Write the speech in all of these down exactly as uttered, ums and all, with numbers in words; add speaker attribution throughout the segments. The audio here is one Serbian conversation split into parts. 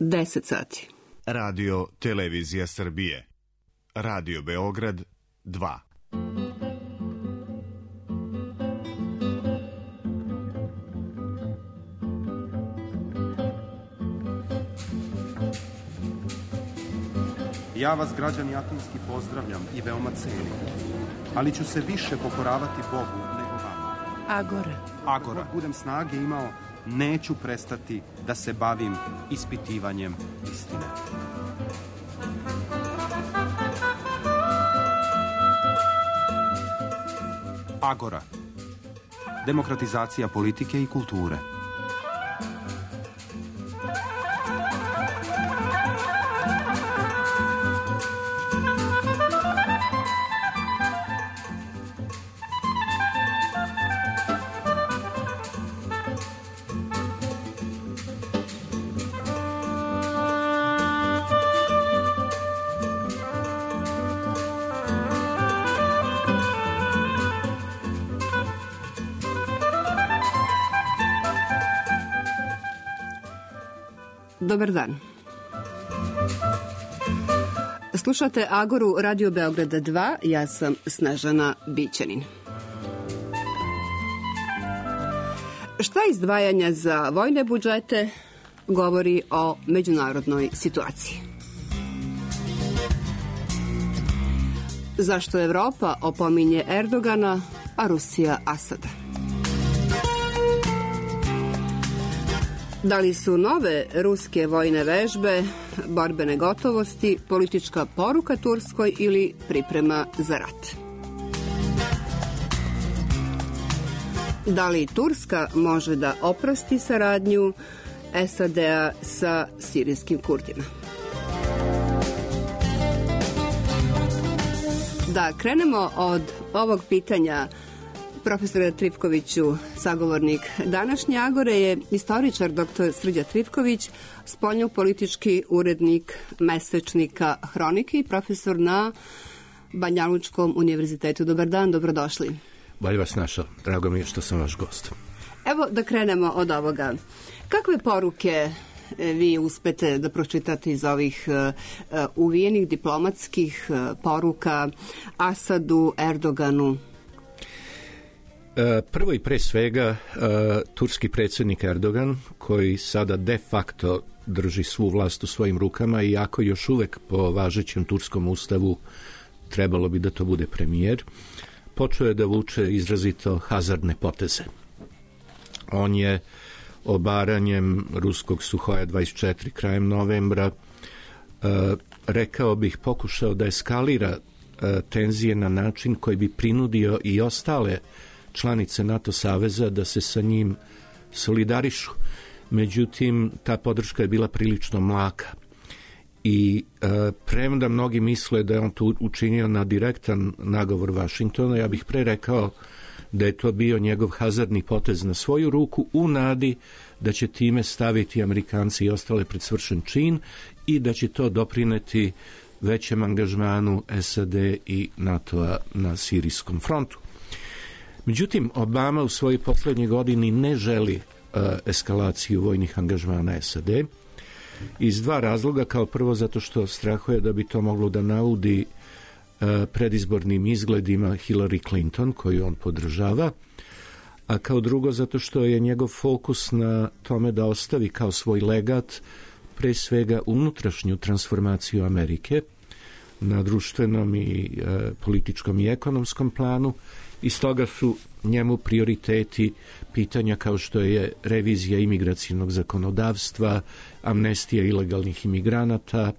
Speaker 1: deset sati.
Speaker 2: Radio Televizija Srbije. Radio Beograd dva.
Speaker 3: Ja vas, građani Atinski, pozdravljam i veoma cenim, ali ću se više pokoravati Bogu nego vama.
Speaker 1: Agora.
Speaker 3: Agora. Ako budem snage imao, neću prestati da se bavim ispitivanjem istine. Agora. Demokratizacija politike i kulture.
Speaker 1: Dobar dan. Slušate Agoru Radio Beograda dva, ja sam Snežana Bićanin. Šta izdvajanja za vojne budžete govori o međunarodnoj situaciji? Zašto Evropa opominje Erdogana, a Rusija Asada? Da li su nove ruske vojne vežbe, borbene gotovosti, politička poruka Turskoj ili priprema za rat? Da li Turska može da oprosti saradnju S A D-a sa sirijskim Kurdima? Da krenemo od ovog pitanja. Profesor Trifkoviću, sagovornik današnje Agore, je istoričar doktor Srđan Trifković, spoljnopolitički urednik mesečnika Hronike i profesor na Banjalučkom univerzitetu. Dobar dan, dobrodošli.
Speaker 4: Bolje vas našao, drago mi je što sam vaš gost.
Speaker 1: Evo da krenemo od ovoga. Kakve poruke vi uspete da pročitate iz ovih uh, uvijenih diplomatskih uh, poruka Asadu, Erdoganu?
Speaker 4: Prvo i pre svega, turski predsjednik Erdogan, koji sada de facto drži svu vlast u svojim rukama, iako još uvek po važećem turskom ustavu trebalo bi da to bude premijer, počeo je da vuče izrazito hazardne poteze. On je obaranjem ruskog Suhoja dvadeset četiri krajem novembra, rekao bih, pokušao da eskalira tenzije na način koji bi prinudio i ostale članice NATO saveza da se sa njim solidarišu. Međutim, ta podrška je bila prilično mlaka. I e, premda mnogi misle da je on to učinio na direktan nagovor Vašingtona, ja bih pre rekao da je to bio njegov hazardni potez na svoju ruku u nadi da će time staviti Amerikanci i ostale pred svršen čin i da će to doprineti većem angažmanu S A D i NATO-a na sirijskom frontu. Međutim, Obama u svojoj poslednjoj godini ne želi uh, eskalaciju vojnih angažmana S A D iz dva razloga. Kao prvo, zato što strahuje da bi to moglo da naudi uh, predizbornim izgledima Hillary Clinton, koju on podržava, a kao drugo, zato što je njegov fokus na tome da ostavi kao svoj legat pre svega unutrašnju transformaciju Amerike na društvenom i uh, političkom i ekonomskom planu. I stoga su njemu prioriteti pitanja kao što je revizija imigracijnog zakonodavstva, amnestija ilegalnih imigranata,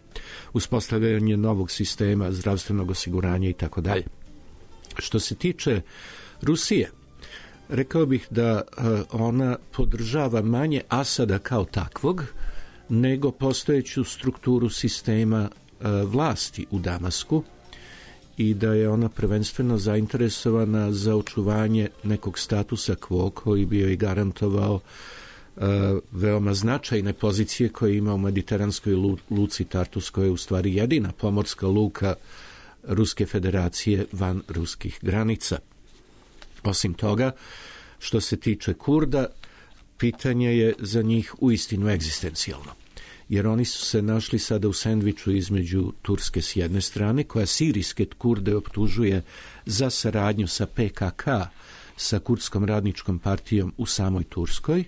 Speaker 4: uspostavljanje novog sistema zdravstvenog osiguranja i tako dalje. Što se tiče Rusije, rekao bih da ona podržava manje Asada kao takvog, nego postojeću strukturu sistema vlasti u Damasku, i da je ona prvenstveno zainteresovana za očuvanje nekog statusa quo koji bi joj garantovao uh, veoma značajne pozicije koje ima u mediteranskoj lu, luci Tartus, koja je u stvari jedina pomorska luka Ruske federacije van ruskih granica. Osim toga, što se tiče Kurda, pitanje je za njih uistinu egzistencijalno. jer oni su se našli sada u sendviču između Turske s jedne strane, koja sirijske Kurde optužuje za saradnju sa P K K, sa Kurdskom radničkom partijom u samoj Turskoj,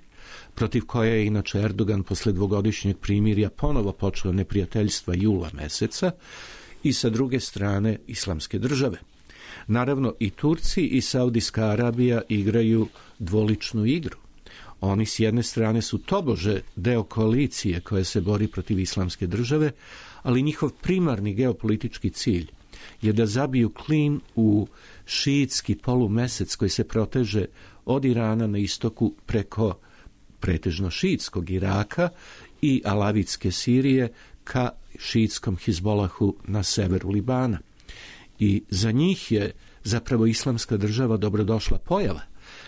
Speaker 4: protiv koje je inače Erdogan posle dvogodišnjeg primirja ponovo počeo neprijateljstva jula meseca, i sa druge strane Islamske države. Naravno, i Turci i Saudijska Arabija igraju dvoličnu igru. Oni s jedne strane su tobože deo koalicije koja se bori protiv Islamske države, ali njihov primarni geopolitički cilj je da zabiju klin u šiitski polumesec koji se proteže od Irana na istoku preko pretežno šiitskog Iraka i alavitske Sirije ka šiitskom Hizbolahu na severu Libana. I za njih je zapravo Islamska država dobrodošla pojava,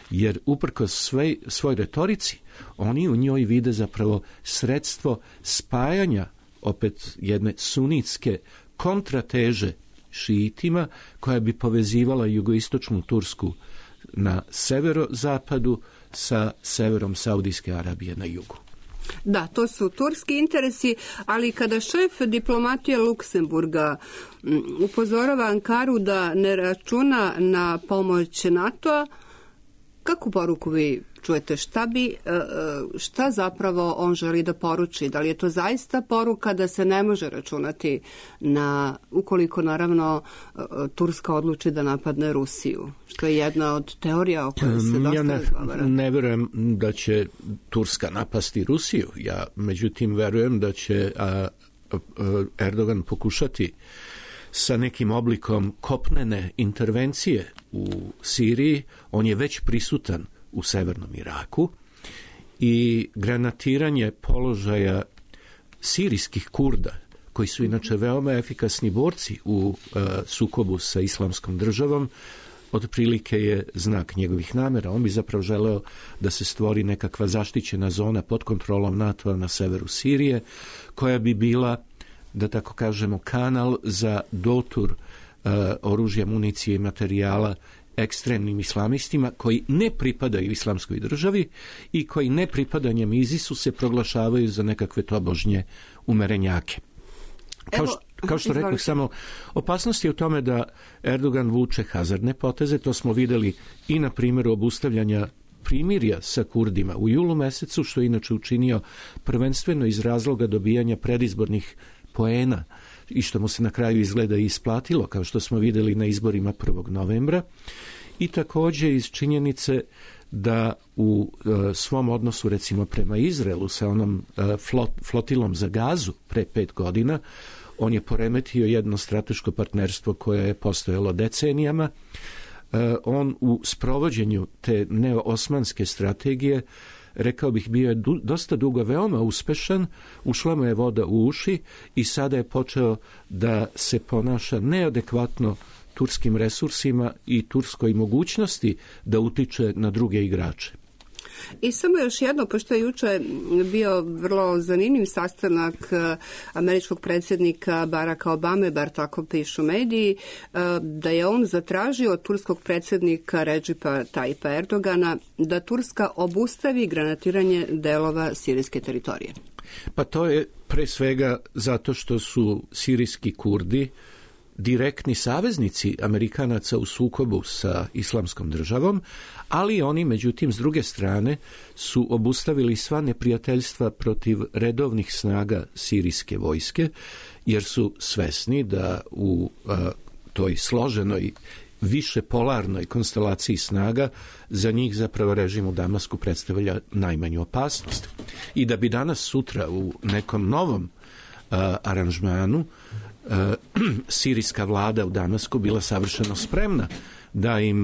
Speaker 4: jer uprkos svoj, svoj retorici oni u njoj vide zapravo sredstvo spajanja opet jedne sunitske kontrateže šiitima koja bi povezivala jugoistočnu Tursku na severozapadu sa severom Saudijske Arabije na jugu.
Speaker 1: Da, to su turski interesi, ali kada šef diplomatije Luksemburga upozorava Ankaru da ne računa na pomoć NATO-a, kakvu poruku vi čujete? Šta bi, šta zapravo on želi da poruči? Da li je to zaista poruka da se ne može računati na, ukoliko naravno Turska odluči da napadne Rusiju, što je jedna od teorija o kojoj se dosta
Speaker 4: ja ne,
Speaker 1: razgovara?
Speaker 4: ne verujem da će Turska napasti Rusiju. Ja međutim verujem da će a, a, Erdogan pokušati sa nekim oblikom kopnene intervencije u Siriji. On je već prisutan u severnom Iraku i granatiranje položaja sirijskih Kurda, koji su inače veoma efikasni borci u uh, sukobu sa Islamskom državom, otprilike je znak njegovih namera. On bi zapravo želeo da se stvori nekakva zaštićena zona pod kontrolom NATO-a na severu Sirije, koja bi bila, da tako kažemo, kanal za dotur uh, oružja, municije i materijala ekstremnim islamistima koji ne pripadaju Islamskoj državi i koji ne pripadanjem ISIS-u se proglašavaju za nekakve tobožnje umerenjake. Kao što, kao što rekao, samo opasnost je u tome da Erdogan vuče hazardne poteze. To smo videli i na primjeru obustavljanja primirja sa Kurdima u julu mesecu, što je inače učinio prvenstveno iz razloga dobijanja predizbornih poena i što mu se na kraju izgleda i isplatilo, kao što smo videli na izborima prvog novembra, i također iz činjenice da u e, svom odnosu recimo prema Izraelu sa onom e, flot, flotilom za Gazu pre pet godina, on je poremetio jedno strateško partnerstvo koje je postojalo decenijama. E, on u sprovođenju te neoosmanske strategije, rekao bih, bio je du, dosta dugo veoma uspešan, ušla mu je voda u uši i sada je počeo da se ponaša neadekvatno turskim resursima i turskoj mogućnosti da utiče na druge igrače.
Speaker 1: I samo još jedno, pošto je juče bio vrlo zanimljiv sastanak američkog predsjednika Baracka Obame, bar tako pišu mediji, da je on zatražio od turskog predsjednika Redžipa Tajipa Erdogana da Turska obustavi granatiranje delova sirijske teritorije.
Speaker 4: Pa to je pre svega zato što su sirijski Kurdi direktni saveznici Amerikanaca u sukobu sa Islamskom državom, ali oni, međutim, s druge strane su obustavili sva neprijateljstva protiv redovnih snaga sirijske vojske, jer su svesni da u a, toj složenoj više polarnoj konstelaciji snaga za njih zapravo režim u Damasku predstavlja najmanju opasnost. I da bi danas sutra u nekom novom a, aranžmanu Uh, sirijska vlada u Damasku bila savršeno spremna da im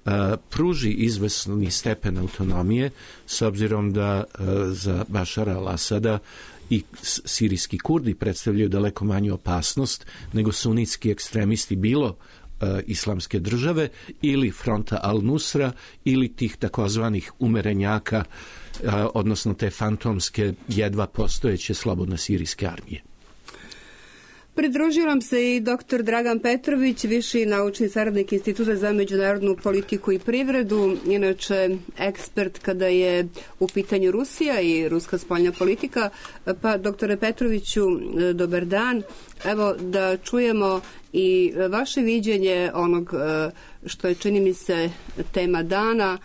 Speaker 4: uh, pruži izvesni stepen autonomije, s obzirom da uh, za Bašara al-Asada i sirijski Kurdi predstavljaju daleko manju opasnost nego sunitski ekstremisti bilo uh, Islamske države ili fronta al-Nusra ili tih takozvanih umerenjaka, uh, odnosno te fantomske jedva postojeće slobodne sirijske armije.
Speaker 1: pridružio nam se i doktor Dragan Petrović, viši naučni saradnik Instituta za međunarodnu politiku i privredu, inače ekspert kada je u pitanju Rusija i ruska spoljna politika. Pa, doktore Petroviću, dobar dan. Evo da čujemo i vaše viđenje onog što je, čini mi se, tema dana,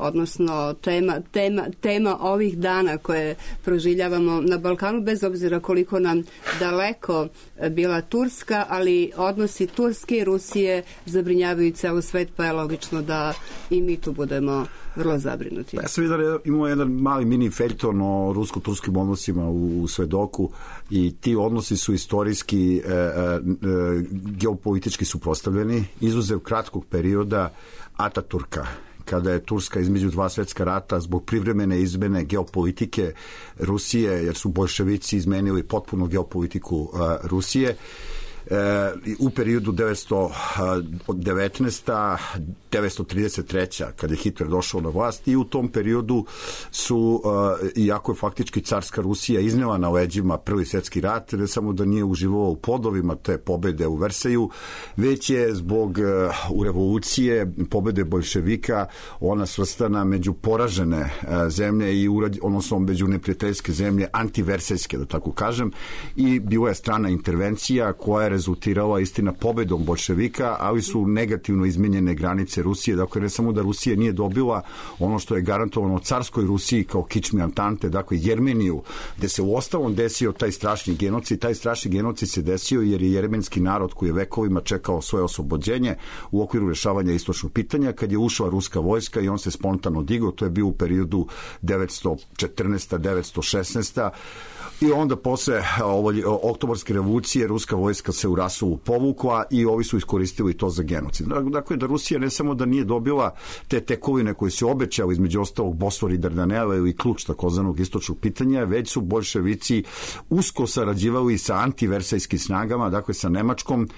Speaker 1: odnosno tema, tema, tema ovih dana koje proživljavamo na Balkanu, bez obzira koliko nam daleko bila Turska, ali odnosi Turske i Rusije zabrinjavaju ceo svet, pa je logično da i mi tu budemo vrlo zabrinuti.
Speaker 5: Ja sam vidio da imamo jedan mali mini feljton o rusko-turskim odnosima u, u Svedoku i ti odnosi su istorijski, e, e, geopolitički suprotstavljeni, izuzev kratkog perioda Ataturka, kada je Turska između dva svetska rata zbog privremene izmene geopolitike Rusije, jer su boljševici izmenili potpuno geopolitiku uh, Rusije, uh, u periodu devetsto devetnaesta devetsto trideset treća kada je Hitler došao na vlast, i u tom periodu su, uh, iako je faktički carska Rusija iznela na leđima Prvi svjetski rat, ne samo da nije uživao u plodovima te pobede u Versailles, već je zbog uh, u revolucije pobede boljševika ona svrstana među poražene uh, zemlje i urad, odnosno među neprijateljske zemlje, antiversajske, da tako kažem, i bila je strana intervencija koja je rezultirala, istina, pobedom boljševika, ali su negativno izmenjene granice Rusije. Dakle, ne samo da Rusija nije dobila ono što je garantovano carskoj Rusiji kao kičmi Antante, dakle Jermeniju, gde se u ostalom desio taj strašni genocid. Taj strašni genocid se desio jer je jermenski narod koji je vekovima čekao svoje oslobođenje u okviru rešavanja istočnog pitanja, kad je ušla ruska vojska i on se spontano digao. To je bio u periodu devetsto četrnaesta devetsto šesnaesta i onda posle oktobarske revolucije ruska vojska se u Rasovu povukla i ovi su iskoristili to za genocid. Dakle, da Rusija ne samo da nije dobila te tekovine koje se obećao, između ostalog Bosfor i Dardanela ili ključ takozvanog istočnog pitanja, već su boljševici usko sarađivali sa antiversajskim snagama, dakle sa Nemačkom,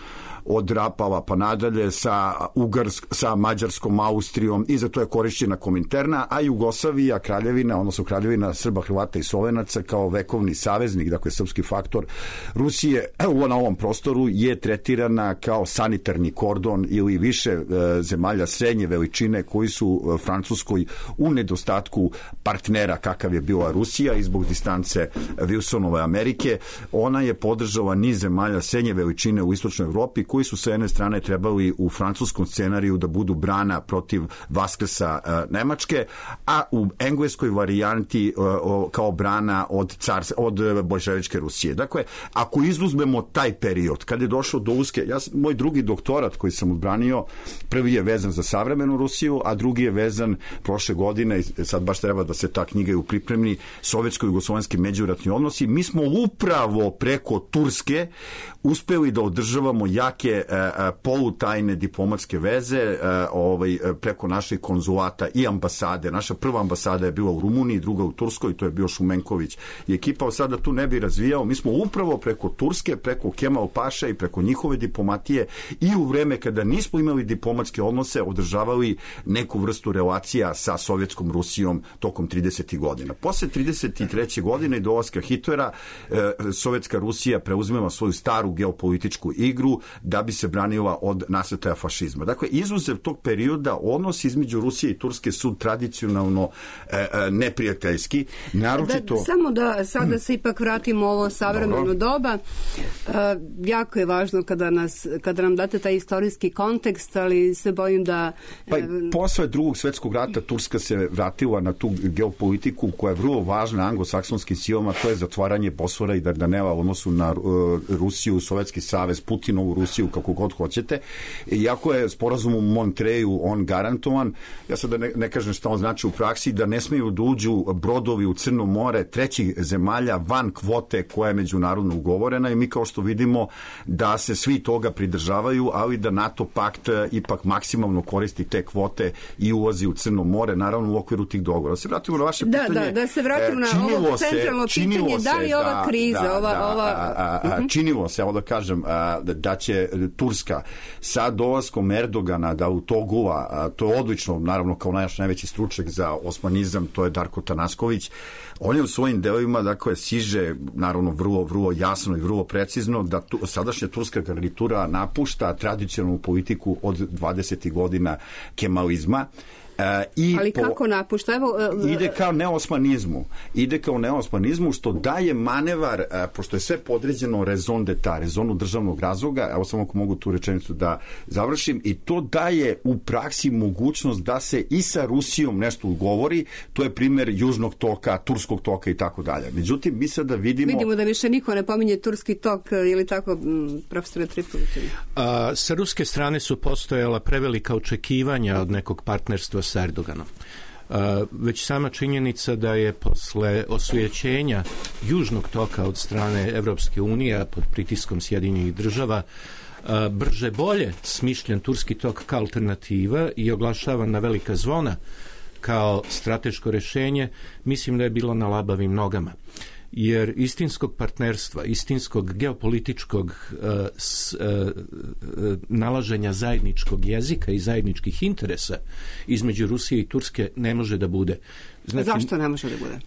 Speaker 5: od Rapala pa nadalje, sa Ugarsk, sa Mađarskom, Austrijom, i za to je korišćena Kominterna, a Jugoslavija, kraljevina, odnosno kraljevina Srba, Hrvata i Slovenaca kao vekovni saveznik, dakle srpski faktor Rusije na ovom prostoru, je tretirana kao sanitarni kordon ili više e, zemalja srednje veličine koji su e, Francuskoj u nedostatku partnera kakav je bila Rusija i zbog distance Wilsonove Amerike. Ona je podržala niz zemalja srednje veličine u istočnoj Evropi koji su sa jedne strane trebali u francuskom scenariju da budu brana protiv Vaskrsa uh, Nemačke, a u engleskoj varijanti uh, kao brana od, car, od boljševičke Rusije. Dakle, ako izuzmemo taj period, kad je došlo do uske, ja, moj drugi doktorat koji sam odbranio, prvi je vezan za savremenu Rusiju, a drugi je vezan prošle godine, sad baš treba da se ta knjiga u pripremi, sovjetsko-jugoslovenski međuratni odnosi. Mi smo upravo preko Turske uspeli da održavamo jake e, polutajne diplomatske veze e, ovaj, preko naših konzulata i ambasade. Naša prva ambasada je bila u Rumuniji, druga u Turskoj, to je bio Šumenković i ekipa. Sada tu ne bi razvijao. Mi smo upravo preko Turske, preko Kemal Paša i preko njihove diplomatije i u vreme kada nismo imali diplomatske odnose održavali neku vrstu relacija sa sovjetskom Rusijom tokom tridesetih godina. Posle trideset treće godine i dolaska Hitlera, e, sovjetska Rusija preuzmela svoju staru geopolitičku igru da bi se branila od nasrtaja fašizma. Dakle, izuzev tog perioda odnos između Rusije i Turske su tradicionalno e, e, neprijateljski. Naročito...
Speaker 1: Da, samo da sada se ipak vratimo u ovo savremeno doba. E, jako je važno kada, nas, kada nam date taj istorijski kontekst, ali se bojim da... E...
Speaker 5: Pa posle drugog svetskog rata Turska se vratila na tu geopolitiku koja je vrlo važna anglosaksonskim silama, to je zatvaranje Bosfora i Dardanela u odnosu na uh, Rusiju, Sovjetski savez, Putinovu Rusiju, kako god hoćete. Iako je sporazum u Montreju on garantovan, ja sad ne, ne kažem šta on znači u praksi, da ne smiju da uđu brodovi u Crno more trećih zemalja van kvote koja je međunarodno ugovorena, i mi kao što vidimo da se svi toga pridržavaju, ali da NATO pakt ipak maksimalno koristi te kvote i ulazi u Crno more, naravno u okviru tih dogovora. Da se vratimo na vaše
Speaker 1: da,
Speaker 5: pitanje.
Speaker 1: Da, da se vratimo na ovo centralno se, pitanje, da li ova da, kriza, da, ova...
Speaker 5: Da,
Speaker 1: ova...
Speaker 5: A, a, a, uh-huh. Činilo se, evo da kažem, a, da će Turska sa dolaskom Erdogana, Davutoglu, to je odlično, naravno kao naš najveći stručnjak za osmanizam, to je Darko Tanasković, on je u svojim delovima, dakle, siže, naravno, vrlo, vrlo jasno i vrlo precizno, da tu, sa sadašnja turska garnitura napušta tradicionalnu politiku od dvadesetih godina kemalizma. Uh, i
Speaker 1: Ali
Speaker 5: po,
Speaker 1: kako napušta? Evo, uh,
Speaker 5: ide kao neosmanizmu. Ide kao neosmanizmu što daje manevar, uh, pošto je sve podređeno raison d'etat, rezonu državnog razloga, evo samo ako mogu tu rečenicu da završim, i to daje u praksi mogućnost da se i sa Rusijom nešto ugovori, to je primjer Južnog toka, Turskog toka i tako dalje. Međutim, mi sada vidimo...
Speaker 1: Vidimo da više niko ne pominje Turski tok, ili tako, profesore Trifkoviću?
Speaker 4: Sa ruske strane su postojala prevelika očekivanja od nekog partnerstva s Erdoganom. Uh, već sama činjenica da je posle osvećenja Južnog toka od strane Evropske unije pod pritiskom Sjedinjenih država uh, brže bolje smišljen Turski tok kao alternativa i oglašavan na velika zvona kao strateško rešenje, mislim da je bilo na labavim nogama. Jer istinskog partnerstva, istinskog geopolitičkog uh, s, uh, nalaženja zajedničkog jezika i zajedničkih interesa između Rusije i Turske ne može da bude.
Speaker 1: Znači, zašto ne može da bude?
Speaker 4: Uh,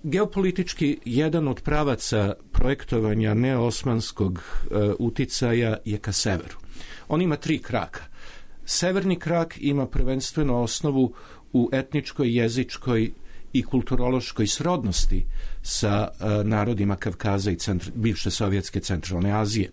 Speaker 4: geopolitički jedan od pravaca projektovanja neosmanskog uh, uticaja je ka severu. On ima tri kraka. Severni krak ima prvenstveno osnovu u etničkoj, jezičkoj i kulturološkoj srodnosti sa uh, narodima Kavkaza i centr, bivše Sovjetske centralne Azije.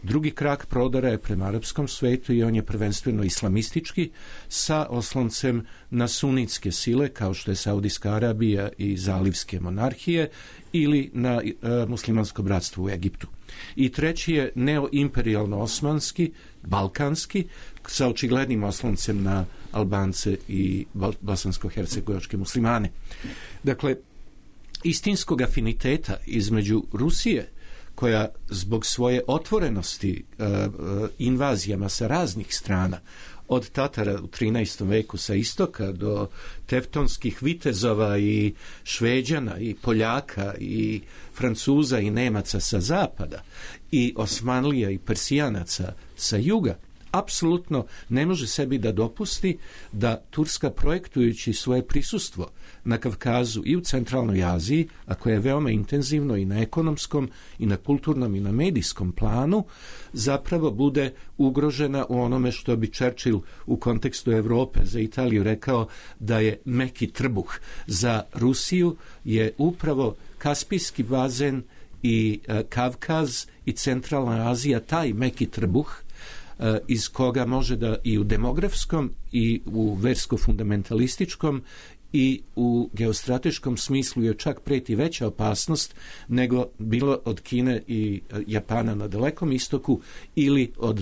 Speaker 4: Drugi krak prodora je prema arapskom svetu i on je prvenstveno islamistički sa osloncem na sunitske sile kao što je Saudijska Arabija i zalivske monarhije ili na uh, muslimansko bratstvo u Egiptu. I treći je neoimperijalno-osmanski, balkanski, sa očiglednim osloncem na Albance i bosansko-hercegovačke muslimane. Dakle, istinskog afiniteta između Rusije, koja zbog svoje otvorenosti uh, uh, invazijama sa raznih strana, od Tatara u trinaestom veku sa istoka do tevtonskih vitezova i Šveđana i Poljaka i Francuza i Nemaca sa zapada i Osmanlija i Persijanaca sa juga, apsolutno ne može sebi da dopusti da Turska, projektujući svoje prisustvo na Kavkazu i u centralnoj Aziji, a koje je veoma intenzivno i na ekonomskom i na kulturnom i na medijskom planu, zapravo bude ugrožena u onome što bi Churchill u kontekstu Evrope za Italiju rekao da je meki trbuh. Za Rusiju je upravo Kaspijski bazen i e, Kavkaz i centralna Azija taj meki trbuh iz koga može da i u demografskom i u versko-fundamentalističkom i u geostrateškom smislu je čak preti veća opasnost nego bilo od Kine i Japana na dalekom istoku ili od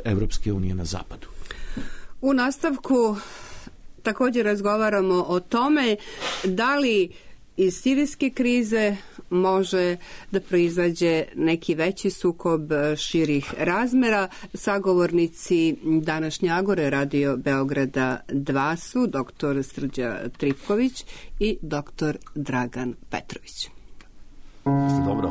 Speaker 4: Evropske unije na zapadu.
Speaker 1: U nastavku također razgovaramo o tome da li iz sirijske krize može da proizađe neki veći sukob širih razmera. Sagovornici današnje Agore Radio Beograda dva su doktor Srđa Trifković i doktor Dragan Petrović.
Speaker 5: Dobro.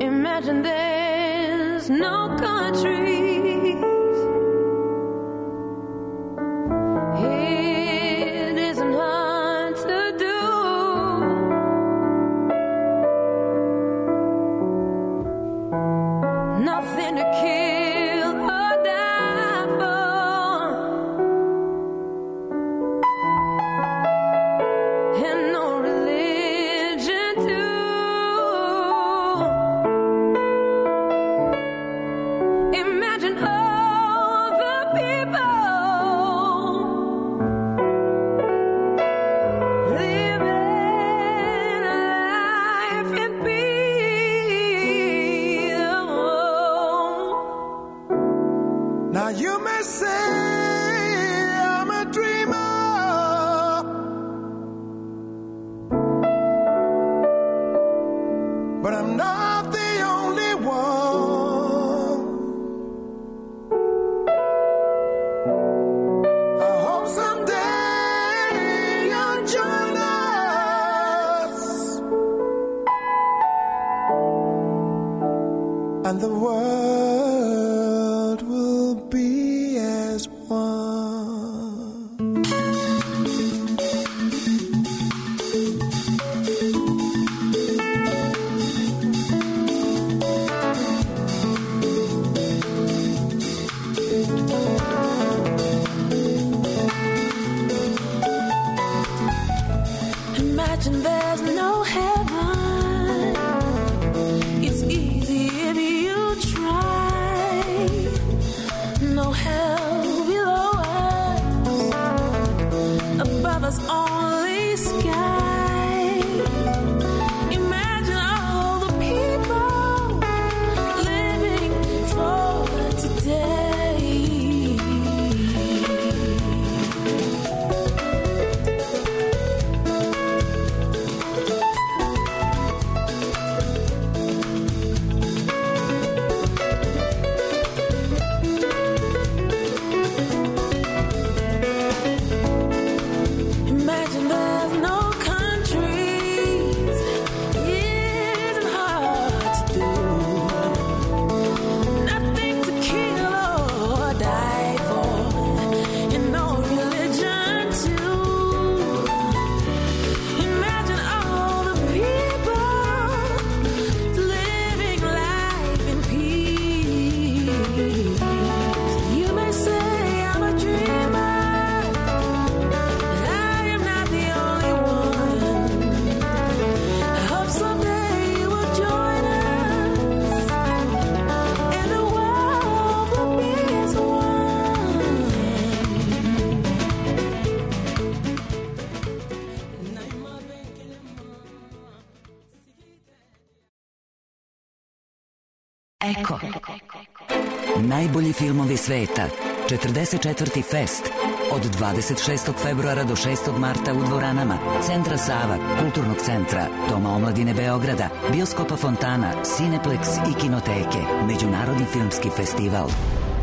Speaker 6: Imagine but I'm not the only one. I hope someday you'll join us, and the world will be as one.
Speaker 7: Imagine there's no heaven. It's easy if you try. No hell below us, above us only sky. Imagine all the people living for today. Imagine there's no countries. It isn't hard to do. Nothing to kill or die for, and no religion too. Imagine all the people living life in peace. You may say I'm a dreamer, but I am not the only one. I hope someday you will join us, and the world will be as one.
Speaker 8: Eko. Najbolji filmovi sveta. četrdeset četvrti Fest. Od dvadeset šestog februara do šestog marta u dvoranama Centra Sava, Kulturnog centra, Doma omladine Beograda, Bioskopa Fontana, Cineplex i Kinoteke. Međunarodni filmski festival.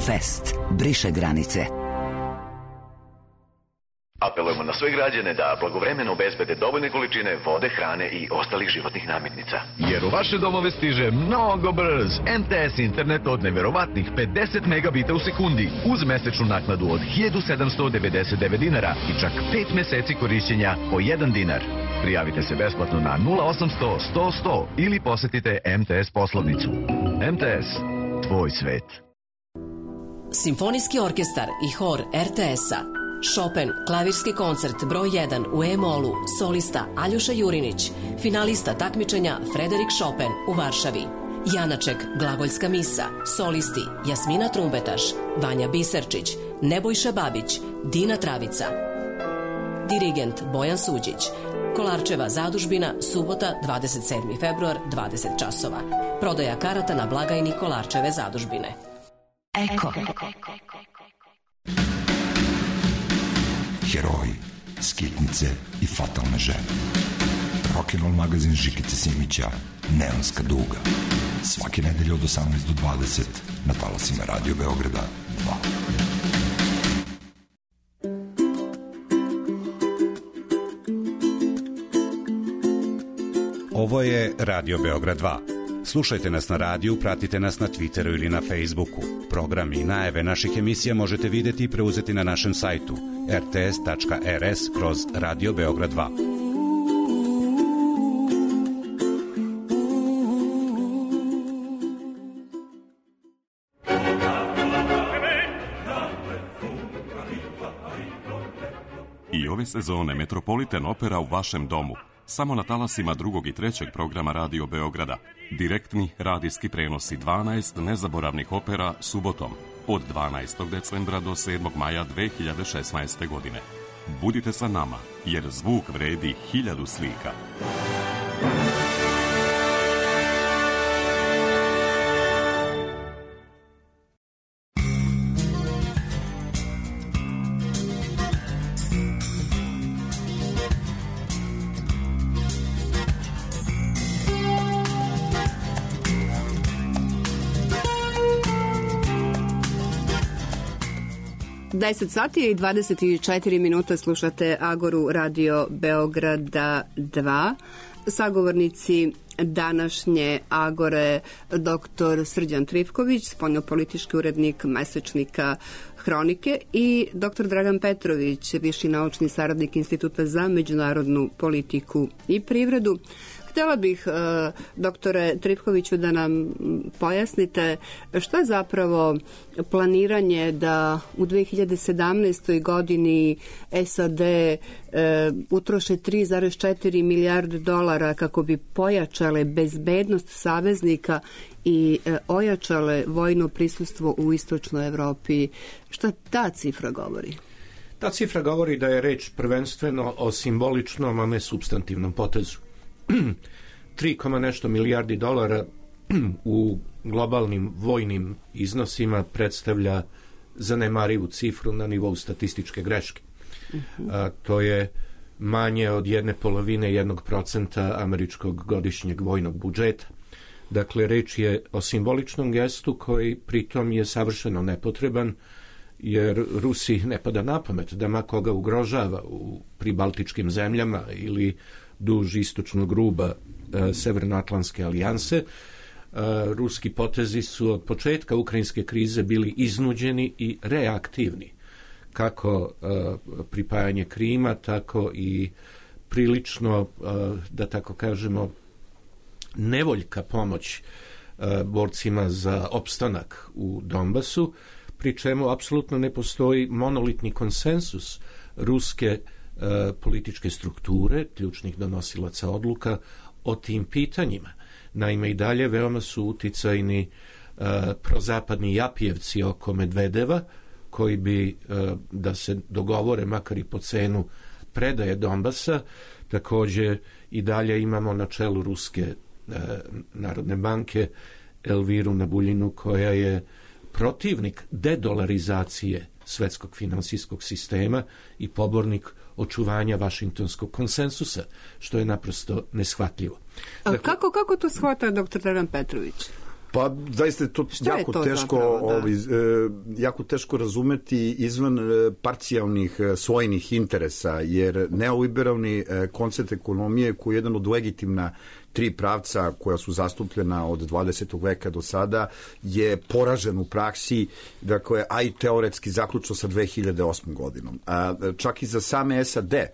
Speaker 8: Fest. Briše granice.
Speaker 9: Apelujemo na sve građane da blagovremeno obezbede dovoljne količine vode, hrane i ostalih životnih namirnica.
Speaker 10: Jer u vaše domove stiže mnogo brz M T S internet od neverovatnih pedeset megabita u sekundi uz mesečnu naknadu od hiljadu sedamsto devedeset devet dinara i čak pet meseci korišćenja po jedan dinar. Prijavite se besplatno na nula osamsto sto sto ili posetite M T S poslovnicu. M T S. Tvoj svet.
Speaker 11: Simfonijski orkestar i hor R T S-a. Chopin, klavirski koncert broj jedan u E-molu, solista Aljoša Jurinić, finalista takmičenja Frederik Chopin u Varšavi. Janaček, glagoljska misa, solisti Jasmina Trumbetaš, Vanja Biserčić, Nebojša Babić, Dina Travica. Dirigent Bojan Suđić. Kolarčeva zadužbina, subota, dvadeset sedmi februar, dvadeset časova. Prodaja karata na blagajni Kolarčeve zadužbine.
Speaker 8: Eko.
Speaker 12: Heroji, skitnice i fatalne žene. Rock'n'roll magazin Žikice Simića, Neonska duga. Svake nedelje od osamnaest do dvadeset na talasima Radio Beograda dva.
Speaker 13: Ovo je Radio Beograd dva. Slušajte nas na radiju, pratite nas na Twitteru ili na Facebooku. Program i najave naših emisija možete videti i preuzeti na našem sajtu r t s tačka r s kroz Radio Beograd dva.
Speaker 14: I ove sezone Metropolitan Opera u vašem domu. Samo na talasima drugog i trećeg programa Radio Beograda. Direktni radijski prenosi dvanaest nezaboravnih opera subotom od dvanaestog decembra do sedmog maja dve hiljade šesnaeste. godine. Budite sa nama, jer zvuk vredi hiljadu slika.
Speaker 1: deset sati i dvadeset četiri minuta, slušate Agoru Radio Beograda dva. Sagovornici današnje Agore doktor Srđan Trifković, spoljnopolitički urednik mesečnika Hronike, i doktor Dragan Petrović, viši naučni saradnik Instituta za međunarodnu politiku i privredu. Htjela bih, doktore Trifkoviću, da nam pojasnite što je zapravo planiranje da u dve hiljade sedamnaestoj godini S A D utroše tri zarez četiri milijarde dolara kako bi pojačale bezbednost saveznika i ojačale vojno prisustvo u istočnoj Evropi. Šta ta cifra govori?
Speaker 4: Ta cifra govori da je reč prvenstveno o simboličnom, a ne supstantivnom potezu. tri, nešto milijardi dolara u globalnim vojnim iznosima predstavlja zanemarivu cifru na nivou statističke greške. Uh-huh. A, to je manje od jedne polovine jednog procenta američkog godišnjeg vojnog budžeta. Dakle, reč je o simboličnom gestu koji pritom je savršeno nepotreban, jer Rusiji ne pada na pamet da ma koga ugrožava u pribaltičkim zemljama ili duž istočnog ruba e, Severnoatlantske alijanse. E, ruski potezi su od početka ukrajinske krize bili iznuđeni i reaktivni. Kako e, pripajanje Krima, tako i prilično, e, da tako kažemo, nevoljka pomoć e, borcima za opstanak u Donbasu, pri čemu apsolutno ne postoji monolitni konsensus ruske političke strukture, ključnih donosilaca odluka o tim pitanjima. Naime, i dalje veoma su uticajni uh, prozapadni japijevci oko Medvedeva, koji bi, uh, da se dogovore makar i po cenu predaje Donbasa. Također i dalje imamo na čelu Ruske uh, Narodne banke Elviru Nabuljinu, koja je protivnik dedolarizacije svetskog finansijskog sistema i pobornik očuvanja vašingtonskog konsensusa, što je naprosto neshvatljivo.
Speaker 1: Dakle, kako, kako to shvata doktor Dragan Petrović?
Speaker 5: Pa zaista je to
Speaker 1: Šta
Speaker 5: jako
Speaker 1: je to
Speaker 5: teško
Speaker 1: zapravo, da?
Speaker 5: ovaj, jako teško razumeti izvan parcijalnih svojnih interesa, jer neoliberalni koncept ekonomije, koji je jedan od legitimna tri pravca koja su zastupljena od dvadesetog veka do sada, je poražen u praksi, dakle, a i teoretski zaključno sa dve hiljade osmom godinom. A, čak i za same S A D,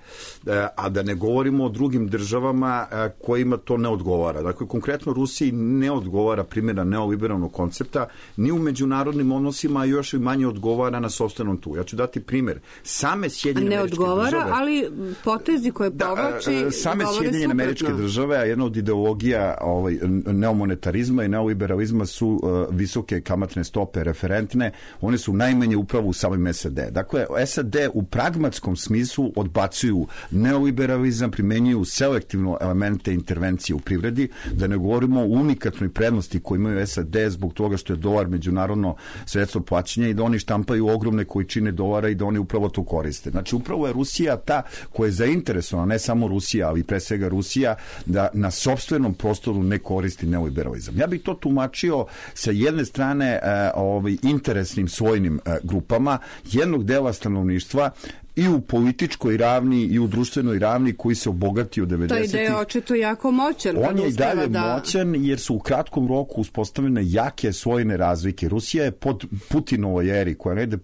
Speaker 5: a da ne govorimo o drugim državama kojima to ne odgovara. Dakle, konkretno Rusiji ne odgovara primjena neoliberalnog koncepta ni u međunarodnim odnosima, a još i manje odgovara na sopstvenom tu. Ja ću dati primjer. Same Sjedinjene Američke države...
Speaker 1: Ne odgovara, ali potezi koje povlači
Speaker 5: da, same Sjedinjene Američke
Speaker 1: suprotno.
Speaker 5: države, a jedna od ideologija ovaj, neomonetarizma i neoliberalizma su uh, visoke kamatne stope referentne, one su najmanje upravo u samim S A D. Dakle, S A D u pragmatskom smislu odbacuju neoliberalizam, primenjuju selektivno elemente intervencije u privredi, da ne govorimo o unikatnoj prednosti koju imaju S A D zbog toga što je dolar međunarodno sredstvo plaćanja i da oni štampaju ogromne količine dolara i da oni upravo to koriste. Znači, upravo je Rusija ta koja je zainteresovana, ne samo Rusija, ali pre svega Rusija, da na sopstvenom prostoru ne koristi neoliberalizam. Ja bih to tumačio sa jedne strane e, ovaj, interesnim svojnim e, grupama jednog dela stanovništva i u političkoj ravni i u društvenoj ravni koji se obogatio u devedesetih.
Speaker 1: To je ideja očito jako moćan.
Speaker 5: On je i dalje
Speaker 1: da...
Speaker 5: moćan jer su u kratkom roku uspostavljene jake svojne razlike. Rusija je pod Putinovoj eri, koja negde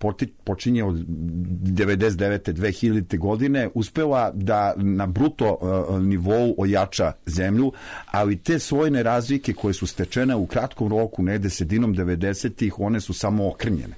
Speaker 5: počinje od devedeset devete do dve hiljadite godine, uspela da na bruto uh, nivou ojača zemlju, ali te svojne razlike koje su stečene u kratkom roku, negde sredinom devedesetih, one su samo okrnjene.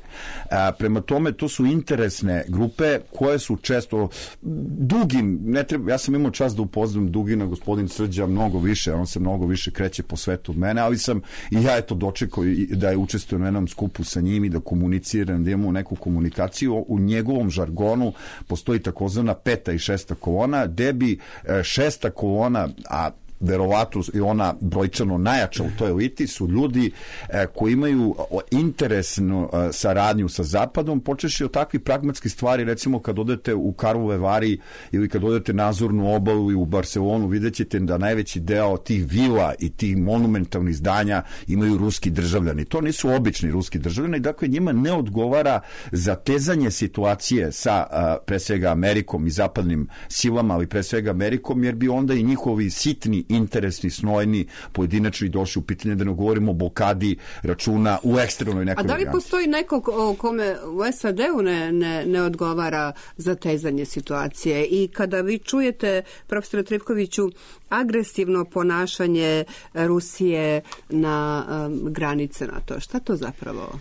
Speaker 5: A, prema tome, to su interesne grupe koje su često Dugin, ne treba, ja sam imao čast da upoznam Dugina, gospodin Srđa, mnogo više, on se mnogo više kreće po svetu od mene, ali sam i ja eto dočekao da je učestvovao na jednom skupu sa njim i da komuniciram, da imamo neku komunikaciju. U njegovom žargonu postoji takozvana peta i šesta kolona, gde bi šesta kolona, a verovatno i ona brojčano najjača u toj eliti, su ljudi e, koji imaju interesnu e, saradnju sa Zapadom, počeši od takvih pragmatskih stvari, recimo kad odete u Karlove Vari ili kad odete na Azurnu obalu i u Barcelonu, vidjet ćete da najveći deo tih vila i tih monumentalnih zdanja imaju ruski državljani. To nisu obični ruski državljani, dakle njima ne odgovara zatezanje situacije sa a, pre svega Amerikom i zapadnim silama, ali pre svega Amerikom, jer bi onda i njihovi sitni, interesni, snojni, pojedinačni došli u pitanje, da ne govorimo o blokadi računa u ekstremnoj nekoj.
Speaker 1: A da li postoji neko kome u S A D-u ne, ne, ne odgovara zatezanje situacije? I kada vi čujete, profesore Trifkoviću, agresivno ponašanje Rusije na um, granice NATO, šta to zapravo?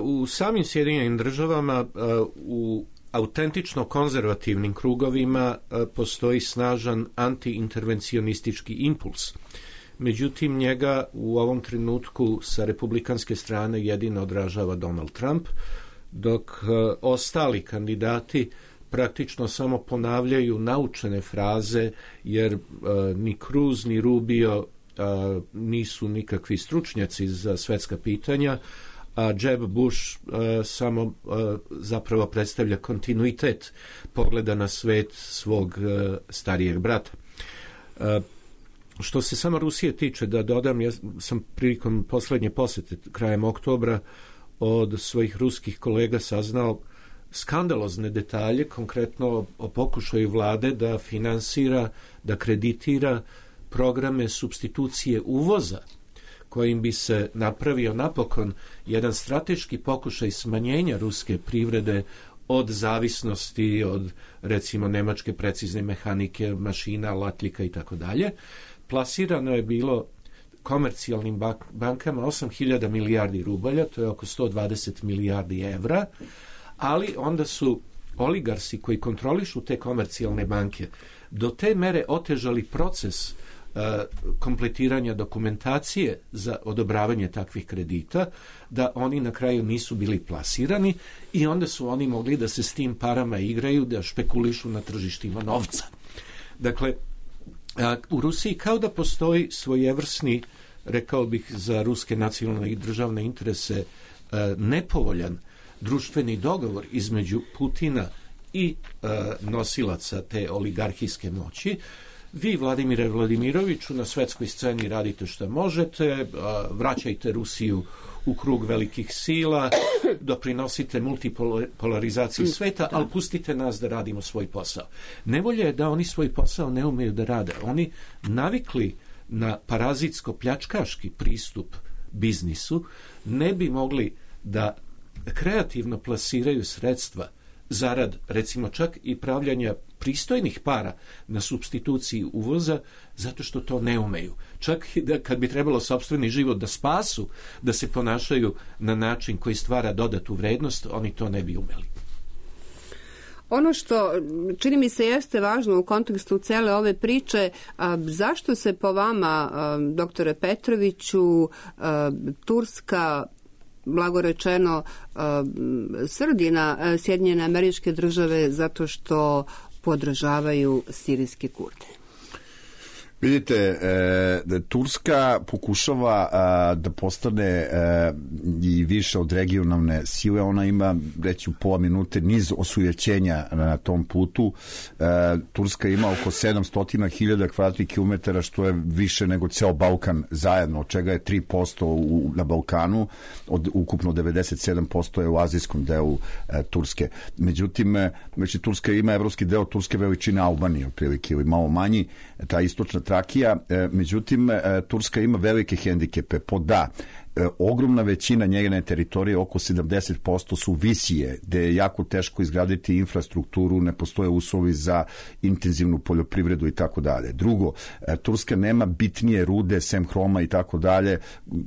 Speaker 4: U samim Sjedinjenim državama, u autentično konzervativnim krugovima postoji snažan antiintervencionistički impuls. Međutim, njega u ovom trenutku sa republikanske strane jedino odražava Donald Trump, dok ostali kandidati praktično samo ponavljaju naučene fraze, jer uh, ni Cruz ni Rubio uh, nisu nikakvi stručnjaci za svetska pitanja, a Jeb Bush uh, samo uh, zapravo predstavlja kontinuitet pogleda na svet svog uh, starijeg brata. Uh, što se samo Rusije tiče, da dodam, ja sam prilikom poslednje posete krajem oktobra od svojih ruskih kolega saznao skandalozne detalje, konkretno o pokušaju vlade da finansira, da kreditira programe supstitucije uvoza, kojim bi se napravio napokon jedan strateški pokušaj smanjenja ruske privrede od zavisnosti od, recimo, nemačke precizne mehanike, mašina, latljika i tako dalje. Plasirano je bilo komercijalnim bankama osam hiljada milijardi rubalja, to je oko sto dvadeset milijardi evra, ali onda su oligarsi koji kontrolišu te komercijalne banke do te mere otežali proces uh, kompletiranja dokumentacije za odobravanje takvih kredita, da oni na kraju nisu bili plasirani i onda su oni mogli da se s tim parama igraju, da špekulišu na tržištima novca. Dakle, uh, u Rusiji kao da postoji svojevrsni, rekao bih za ruske nacionalne i državne interese, uh, nepovoljan društveni dogovor između Putina i e, nosilaca te oligarhijske moći. Vi, Vladimire Vladimiroviću, na svetskoj sceni radite što možete, e, vraćajte Rusiju u krug velikih sila, doprinosite multipolarizaciji sveta, ali pustite nas da radimo svoj posao. Nevolje je da oni svoj posao ne umeju da rade. Oni navikli na parazitsko-pljačkaški pristup biznisu, ne bi mogli da kreativno plasiraju sredstva zarad, recimo, čak i pravljanja pristojnih para na supstituciji uvoza, zato što to ne umeju. Čak i da kad bi trebalo sopstveni život da spasu, da se ponašaju na način koji stvara dodatu vrednost, oni to ne bi umeli.
Speaker 1: Ono što čini mi se jeste važno u kontekstu cele ove priče, a, zašto se po vama, a, doktore Petroviću, a, Turska, blago rečeno, srdi na Sjedinjene Američke Države zato što podržavaju sirijske Kurde?
Speaker 5: Vidite, e, Turska pokušava a, da postane e, i više od regionalne sile. Ona ima, reći u pola minute, niz osujećenja na tom putu. E, Turska ima oko sedamsto hiljada kvadratnih kilometara, što je više nego ceo Balkan zajedno, od čega je tri posto u, na Balkanu, od ukupno devedeset sedam posto je u azijskom delu e, Turske. Međutim, e, znači, Turska ima evropski deo Turske veličine Albanije, otprilike, ili malo manji, ta istočna Trakija, međutim, Turska ima velike hendikepe. Po da, ogromna većina njegene teritorije, oko sedamdeset posto su visije, gde je jako teško izgraditi infrastrukturu, ne postoje uslovi za intenzivnu poljoprivredu i tako dalje. Drugo, Turska nema bitnije rude, sem hroma i tako dalje,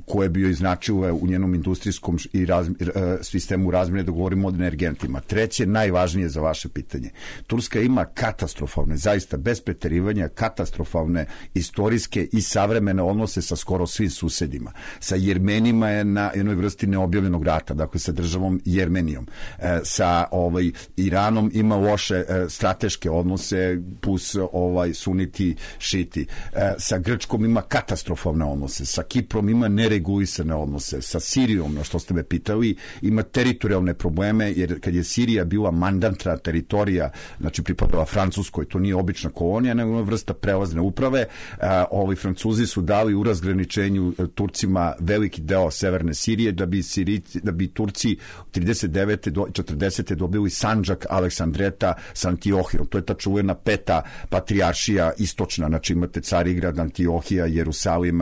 Speaker 5: koje bi joj značile u njenom industrijskom i razmi, sistemu razmjene, da govorimo o energentima. Treće, najvažnije za vaše pitanje. Turska ima katastrofalne, zaista bez preterivanja, katastrofalne istorijske i savremene odnose sa skoro svim susedima. Sa Jermenijom Jermenima je na jednoj vrsti neobjavljenog rata, dakle sa državom Jermenijom. E, sa ovaj, Iranom ima loše e, strateške odnose, plus ovaj, suniti, šiti. E, sa Grčkom ima katastrofalne odnose, sa Kiprom ima neregulisane odnose, sa Sirijom, na što ste me pitali, ima teritorijalne probleme, jer kad je Sirija bila mandatna teritorija, znači pripadala Francuskoj, to nije obična kolonija, nego je vrsta prelazne uprave, a, ovi Francuzi su dali u razgraničenju Turcima veliki deo severne Sirije, da bi, Sirici, da bi Turci trideset devete do četrdesete dobili Sandžak Aleksandreta s Antiohijom. To je ta čuvena peta patrijaršija istočna, znači imate Carigrad, Antiohija, Jerusalim,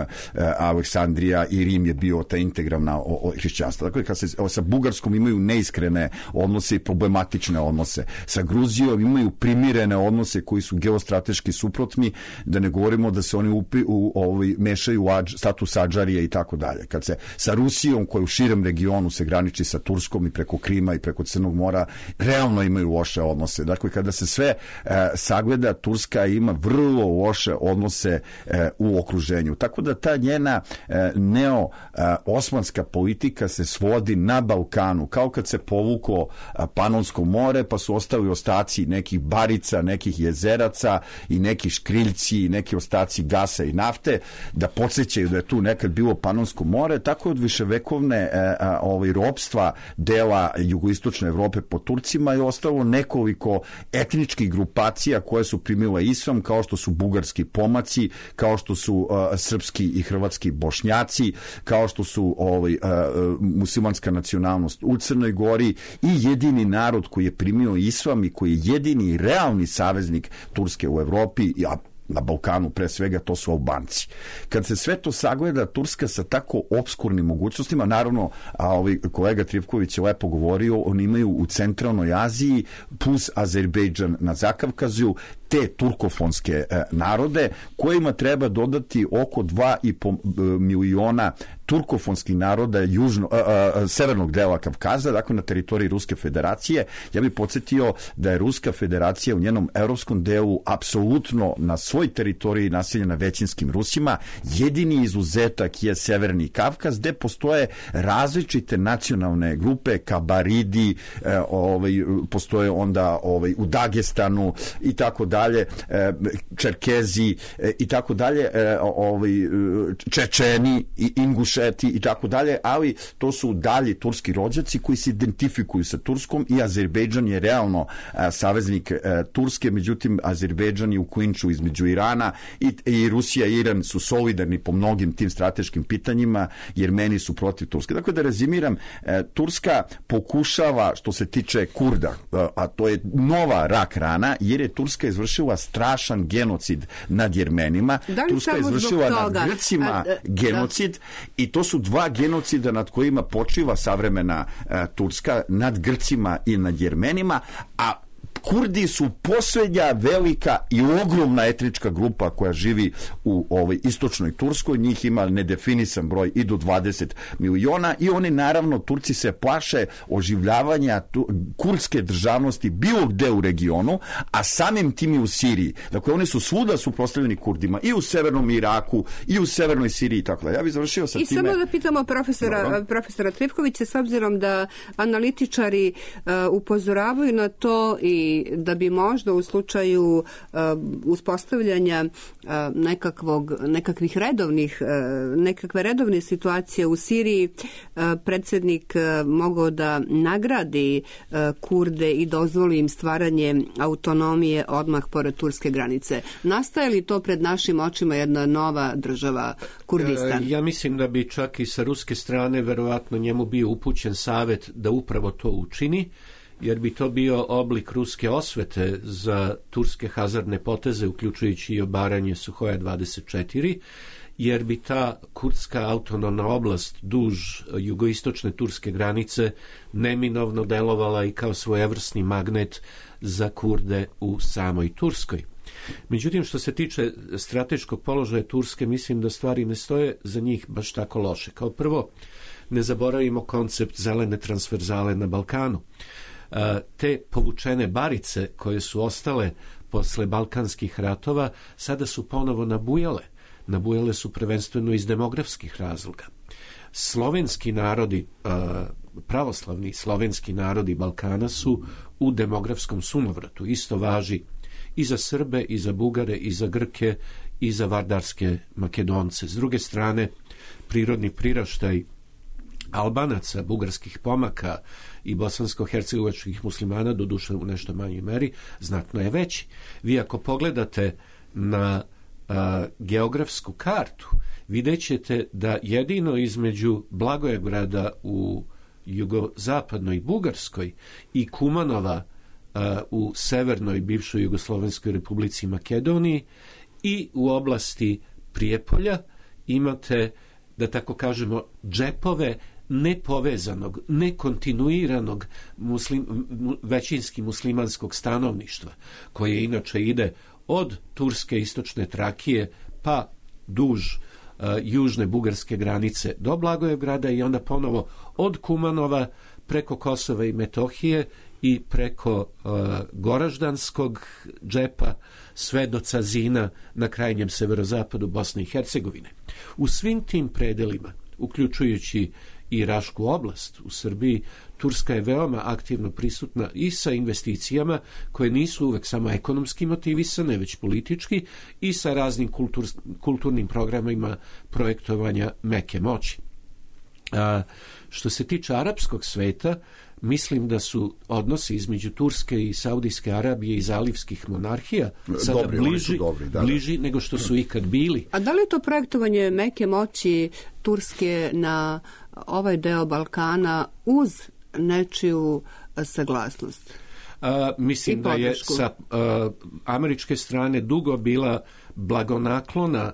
Speaker 5: Aleksandrija i Rim je bio ta integralna hrišćanstva. Dakle, kad se sa Bugarskom imaju neiskrene odnose i problematične odnose. Sa Gruzijom imaju primirene odnose koji su geostrateški suprotni, da ne govorimo da se oni upi, u, ovaj, mešaju u adž, status adžarije i tako dalje. Kad se sa Rusijom, koja u širem regionu se graniči sa Turskom i preko Krima i preko Crnog mora, realno imaju loše odnose. Dakle, kada se sve e, sagleda, Turska ima vrlo loše odnose e, u okruženju. Tako da ta njena e, neo-osmanska politika se svodi na Balkanu, kao kad se povuklo e, Panonsko more, pa su ostali ostaci nekih barica, nekih jezeraca i neki škriljci i neki ostaci gasa i nafte, da podsjećaju da je tu nekad bilo Panonsko more. Tako od viševekovne e, a, ovaj, ropstva dela jugoistočne Evrope po Turcima je ostalo nekoliko etničkih grupacija koje su primile islam, kao što su bugarski pomaci, kao što su a, srpski i hrvatski bošnjaci, kao što su ovaj, a, muslimanska nacionalnost u Crnoj Gori i jedini narod koji je primio islam i koji je jedini realni saveznik Turske u Evropi, a na Balkanu pre svega, to su Albanci. Kad se sve to sagleda, Turska sa tako obskurnim mogućnostima, naravno, a ovaj kolega Trivković je lepo govorio, oni imaju u centralnoj Aziji plus Azerbejdžan na Zakavkaziju te turkofonske e, narode, kojima treba dodati oko dva i po miliona turkofonskih naroda južno, a, a, severnog dela Kavkaza, dakle na teritoriji Ruske federacije. Ja bih podsjetio da je Ruska federacija u njenom evropskom delu apsolutno na svoj teritoriji naseljena većinskim Rusima. Jedini izuzetak je Severni Kavkaz, gde postoje različite nacionalne grupe, Kabaridi, e, ovaj, postoje onda ovaj, u Dagestanu i tako dalje, e, Čerkezi e, i tako dalje, e, ovaj, Čečeni i Inguše i tako dalje, ali to su dalji turski rođaci koji se identifikuju sa Turskom i Azerbejdžan je realno a, saveznik a, Turske, međutim Azerbejdžan je u klinču između Irana i, i Rusija i Iran su solidarni po mnogim tim strateškim pitanjima, jer meni su protiv Turske. Dakle, da rezimiram, a, Turska pokušava, što se tiče Kurda, a, a to je nova rak rana, jer je Turska izvršila strašan genocid nad Jermenima.
Speaker 1: Da li
Speaker 5: Turska je izvršila nad Grcima a, a, genocid da. I to su dva genocida nad kojima počiva savremena e, Turska, nad Grcima i nad Jermenima, a Kurdi su posljednja velika i ogromna etnička grupa koja živi u ovoj istočnoj Turskoj, njih ima nedefinisan broj i do dvadeset miliona i oni naravno, Turci se plaše oživljavanja tu, kurdske državnosti bilo gde u regionu, a samim tim i u Siriji. Dakle, oni su svuda suprotstavljeni Kurdima i u severnom Iraku i u severnoj Siriji i tako da. Ja bih završio sa
Speaker 1: I
Speaker 5: time.
Speaker 1: I samo da pitamo profesora, profesora Trivkovića, s obzirom da analitičari uh, upozoravaju na to i da bi možda u slučaju uh, uspostavljanja uh, nekakvog, nekakvih redovnih, uh, nekakve redovne situacije u Siriji, uh, predsjednik uh, mogao da nagradi uh, Kurde i dozvoli im stvaranje autonomije odmah pored turske granice. Nastaje li to pred našim očima jedna nova država, Kurdistan?
Speaker 4: Ja mislim da bi čak i sa ruske strane verovatno njemu bio upućen savjet da upravo to učini, jer bi to bio oblik ruske osvete za turske hazardne poteze, uključujući i obaranje Suhoja dvadeset četiri, jer bi ta kurdska autonomna oblast duž jugoistočne turske granice neminovno delovala i kao svojevrsni magnet za Kurde u samoj Turskoj. Međutim, što se tiče strateškog položaja Turske, mislim da stvari ne stoje za njih baš tako loše. Kao prvo, ne zaboravimo koncept zelene transverzale na Balkanu. Te povučene barice koje su ostale posle balkanskih ratova sada su ponovo nabujale. nabujale su prvenstveno iz demografskih razloga. Slovenski narodi, pravoslavni slovenski narodi Balkana su u demografskom sunovratu. Isto važi i za Srbe, i za Bugare, i za Grke, i za vardarske Makedonce. S druge strane, prirodni priraštaj Albanaca, bugarskih pomaka i bosansko-hercegovačkih muslimana, doduše u nešto manjoj meri, znatno je veći. Vi ako pogledate na a, geografsku kartu, vidjet ćete da jedino između Blagoevgrada u jugozapadnoj Bugarskoj i Kumanova a, u severnoj bivšoj Jugoslovenskoj republici Makedoniji i u oblasti Prijepolja imate, da tako kažemo, džepove nepovezanog, nekontinuiranog muslim, većinski muslimanskog stanovništva, koje inače ide od turske istočne Trakije pa duž uh, južne bugarske granice do Blagoevgrada i onda ponovo od Kumanova preko Kosova i Metohije i preko uh, Goraždanskog džepa sve do Cazina na krajnjem severozapadu Bosne i Hercegovine. U svim tim predelima, uključujući i Rašku oblast u Srbiji, Turska je veoma aktivno prisutna i sa investicijama koje nisu uvek samo ekonomski motivisane, već politički, i sa raznim kultur, kulturnim programima projektovanja meke moći. A, što se tiče arapskog sveta, mislim da su odnosi između Turske i Saudijske Arabije i zalivskih monarhija sada
Speaker 5: dobri,
Speaker 4: bliži,
Speaker 5: dobri, da, da.
Speaker 4: bliži nego što su ikad bili.
Speaker 1: A da li je to projektovanje meke moći Turske na ovaj deo Balkana uz nečiju saglasnost?
Speaker 4: A, mislim da je sa a, američke strane dugo bila blagonaklona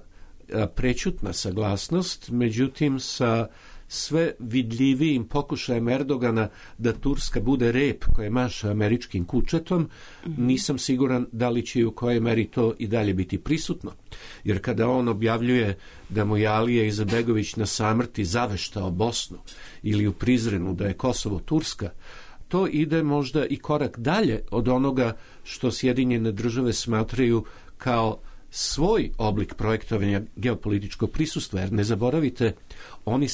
Speaker 4: a, prećutna saglasnost, međutim sa sve vidljivijim pokušajem Erdogana da Turska bude rep koje maša američkim kučetom, mm-hmm. nisam siguran da li će i u kojoj meri to i dalje biti prisutno. Jer kada on objavljuje da mu je Alija Izetbegović na samrti zaveštao Bosnu ili u Prizrenu da je Kosovo Turska, to ide možda i korak dalje od onoga što Sjedinjene države smatraju kao svoj oblik projektovanja geopolitičkog prisustva. Jer ne zaboravite, oni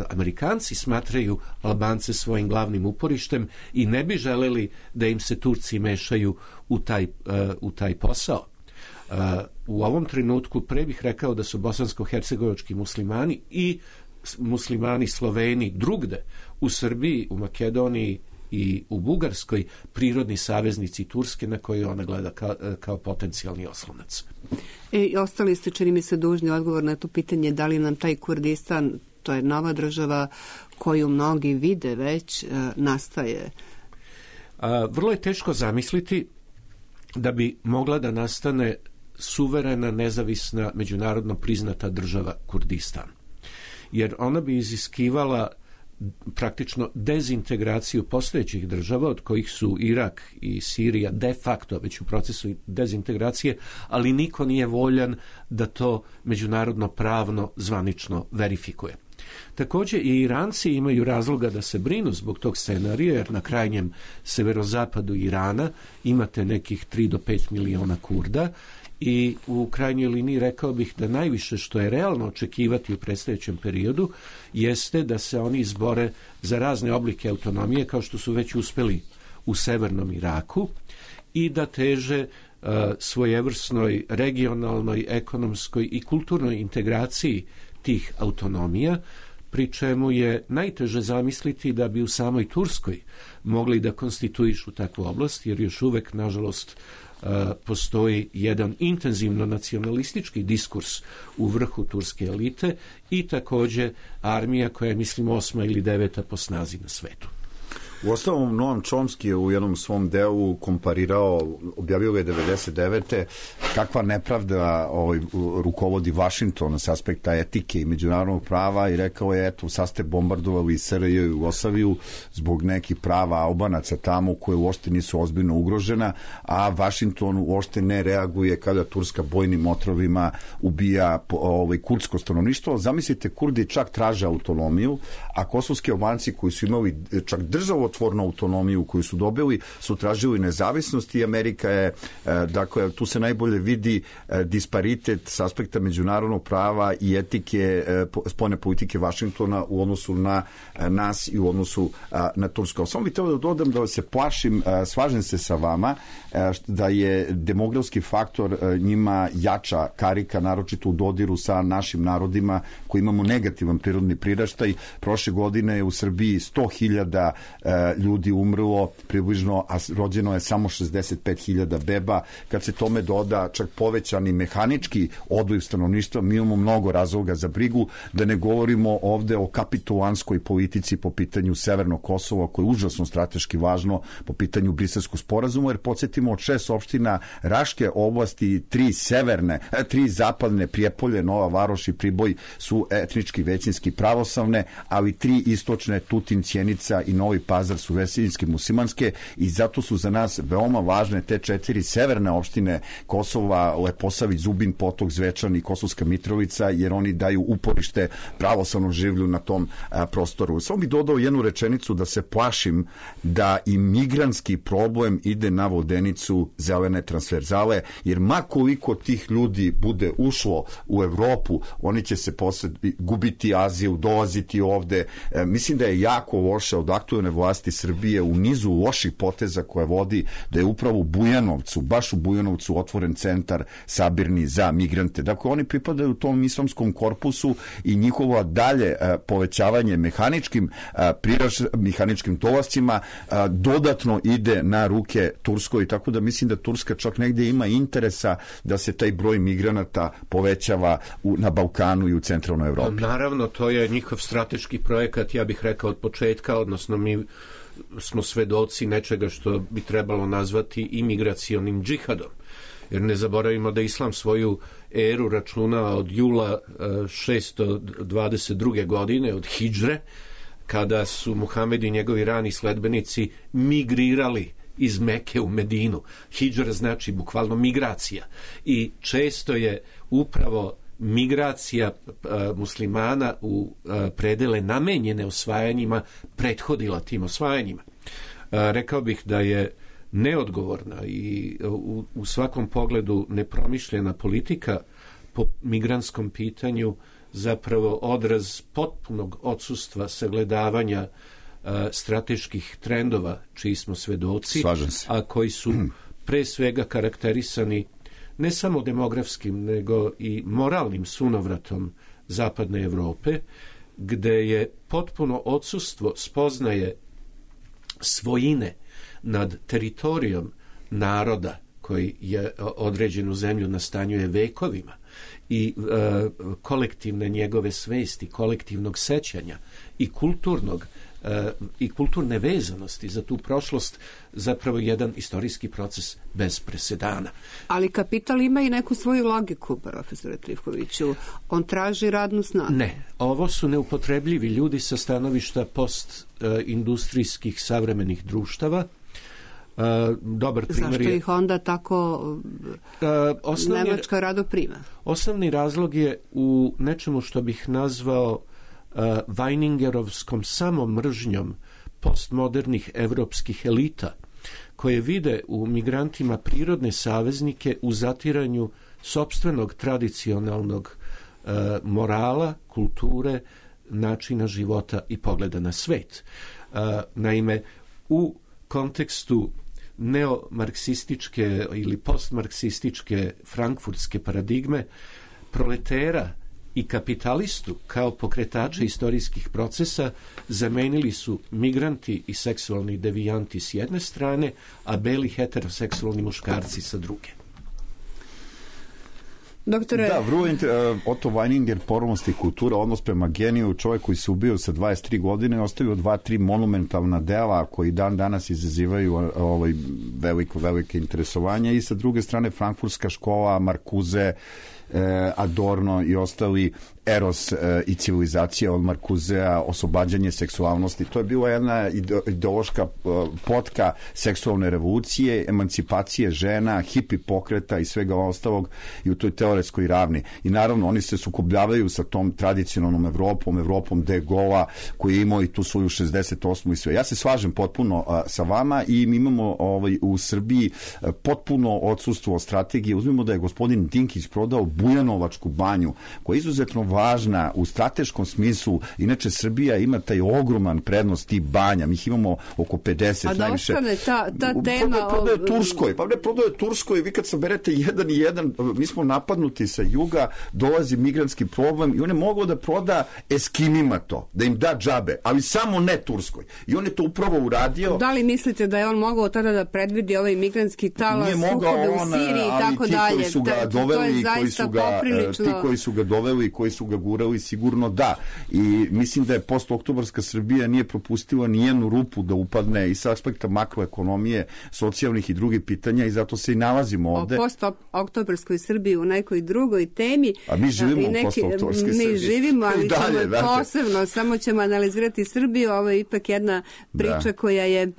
Speaker 4: Amerikanci smatraju Albance svojim glavnim uporištem i ne bi želeli da im se Turci mešaju u taj, uh, u taj posao. Uh, u ovom trenutku pre bih rekao da su bosansko-hercegovački muslimani i muslimani Sloveni drugde u Srbiji, u Makedoniji i u Bugarskoj prirodni saveznici Turske na koje ona gleda kao, kao potencijalni oslonac.
Speaker 1: E, ostali ste, čini mi se, dužni odgovor na to pitanje da li nam taj Kurdistan, to je nova država koju mnogi vide već, nastaje.
Speaker 4: A, vrlo je teško zamisliti da bi mogla da nastane suverena, nezavisna, međunarodno priznata država Kurdistan. Jer ona bi iziskivala praktično dezintegraciju postojećih država, od kojih su Irak i Sirija de facto već u procesu dezintegracije, ali niko nije voljan da to međunarodno pravno zvanično verifikuje. Također i Iranci imaju razloga da se brinu zbog tog scenarija, jer na krajnjem severozapadu Irana imate nekih tri do pet miliona Kurda i u krajnjoj liniji rekao bih da najviše što je realno očekivati u predstojećem periodu jeste da se oni izbore za razne oblike autonomije kao što su već uspeli u severnom Iraku i da teže uh, svojevrsnoj regionalnoj, ekonomskoj i kulturnoj integraciji tih autonomija, pri čemu je najteže zamisliti da bi u samoj Turskoj mogli da konstituišu takvu oblast, jer još uvek, nažalost, postoji jedan intenzivno nacionalistički diskurs u vrhu turske elite i također armija koja je, mislim, osma ili deveta po snazi na svetu.
Speaker 5: U ostalom, Noam Chomsky je u jednom svom delu komparirao, objavio ga je devedeset devete kakva nepravda ovaj, rukovodi Vašington s aspekta etike i međunarodnog prava i rekao je, eto, sad ste bombardovali S R J i Jugoslaviju zbog nekih prava Albanaca tamo koje uopšte nisu ozbiljno ugrožena, a Vašington uopšte ne reaguje kada Turska bojnim otrovima ubija ovaj, kurdsko stanovništvo. Zamislite, Kurdi čak traže autonomiju, a kosovski Albanci koji su imali čak državo delotvornu autonomiju koju su dobili, su tražili nezavisnost i Amerika je, dakle, tu se najbolje vidi disparitet s aspekta međunarodnog prava i etike spoljne politike Vašingtona u odnosu na nas i u odnosu na Tursku. Samo bih trebao da dodam da se plašim, slažem se sa vama, da je demografski faktor njima jača karika, naročito u dodiru sa našim narodima koji imamo negativan prirodni priraštaj. Prošle godine je u Srbiji sto hiljada ljudi umrlo približno, a rođeno je samo šezdeset pet hiljada beba. Kad se tome doda čak povećani mehanički odliv stanovništva, mi imamo mnogo razloga za brigu, da ne govorimo ovde o kapitulanskoj politici po pitanju Severnog Kosova, koje je užasno strateški važno po pitanju Briselskog sporazuma, jer podsjetimo, od šest opština Raške oblasti, tri severne, tri zapadne, Prijepolje, Nova Varoš i Priboj, su etnički većinski pravoslavne, ali tri istočne, Tutin, Sjenica i Novi Pazar, su većinski muslimanske, i zato su za nas veoma važne te četiri severne opštine Kosova, Leposavić, Zubin Potok, Zvečan i Kosovska Mitrovica, jer oni daju uporište pravoslavnom življu na tom a, prostoru. Samo bih dodao jednu rečenicu, da se plašim da i migrantski problem ide na vodenicu zelene transverzale, jer ma koliko tih ljudi bude ušlo u Evropu, oni će se posle gubiti azil, dolaziti ovde. E, mislim da je jako loše od aktuelne vlasti Srbije u nizu loših poteza koje vodi, da je upravo u Bujanovcu, baš u Bujanovcu otvoren centar sabirni za migrante. Dakle, oni pripadaju tom islamskom korpusu i njihovo dalje a, povećavanje mehaničkim a, priraš, mehaničkim dolascima a, dodatno ide na ruke Turskoj, tako da mislim da Turska čak negdje ima interesa da se taj broj migranata povećava u, na Balkanu i u centralnoj Evropi.
Speaker 4: Naravno, to je njihov strateški projekat, ja bih rekao od početka, odnosno mi smo svedoci nečega što bi trebalo nazvati imigracionim džihadom. Jer ne zaboravimo da Islam svoju eru računa od jula šesto dvadeset druge godine, od hidžre, kada su Muhamed i njegovi rani sledbenici migrirali iz Meke u Medinu. Hidžra znači bukvalno migracija. I često je upravo migracija a, muslimana u a, predele namenjene osvajanjima prethodila tim osvajanjima. A, rekao bih da je neodgovorna i u, u svakom pogledu nepromišljena politika po migrantskom pitanju zapravo odraz potpunog odsustva sagledavanja a, strateških trendova čiji smo svedoci, a koji su pre svega karakterisani ne samo demografskim, nego i moralnim sunovratom zapadne Evrope, gde je potpuno odsustvo spoznaje svojine nad teritorijom naroda koji je određenu zemlju nastanjuje vekovima i e, kolektivne njegove svesti, kolektivnog sećanja i kulturnog e, i kulturne vezanosti za tu prošlost, zapravo jedan istorijski proces bez presedana.
Speaker 1: Ali kapital ima i neku svoju logiku, profesore Trifkoviću. On traži radnu snagu.
Speaker 4: Ne, ovo su neupotrebljivi ljudi sa stanovišta postindustrijskih savremenih društava. Uh, dobar primjer.
Speaker 1: Zašto ih onda tako uh, osnovni, Nemačka rado prima?
Speaker 4: Osnovni razlog je u nečemu što bih nazvao uh, Weiningerovskom samomržnjom postmodernih evropskih elita, koje vide u migrantima prirodne saveznike u zatiranju sopstvenog tradicionalnog uh, morala, kulture, načina života i pogleda na svet. Uh, naime, u kontekstu neomarksističke ili postmarksističke frankfurtske paradigme, proletera i kapitalistu kao pokretača istorijskih procesa zamenili su migranti i seksualni devijanti s jedne strane, a beli heteroseksualni muškarci sa druge.
Speaker 1: Doktore...
Speaker 5: Da, vrlo uh, Otto Weininger, Pornost i kultura, odnos prema geniju, čovjek koji se ubio sa dvadeset tri godine, ostavio dva, tri monumentalna dela koji dan danas izazivaju ovaj, veliko, velike interesovanje, i sa druge strane Frankfurtska škola, Markuze, Adorno i ostali, Eros i civilizacija od Markuzea, oslobađanje seksualnosti. To je bila jedna ideološka potka seksualne revolucije, emancipacije žena, hipi pokreta i svega ostalog i u toj teoretskoj ravni. I naravno oni se sukobljavaju sa tom tradicionalnom Evropom, Evropom de Gola koji je imao i tu svoju šezdeset osmu i sve. Ja se slažem potpuno a, sa vama i mi imamo ovaj, u Srbiji a, potpuno odsustvo strategije. Uzmimo da je gospodin Dinkić prodao Bujanovačku banju koja je izuzetno važna u strateškom smislu. Inače Srbija ima taj ogroman prednost tih banja. Mi ih imamo oko pedeset.
Speaker 1: A da
Speaker 5: najviše.
Speaker 1: ostane ta, ta tema...
Speaker 5: Prodaje o... Turskoj. Pa ne prodaje Turskoj. Vi kad saberete jedan i jedan, mi smo napadnuti sa juga, dolazi migrantski problem i on je mogao da proda Eskimima to, da im da džabe, ali samo ne Turskoj. I on je to upravo uradio.
Speaker 1: Da li mislite da je on mogao tada da predvidi ovaj migrantski talas, sukobe u Siriji i tako dalje?
Speaker 5: Koji su ga doveli, koji su ga,
Speaker 1: poprilično...
Speaker 5: ti koji su ga doveli, koji su ga gurali, sigurno da. I mislim da je postoktobarska Srbija nije propustila nijednu rupu da upadne i sa aspekta makroekonomije, socijalnih i drugih pitanja i zato se i nalazimo ovde.
Speaker 1: O postoktobarskoj Srbiji u nekoj drugoj temi.
Speaker 5: A mi živimo u postoktobarskoj Srbiji.
Speaker 1: Mi živimo, ali dalje, ćemo posebno, samo ćemo analizirati Srbiju. Ovo je ipak jedna priča da. koja je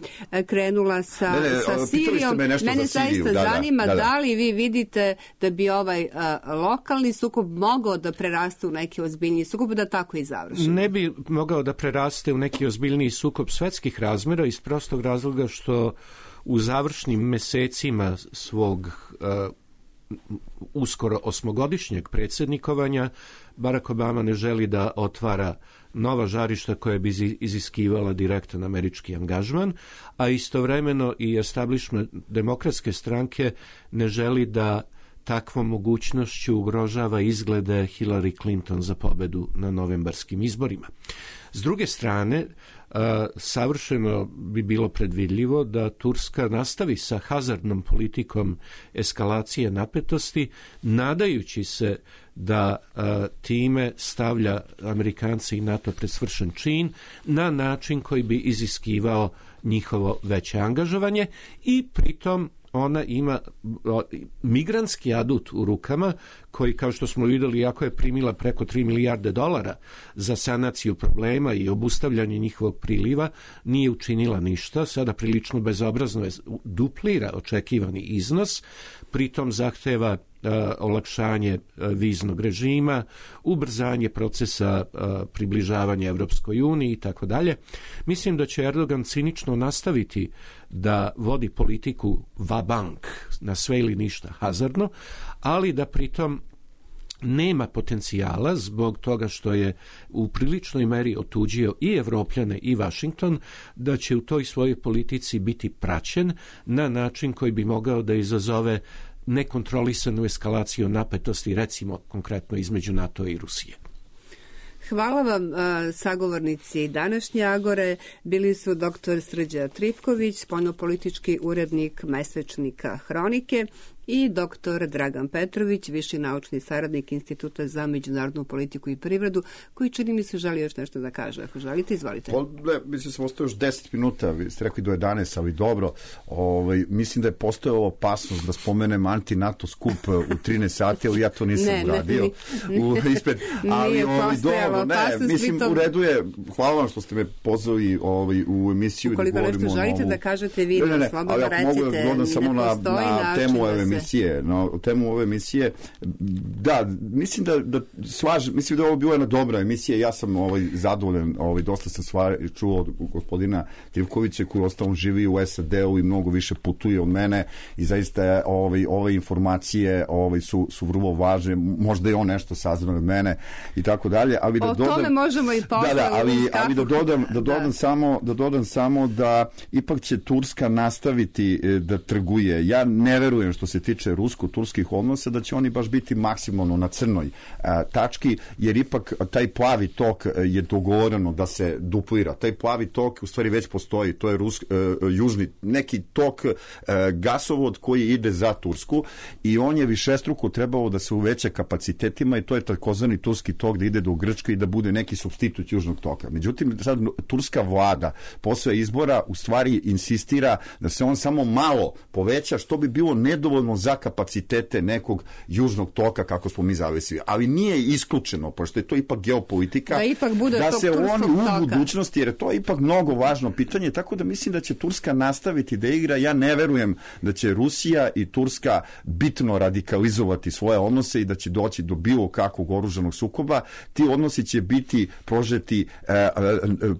Speaker 1: krenula sa,
Speaker 5: ne, ne,
Speaker 1: sa Sirijom.
Speaker 5: Me
Speaker 1: Mene zaista
Speaker 5: da,
Speaker 1: zanima
Speaker 5: da, da.
Speaker 1: da li vi vidite da bi ovaj a, lokalni sukob mogao da preraste u neki ozbiljniji sukob, da tako i završi.
Speaker 4: Ne bi mogao da preraste u neki ozbiljniji sukob svetskih razmjera iz prostog razloga što u završnim mesecima svog uh, uskoro osmogodišnjeg predsjednikovanja Barack Obama ne želi da otvara nova žarišta koja bi iziskivala direktan američki angažman, a istovremeno i establishment demokratske stranke ne želi da takvom mogućnošću ugrožava izglede Hillary Clinton za pobedu na novembarskim izborima. S druge strane, savršeno bi bilo predvidljivo da Turska nastavi sa hazardnom politikom eskalacije napetosti, nadajući se da time stavlja Amerikanci i NATO pred svršen čin na način koji bi iziskivao njihovo veće angažovanje i pritom ona ima migrantski adut u rukama koji, kao što smo vidjeli, iako je primila preko tri milijarde dolara za sanaciju problema i obustavljanje njihovog priliva, nije učinila ništa. Sada prilično bezobrazno je duplira očekivani iznos, pritom zahteva Uh, olakšanje uh, viznog režima, ubrzanje procesa uh, približavanja Evropskoj uniji i tako dalje. Mislim da će Erdogan cinično nastaviti da vodi politiku va-bank, na sve ili ništa hazardno, ali da pritom nema potencijala zbog toga što je u priličnoj meri otuđio i Evropljane i Washington, da će u toj svojoj politici biti praćen na način koji bi mogao da izazove nekontrolisanu eskalaciju napetosti, recimo konkretno između NATO i Rusije.
Speaker 1: Hvala vam, sagovornici današnje Agore. Bili su doktor Srđa Trifković, spoljnopolitički urednik mesečnika Hronike, i doktor Dragan Petrović, viši naučni saradnik Instituta za međunarodnu politiku i privredu, koji čini mi se želi još nešto da kaže. Ako želite, izvolite.
Speaker 5: Pa, ne, mislim sam ostao još deset minuta, vi ste rekli do jedanaest, ali dobro. Ovaj, mislim da je postojala opasnost da spomenem anti-NATO skup u trinaest sati, ali ja to nisam
Speaker 1: ne,
Speaker 5: uradio.
Speaker 1: Ne,
Speaker 5: u, ispred, ali,
Speaker 1: nije
Speaker 5: ovaj,
Speaker 1: postojala
Speaker 5: ne,
Speaker 1: opasnost.
Speaker 5: mislim,
Speaker 1: to...
Speaker 5: u redu je, hvala vam što ste me pozvali ovaj, u emisiju.
Speaker 1: Ukoliko
Speaker 5: da
Speaker 1: nešto želite
Speaker 5: ovu...
Speaker 1: da kažete vi,
Speaker 5: ne, ne, ne,
Speaker 1: slobodno
Speaker 5: ali
Speaker 1: recite,
Speaker 5: mogu da samo na, na temu ove emisije. Na temu ove emisije. Da, mislim da, da slažem, mislim da je ovo bila jedna dobra emisija. Ja sam ovaj, zadovoljan, ovaj, dosta sam stvari čuo od gospodina Trivkovića koji ostalom živi u S A D-u i mnogo više putuje od mene i zaista ovaj, ove informacije ovaj, su, su vrlo važne. Možda je on nešto saznao od mene i tako dalje. Ali da
Speaker 1: o
Speaker 5: dodam,
Speaker 1: tome možemo i posle.
Speaker 5: Da, da, ali, ali da dodam, da dodam,
Speaker 1: da.
Speaker 5: Samo, da dodam samo da ipak će Turska nastaviti da trguje. Ja ne verujem što se tiče rusko-turskih odnosa da će oni baš biti maksimalno na crnoj a, tački, jer ipak taj plavi tok je dogovoreno da se duplira. Taj plavi tok u stvari već postoji. To je Rus, a, južni neki tok a, gasovod koji ide za Tursku i on je višestruko trebalo da se uveća kapacitetima i to je takozvani turski tok da ide do Grčke i da bude neki supstitut južnog toka. Međutim, sad turska vlada posle izbora u stvari insistira da se on samo malo poveća, što bi bilo nedovoljno recimo za kapacitete nekog južnog toka kako smo mi zavisili, ali nije isključeno, pošto je to ipak geopolitika,
Speaker 1: da, ipak bude
Speaker 5: da se oni u
Speaker 1: toka.
Speaker 5: budućnosti, jer je to ipak mnogo važno pitanje, tako da mislim da će Turska nastaviti da igra. Ja ne verujem da će Rusija i Turska bitno radikalizovati svoje odnose i da će doći do bilo kakvog oružanog sukoba. Ti odnosi će biti prožeti e, e,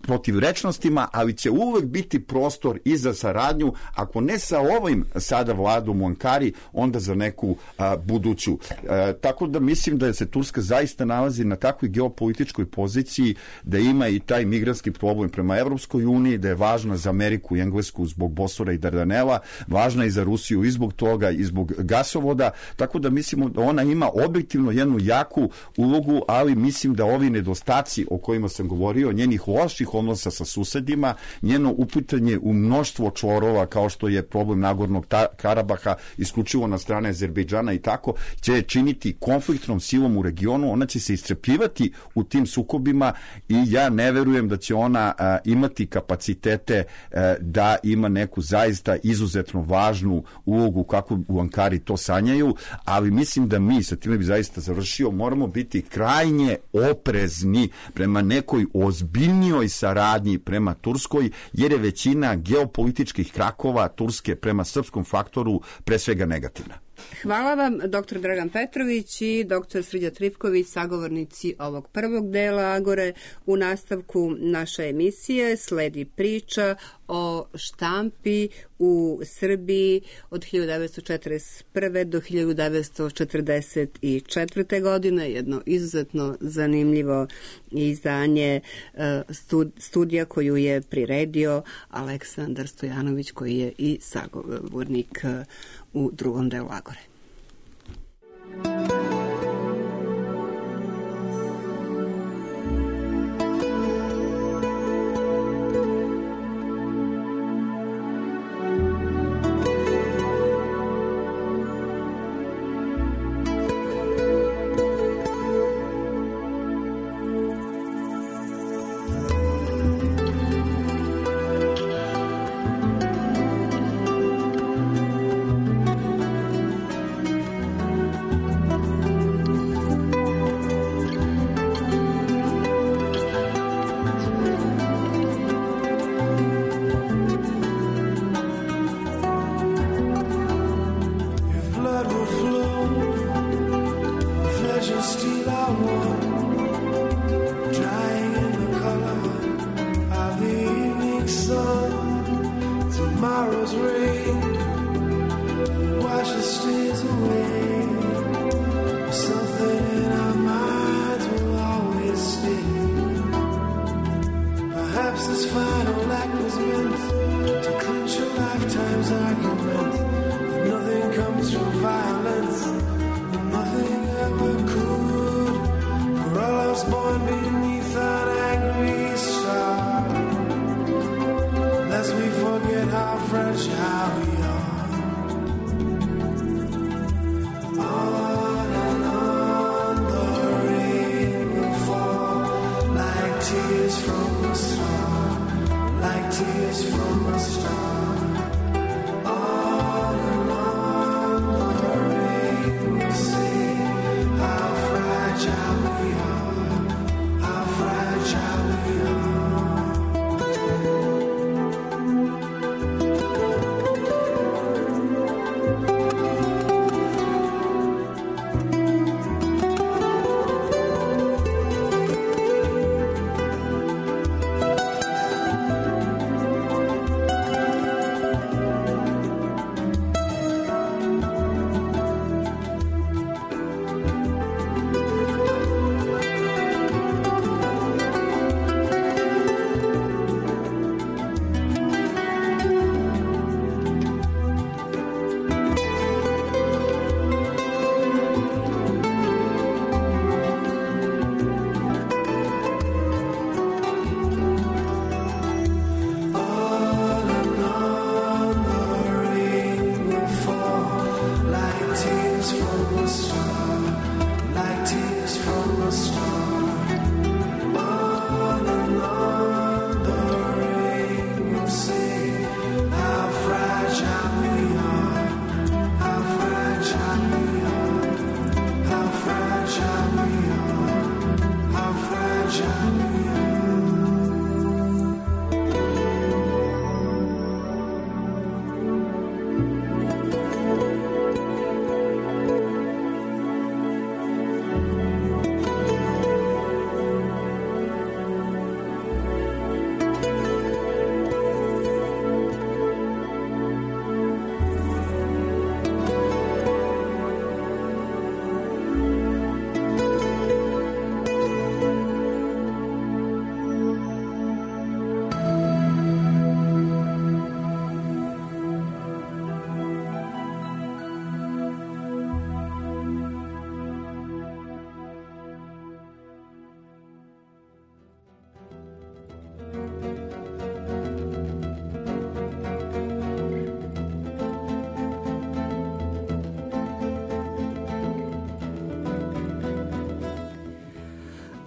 Speaker 5: protivrečnostima, ali će uvek biti prostor i za saradnju, ako ne sa ovim sada vladom u Ankari, onda za neku a, buduću. E, tako da mislim da se Turska zaista nalazi na takvoj geopolitičkoj poziciji, da ima i taj migrantski problem prema Evropskoj uniji, da je važna za Ameriku i Englesku zbog Bosfora i Dardanela, važna i za Rusiju i zbog toga i zbog gasovoda, tako da mislimo da ona ima objektivno jednu jaku ulogu, ali mislim da ovi nedostaci o kojima sam govorio, njenih loših odnosa sa susedima, njeno uputanje u mnoštvo čvorova kao što je problem Nagornog Karabaha isključivo na strane Azerbejdžana i tako, će činiti konfliktnom silom u regionu, ona će se iscrpljivati u tim sukobima i ja ne verujem da će ona a, imati kapacitete a, da ima neku zaista izuzetno važnu ulogu kako u Ankari to sanjaju, ali mislim da mi, sa time bi zaista završio, moramo biti krajnje oprezni prema nekoj ozbiljnijoj saradnji prema Turskoj, jer je većina geopolitičkih krakova Turske prema srpskom faktoru pre svega negativna.
Speaker 1: Hvala vam, doktor Dragan Petrović i doktor Srđa Trifković, sagovornici ovog prvog dela Agore. U nastavku naše emisije sledi priča o štampi u Srbiji od hiljadu devetsto četrdeset prve do hiljadu devetsto četrdeset četvrte. godine. Jedno izuzetno zanimljivo izdanje studija koju je priredio Aleksandar Stojanović, koji je i sagovornik u drugom delu Agore.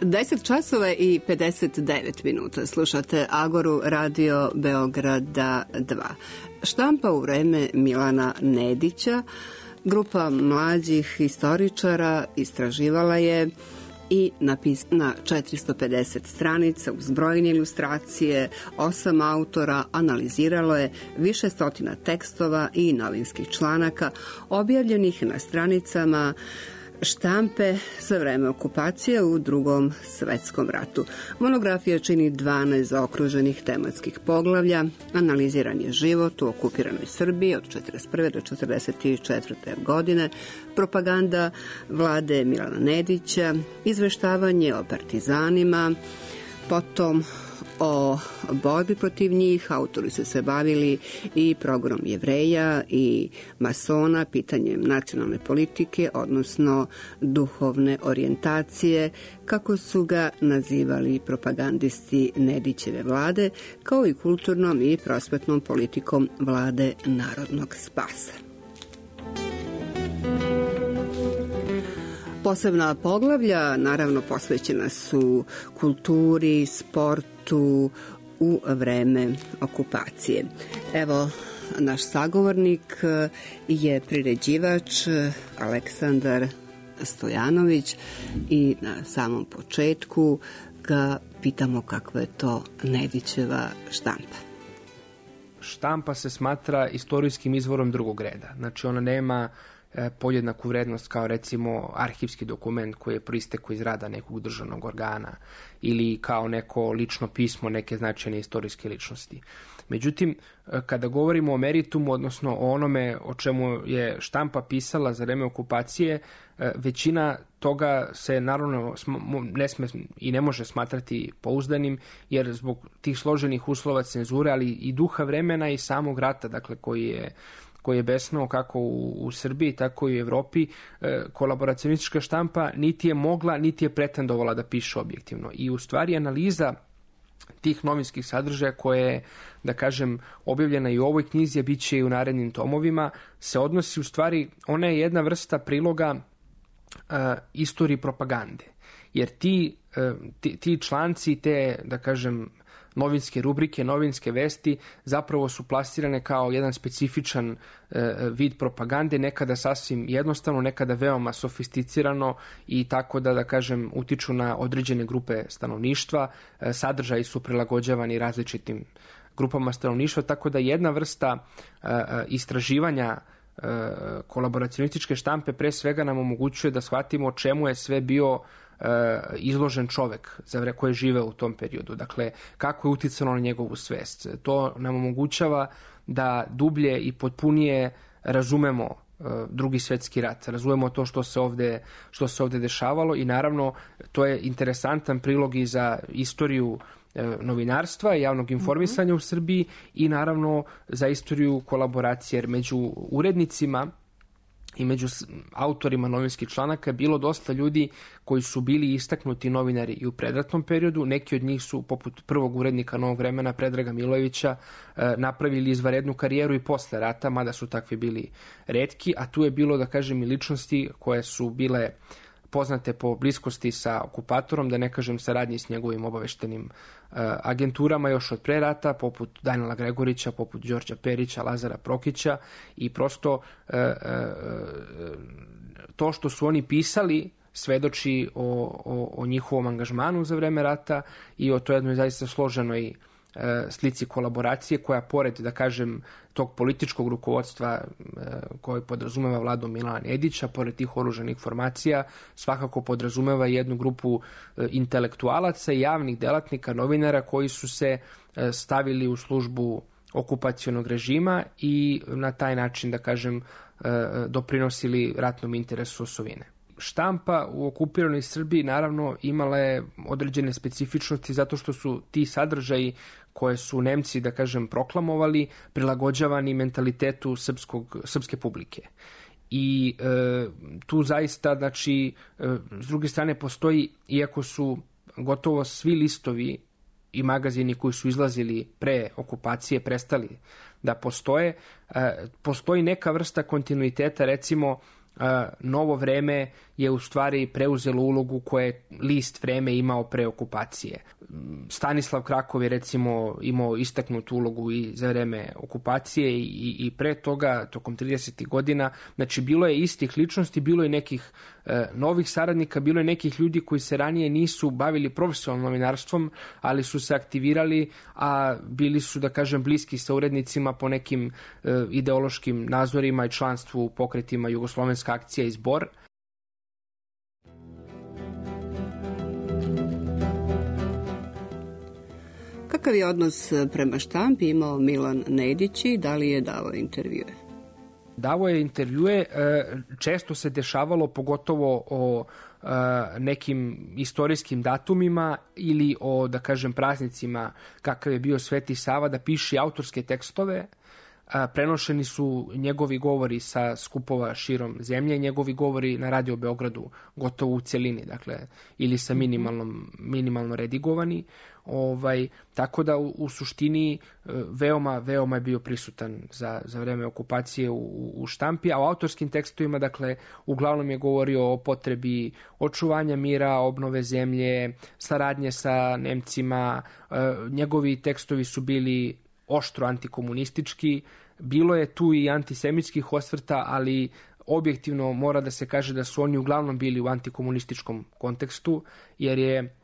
Speaker 1: deset časova i pedeset devet minuta. Slušate Agoru Radio Beograda dva. Štampa u vreme Milana Nedića. Grupa mlađih istoričara istraživala je i napisana na četiristo pedeset stranica uz brojne ilustracije, osam autora analiziralo je više stotina tekstova i novinskih članaka objavljenih na stranicama štampe za vreme okupacije u Drugom svetskom ratu. Monografija čini dvanaest zaokruženih tematskih poglavlja. Analiziran je život u okupiranoj Srbiji od četrdeset prve do četrdeset četvrte godine, propaganda vlade Milana Nedića, izveštavanje o partizanima, potom o borbi protiv njih. Autori su se bavili i progrom Jevreja i masona, pitanjem nacionalne politike, odnosno duhovne orijentacije, kako su ga nazivali propagandisti Nedićeve vlade, kao i kulturnom i prosvetnom politikom vlade narodnog spasa. Posebna poglavlja, naravno, posvećena su kulturi, sportu u vreme okupacije. Evo, naš sagovornik je priređivač Aleksandar Stojanović i na samom početku ga pitamo kakva je to Nedićeva štampa.
Speaker 15: Štampa se smatra istorijskim izvorom drugog reda. Znači, ona nema podjednaku vrednost kao recimo arhivski dokument koji je proistekao iz rada nekog državnog organa ili kao neko lično pismo neke značajne istorijske ličnosti. Međutim, kada govorimo o meritumu, odnosno o onome o čemu je štampa pisala za vreme okupacije, većina toga se naravno ne sme i ne može smatrati pouzdanim, jer zbog tih složenih uslova cenzure, ali i duha vremena i samog rata, dakle koji je koji je besnuo kako u, u Srbiji, tako i u Evropi, e, kolaboracionistička štampa niti je mogla, niti je pretendovala da piše objektivno. I u stvari analiza tih novinskih sadržaja koje je, da kažem, objavljena i u ovoj knjizi, a bit će i u narednim tomovima, se odnosi u stvari, ona je jedna vrsta priloga e, istoriji propagande. Jer ti, e, ti, ti članci, te, da kažem, novinske rubrike, novinske vesti zapravo su plasirane kao jedan specifičan e, vid propagande, nekada sasvim jednostavno, nekada veoma sofisticirano i tako da, da kažem, utiču na određene grupe stanovništva. E, sadržaji su prilagođavani različitim grupama stanovništva, tako da jedna vrsta e, istraživanja e, kolaboracionističke štampe pre svega nam omogućuje da shvatimo o čemu je sve bio izložen čovek za vreme koji je živeo u tom periodu. Dakle, kako je uticalo na njegovu svest. To nam omogućava da dublje i potpunije razumemo Drugi svetski rat, razumemo to što se ovde, što se ovde dešavalo i naravno to je interesantan prilog i za istoriju novinarstva i javnog informisanja mm-hmm. u Srbiji i naravno za istoriju kolaboracije, jer među urednicima i među autorima novinskih članaka je bilo dosta ljudi koji su bili istaknuti novinari i u predratnom periodu. Neki od njih su, poput prvog urednika Novog vremena, Predraga Milojevića, napravili izvanrednu karijeru i posle rata, mada su takvi bili retki, a tu je bilo, da kažem, i ličnosti koje su bile poznate po bliskosti sa okupatorom, da ne kažem saradnji s njegovim obaveštenim uh, agenturama još od pre rata, poput Danila Gregorića, poput Đorđa Perića, Lazara Prokića i prosto uh, uh, to što su oni pisali svedoči o, o, o njihovom angažmanu za vreme rata i o toj jednoj zaista složenoj uh, slici kolaboracije koja pored, da kažem, tog političkog rukovodstva koji podrazumeva vladu Milana Nedića, pored tih oružanih formacija, svakako podrazumeva jednu grupu intelektualaca i javnih delatnika, novinara koji su se stavili u službu okupacionog režima i na taj način, da kažem, doprinosili ratnom interesu osovine. Štampa u okupiranoj Srbiji naravno imala je određene specifičnosti zato što su ti sadržaji koje su Nemci, da kažem, proklamovali, prilagođavani mentalitetu srpskog, srpske publike. I e, tu zaista, znači, e, s druge strane postoji, iako su gotovo svi listovi i magazini koji su izlazili pre okupacije prestali da postoje, e, postoji neka vrsta kontinuiteta, recimo, Novo vreme je u stvari preuzelo ulogu koje je list Vreme imao pre okupacije. Stanislav Krakov je recimo imao istaknutu ulogu i za vreme okupacije i, i pre toga, tokom tridesetih godina. Znači, bilo je istih ličnosti, bilo je nekih e, novih saradnika, bilo je nekih ljudi koji se ranije nisu bavili profesionalnim novinarstvom, ali su se aktivirali, a bili su, da kažem, bliski sa urednicima po nekim e, ideološkim nazorima i članstvu u pokretima Jugoslovenska akcija i Zbor.
Speaker 1: Kakav je odnos prema štampi imao Milan Nedić i da li je davao intervjue?
Speaker 15: Davao je intervjue, često se dešavalo, pogotovo o nekim istorijskim datumima ili o, da kažem, praznicima kakav je bio Sveti Sava, da piše autorske tekstove. Prenošeni su njegovi govori sa skupova širom zemlje, njegovi govori na Radio Beogradu gotovo u celini, dakle, ili sa minimalnom, minimalno redigovani. Ovaj, tako da u, u suštini veoma, veoma je bio prisutan za, za vreme okupacije u, u štampi, a u autorskim tekstovima, dakle, uglavnom je govorio o potrebi očuvanja mira, obnove zemlje, saradnje sa Nemcima. Njegovi tekstovi su bili oštro antikomunistički, bilo je tu i antisemitskih osvrta, ali objektivno mora da se kaže da su oni uglavnom bili u antikomunističkom kontekstu, jer je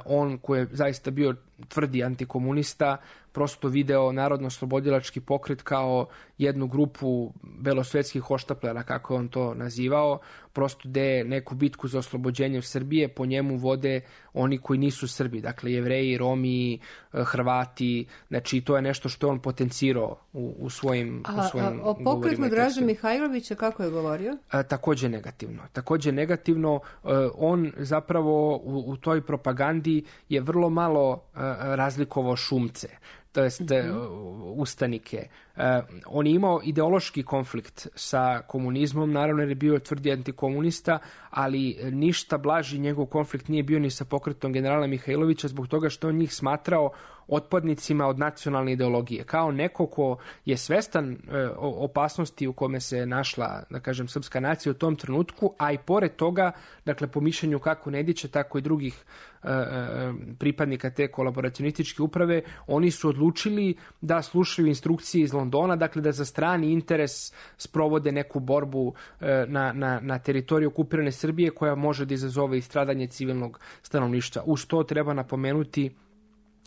Speaker 15: on, koji je zaista bio tvrdi antikomunista, prosto video Narodno-slobodilački pokret kao jednu grupu belosvetskih hoštaplera, kako je on to nazivao, prosto gde neku bitku za oslobođenje Srbije po njemu vode oni koji nisu Srbi, dakle Jevreji, Romi, Hrvati, znači to je nešto što je on potencirao u, u svojim,
Speaker 1: a,
Speaker 15: u svojim
Speaker 1: a, o pokretu Draže Mihajlovića kako je govorio?
Speaker 15: A, takođe negativno. Takođe negativno, a, on zapravo u, u toj propagandi je vrlo malo a, razlikovao šumce, to jest mm-hmm. ustanike. Uh, on je imao ideološki konflikt sa komunizmom, naravno jer je bio tvrdi antikomunista, ali ništa blaži njegov konflikt nije bio ni sa pokretom generala Mihajlovića, zbog toga što on njih smatrao otpadnicima od nacionalne ideologije. Kao neko ko je svestan e, opasnosti u kome se našla, da kažem, srpska nacija u tom trenutku, a i pored toga, dakle, po mišljenju kako Nedića, tako i drugih e, e, pripadnika te kolaboracionističke uprave, oni su odlučili da slušaju instrukcije iz Londona, dakle da za strani interes sprovode neku borbu e, na, na, na teritoriji okupirane Srbije koja može da izazove i stradanje civilnog stanovništva. Uz to treba napomenuti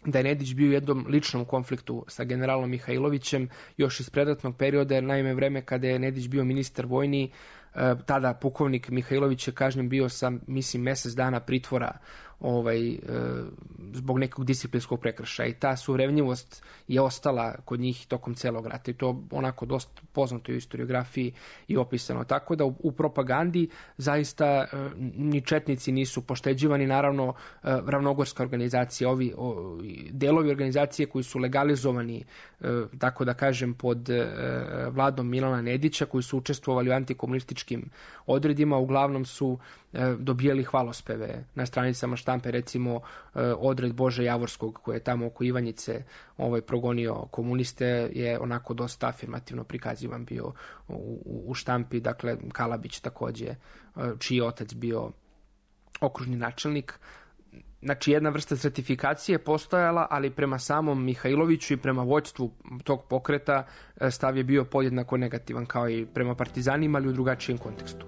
Speaker 15: da je Nedić bio u jednom ličnom konfliktu sa generalom Mihajlovićem još iz predratnog perioda, jer naime vreme kada je Nedić bio ministar vojni, tada pukovnik Mihajlović je kažnjen bio sa, mislim, mesec dana pritvora ovaj, e, zbog nekog disciplinskog prekršaja, i ta suvremljivost je ostala kod njih tokom celog rata i to onako dosta poznato u historiografiji i opisano. Tako da u, u propagandi zaista e, ni četnici nisu pošteđivani, naravno e, ravnogorska organizacija, ovi o, delovi organizacije koji su legalizovani, e, tako da kažem, pod e, vladom Milana Nedića, koji su učestvovali u antikomunističkim odredima, uglavnom su e, dobijali hvalospeve na stranicama štampe, recimo odred Bože Javorskog koji je tamo oko Ivanjice ovaj, progonio komuniste je onako dosta afirmativno prikazivan bio u, u štampi. Dakle, Kalabić takođe, čiji je otac bio okružni načelnik. Znači, jedna vrsta certifikacije je postojala, ali prema samom Mihajloviću i prema vođstvu tog pokreta stav je bio podjednako negativan kao i prema partizanima, ali u drugačijem kontekstu.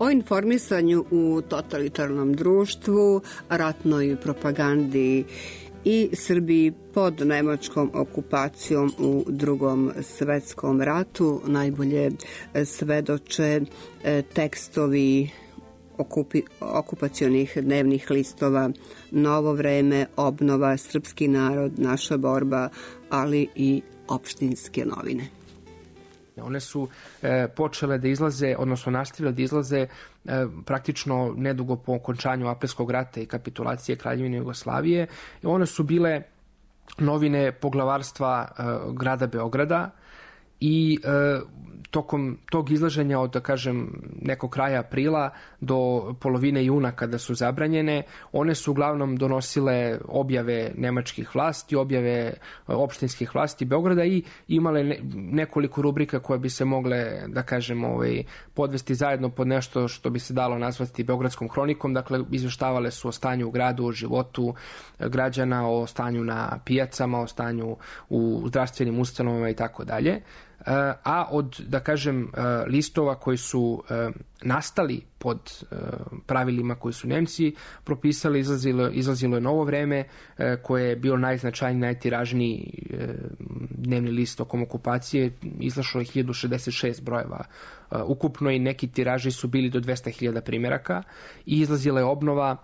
Speaker 1: O informisanju u totalitarnom društvu, ratnoj propagandi i Srbiji pod nemačkom okupacijom u Drugom svetskom ratu najbolje svedoče tekstovi okupi, okupacionih dnevnih listova Novo vreme, Obnova, Srpski narod, Naša borba, ali i opštinske novine.
Speaker 15: One su e, počele da izlaze, odnosno nastavile da izlaze e, praktično nedugo po okončanju Aprilskog rata i kapitulacije Kraljevine Jugoslavije. I one su bile novine poglavarstva e, grada Beograda i e, tokom tog izlaženja od, da kažem, nekog kraja aprila do polovine juna kada su zabranjene, one su uglavnom donosile objave nemačkih vlasti, objave opštinskih vlasti Beograda i imale ne, nekoliko rubrika koje bi se mogle, da kažem, ovaj, podvesti zajedno pod nešto što bi se dalo nazvati Beogradskom hronikom. Dakle, izveštavale su o stanju u gradu, o životu građana, o stanju na pijacama, o stanju u zdravstvenim ustanovama i tako dalje. A od, da kažem, listova koji su nastali pod pravilima koji su Nemci propisali, izlazilo, izlazilo je Novo vreme, koje je bilo najznačajniji, najtiražniji dnevni list tokom okupacije. Izašlo je hiljadu šezdeset šest brojeva ukupno i neki tiraži su bili do dvesta hiljada primjeraka i izlazila je Obnova,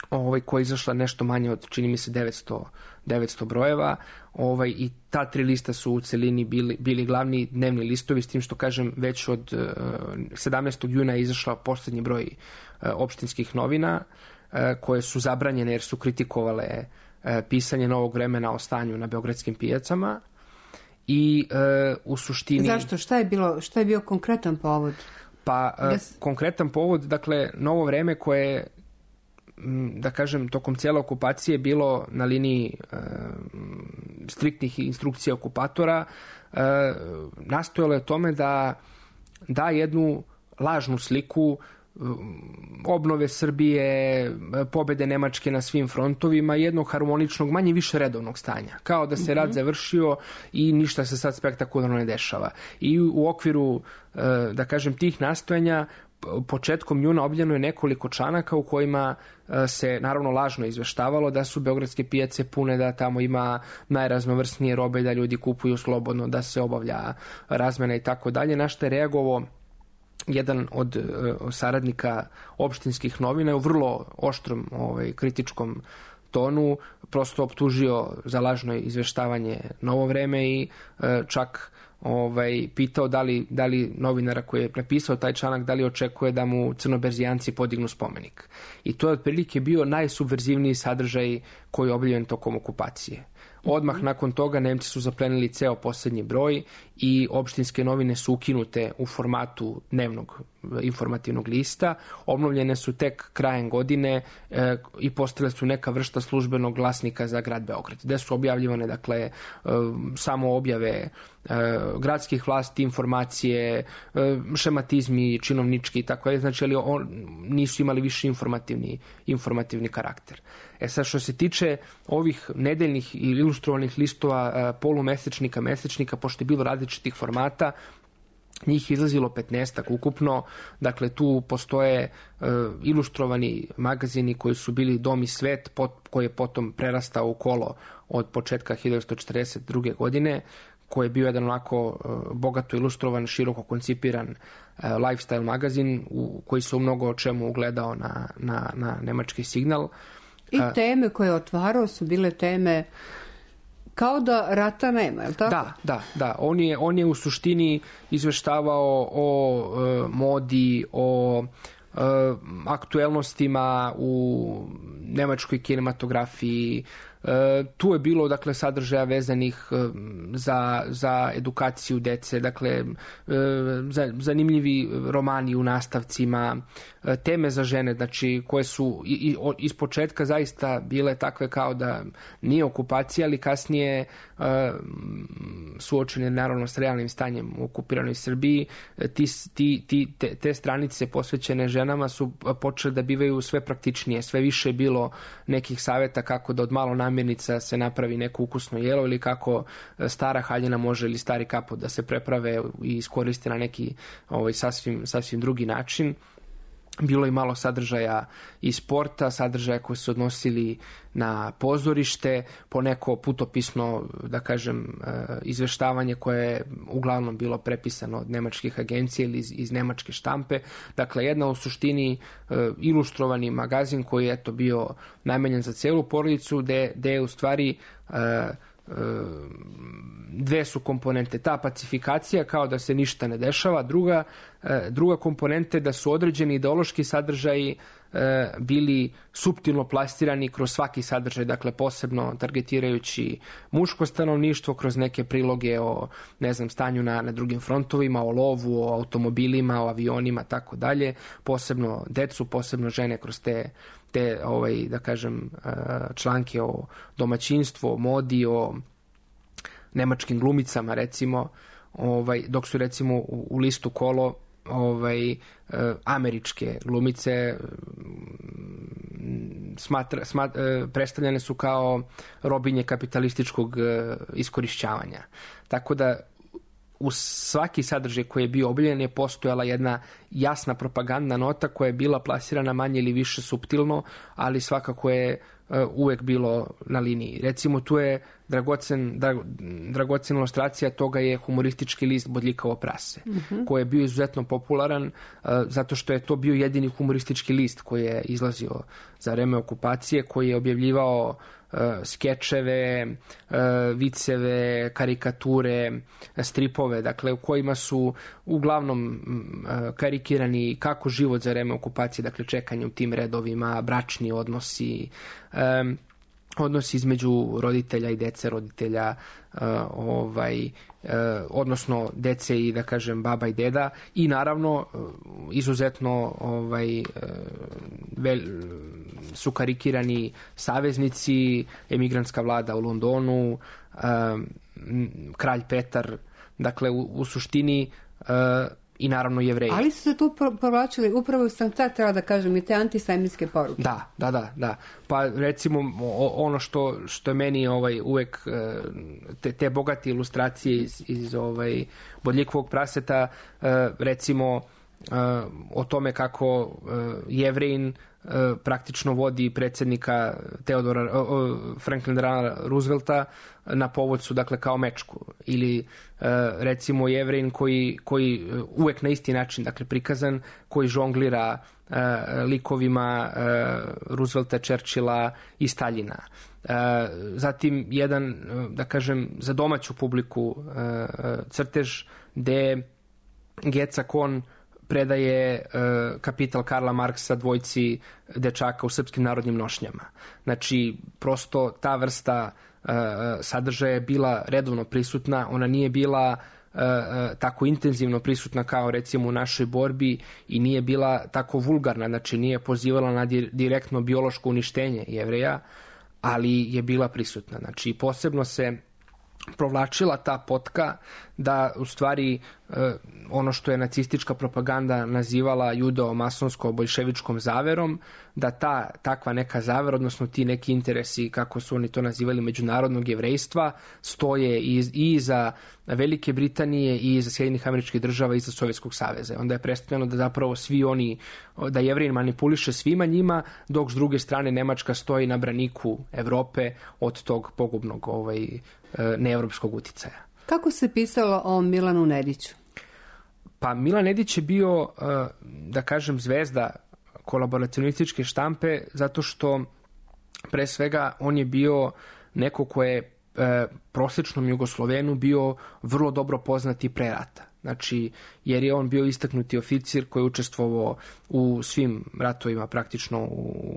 Speaker 15: ovaj, koja je izašla nešto manje od, čini mi se, devetsto brojeva, ovaj, i ta tri lista su u celini bili, bili glavni dnevni listovi, s tim što, kažem, već od uh, sedamnaestog juna je izašla poslednji broj uh, opštinskih novina, uh, koje su zabranjene jer su kritikovale uh, pisanje Novog vremena o stanju na beogradskim pijacama i uh, u suštini...
Speaker 1: Zašto? Šta je, bilo, šta je bio konkretan povod?
Speaker 15: Pa, uh, yes. konkretan povod, dakle, Novo vreme koje, da kažem, tokom cijele okupacije bilo na liniji e, striktnih instrukcija okupatora, e, nastojalo je tome da da jednu lažnu sliku obnove Srbije, pobede Nemačke na svim frontovima, jednog harmoničnog, manje više redovnog stanja. Kao da se rat završio i ništa se sad spektakularno ne dešava. I u okviru, e, da kažem, tih nastojanja početkom juna objavljeno je nekoliko članaka u kojima se naravno lažno izveštavalo da su beogradske pijace pune, da tamo ima najraznovrsnije robe, da ljudi kupuju slobodno, da se obavlja razmena i tako dalje. Na što je reagovao jedan od saradnika opštinskih novina u vrlo oštrom, ovaj, kritičkom tonu, prosto optužio za lažno izveštavanje Novo vreme i čak ovaj, pitao da li, da li novinara koji je napisao taj članak, da li očekuje da mu crnoberzijanci podignu spomenik. I to je otprilike bio najsubverzivniji sadržaj koji je objavljen tokom okupacije. Odmah mm-hmm. nakon toga Nemci su zaplenili ceo posljednji broj i opštinske novine su ukinute u formatu dnevnog informativnog lista. Obnovljene su tek krajem godine e, i postale su neka vrsta službenog glasnika za grad Beograd, gde su objavljivane, dakle, e, samo objave e, gradskih vlasti, informacije, e, šematizmi, činovnički i tako je. Znači, ali on, nisu imali više informativni, informativni karakter. E sad, što se tiče ovih nedeljnih ili ilustrovanih listova, e, polumesečnika, mesečnika, pošto je bilo različitih formata, njih izlazilo petnaestak ukupno, dakle tu postoje e, ilustrovani magazini koji su bili Dom i svet, pot, koji je potom prerastao u Kolo od početka hiljadu devetsto četrdeset druge. godine, koji je bio jedan onako e, bogato ilustrovan, široko koncipiran e, lifestyle magazin u koji se u mnogo o čemu ugledao na, na, na nemački Signal.
Speaker 1: I teme koje je otvarao su bile teme kao da rata nema, je li tako?
Speaker 15: Da, da, da. On je, on je u suštini izveštavao o e, modi, o e, aktuelnostima u nemačkoj kinematografiji. E, tu je bilo, dakle, sadržaja vezanih e, za, za edukaciju dece, dakle, e, za, zanimljivi romani u nastavcima, e, teme za žene, znači, koje su i, i, iz početka zaista bile takve kao da nije okupacija, ali kasnije e, suočene naravno s realnim stanjem u okupiranoj Srbiji. Ti, ti, ti, te, te stranice posvećene ženama su počele da bivaju sve praktičnije, sve više je bilo nekih savjeta kako da od malo namirnica se napravi neko ukusno jelo ili kako stara haljina može ili stari kaput da se preprave i iskoriste na neki ovaj, sasvim, sasvim drugi način. Bilo je malo sadržaja i sporta, sadržaja koji su odnosili na pozorište, po neko putopisno, da kažem, izveštavanje koje je uglavnom bilo prepisano od nemačkih agencija ili iz, iz nemačke štampe. Dakle, jedna u suštini ilustrovani magazin koji je eto bio namenjen za celu porodicu, gde, gde je u stvari dve su komponente. Ta pacifikacija kao da se ništa ne dešava, druga, druga komponente da su određeni ideološki sadržaji e, bili suptilno plastirani kroz svaki sadržaj, dakle posebno targetirajući muško stanovništvo kroz neke priloge o, ne znam, stanju na, na drugim frontovima, o lovu, o automobilima, o avionima, tako dalje, posebno decu, posebno žene kroz te te, ovaj, da kažem, članke o domaćinstvu, o modi, o nemačkim glumicama, recimo, ovaj, dok su, recimo, u, u listu Kolo ovaj, američke glumice smatra, smatra, predstavljene su kao robinje kapitalističkog iskorišćavanja. Tako da u svaki sadržaj koji je bio objavljen je postojala jedna jasna propagandna nota koja je bila plasirana manje ili više suptilno, ali svakako je uh, uvek bilo na liniji. Recimo tu je dragocen, dra, dragocena ilustracija toga je humoristički list Bodljikavo prase, mm-hmm. koji je bio izuzetno popularan uh, zato što je to bio jedini humoristički list koji je izlazio za vreme okupacije, koji je objavljivao Uh, skečeve, uh, viceve, karikature, stripove, dakle u kojima su uglavnom uh, karikirani kako život za vreme okupacije, dakle čekanje u tim redovima, bračni odnosi, um, odnosi između roditelja i dece, roditelja, uh, ovaj, uh, odnosno dece i, da kažem, baba i deda, i naravno uh, izuzetno ovaj, uh, vel, su karikirani saveznici, emigrantska vlada u Londonu, uh, kralj Petar, dakle u, u suštini uh, i naravno Jevreji.
Speaker 1: Ali su se tu provlačili, upravo sam sad trebala da kažem, i te antisemitske poruke.
Speaker 15: Da, da, da, da. Pa recimo ono što, što je meni ovaj, uvek te, te bogate ilustracije iz, iz ovaj, Bodljikovog praseta, recimo o tome kako Jevrejin praktično vodi predsjednika Teodora Franklina Roosevelta na povodcu, dakle, kao mečku, ili recimo Jevrejin koji, koji uvek na isti način, dakle, prikazan, koji žonglira likovima Roosevelta, Churchilla i Staljina. Zatim jedan, da kažem, za domaću publiku crtež gde Geca Kon predaje uh, Kapital Karla Marksa dvojci dečaka u srpskim narodnim nošnjama. Znači, prosto ta vrsta uh, sadržaja je bila redovno prisutna, ona nije bila uh, tako intenzivno prisutna kao recimo u našoj borbi i nije bila tako vulgarna, znači nije pozivala na di- direktno biološko uništenje Jevreja, ali je bila prisutna. Znači, posebno se provlačila ta potka da u stvari ono što je nacistička propaganda nazivala judeo-masonsko-boljševičkom zaverom, da ta takva neka zavera, odnosno ti neki interesi, kako su oni to nazivali, međunarodnog jevrejstva, stoje i, i za Velike Britanije i za Sjedinjenih Američkih Država i za Sovjetskog saveza. Onda je predstavljeno da zapravo svi oni, da Jevrejin manipuliše svima njima, dok s druge strane Nemačka stoji na braniku Evrope od tog pogubnog ovaj, neevropskog uticaja.
Speaker 1: Kako se pisalo o Milanu Nediću?
Speaker 15: Pa Milan Nedić je bio, da kažem, zvezda kolaboracionističke štampe, zato što pre svega on je bio neko ko je prosječnom Jugoslovenu bio vrlo dobro poznati pre rata. Znači, jer je on bio istaknuti oficir koji je učestvovao u svim ratovima praktično u,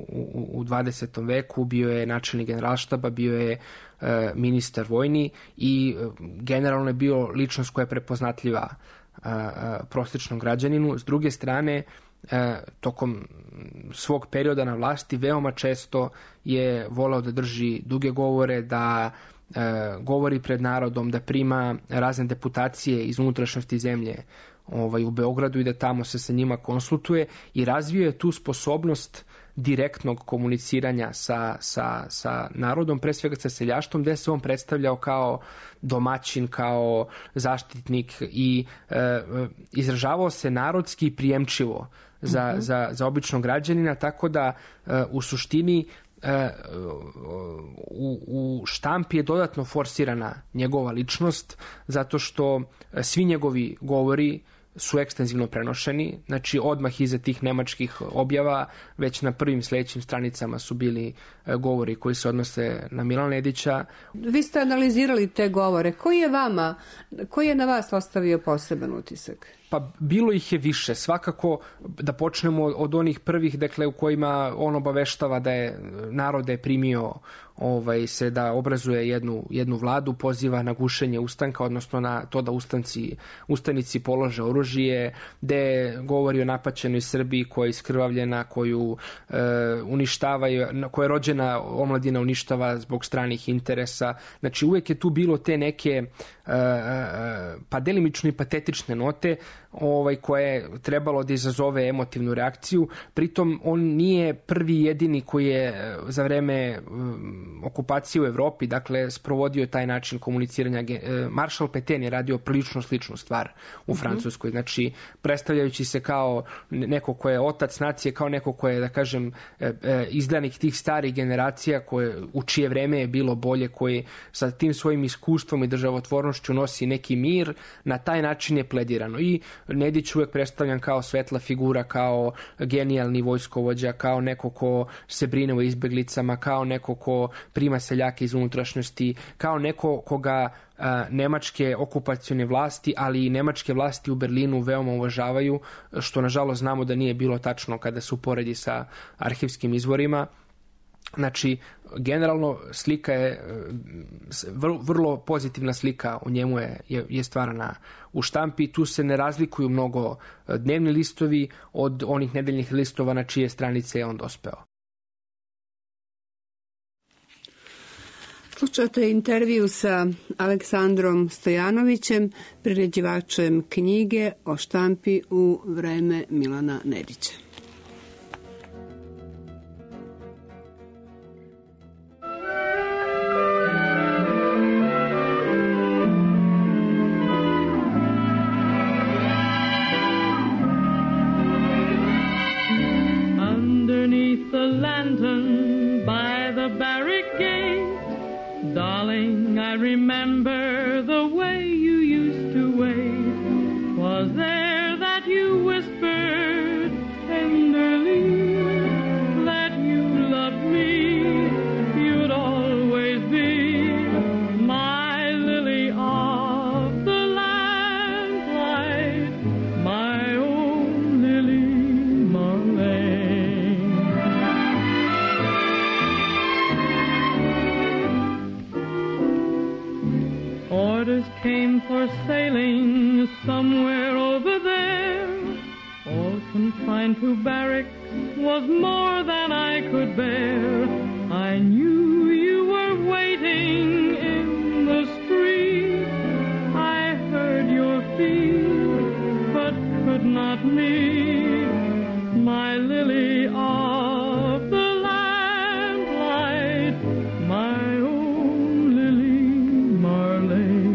Speaker 15: u, u dvadesetom veku, bio je načelnik generalštaba, bio je e, ministar vojni i e, generalno je bio ličnost koja je prepoznatljiva e, e, prosječnom građaninu. S druge strane, e, tokom svog perioda na vlasti veoma često je voleo da drži duge govore, da E, govori pred narodom, da prima razne deputacije iz unutrašnjosti zemlje ovaj, u Beogradu i da tamo se sa njima konsultuje i razvio je tu sposobnost direktnog komuniciranja sa, sa, sa narodom, pre svega sa seljaštvom, gde se on predstavljao kao domaćin, kao zaštitnik i e, izražavao se narodski i prijemčivo za, mm-hmm. za, za običnog građanina, tako da e, u suštini U, u štampi je dodatno forsirana njegova ličnost, zato što svi njegovi govori su ekstenzivno prenošeni, znači odmah iza tih nemačkih objava, već na prvim sledećim stranicama su bili govori koji se odnose na Milana Nedića.
Speaker 1: Vi ste analizirali te govore. Koji je vama, koji je na vas ostavio poseban utisak?
Speaker 15: Pa bilo ih je više. Svakako da počnemo od onih prvih, dakle, u kojima on obaveštava da je narod je primio ovaj, se da obrazuje jednu, jednu vladu, poziva na gušenje ustanka, odnosno na to da ustanci, ustanici polože oružje, gde govori o napaćenoj Srbiji koja je iskrvavljena, koju e, uništavaju, koja je rođena omladina uništava zbog stranih interesa. Znači uvek je tu bilo te neke e, e, pa delimično i patetične note ovaj, koje je trebalo da izazove emotivnu reakciju. Pritom on nije prvi jedini koji je za vreme um, okupacije u Evropi, dakle, sprovodio taj način komuniciranja. Maršal Petain je radio prilično sličnu stvar u mm-hmm. Francuskoj. Znači, predstavljajući se kao neko ko je otac nacije, kao neko ko je, da kažem, izdanik tih starih generacija koje, u čije vreme je bilo bolje, koji sa tim svojim iskustvom i državotvornošću nosi neki mir, na taj način je pledirano. I Nedić uvek predstavljan kao svetla figura, kao genijalni vojskovođa, kao neko ko se brine o izbeglicama, kao neko ko prima seljake iz unutrašnjosti, kao neko koga a, nemačke okupacione vlasti, ali i nemačke vlasti u Berlinu veoma uvažavaju, što nažalost znamo da nije bilo tačno kada se uporedi sa arhivskim izvorima. Znači, generalno slika je vrlo, vrlo pozitivna slika u njemu je, je, je stvarana u štampi. Tu se ne razlikuju mnogo dnevni listovi od onih nedeljnih listova na čije stranice je on dospeo.
Speaker 1: Slušate intervju sa Aleksandrom Stojanovićem, priređivačem knjige o štampi u vreme Milana Nedića.
Speaker 16: Underneath the lantern by the barrack gate, darling, I remember the way you used to wait. Was there that you whispered tenderly that you loved me? You'd always be my lily of the lamplight, my own Lily Marlene. Orders came for sailing somewhere over there. All confined to barracks was more than I could bear. I knew you were waiting in the street. I heard your feet, but could not meet. My lily of the lamplight, my own Lily Marlene.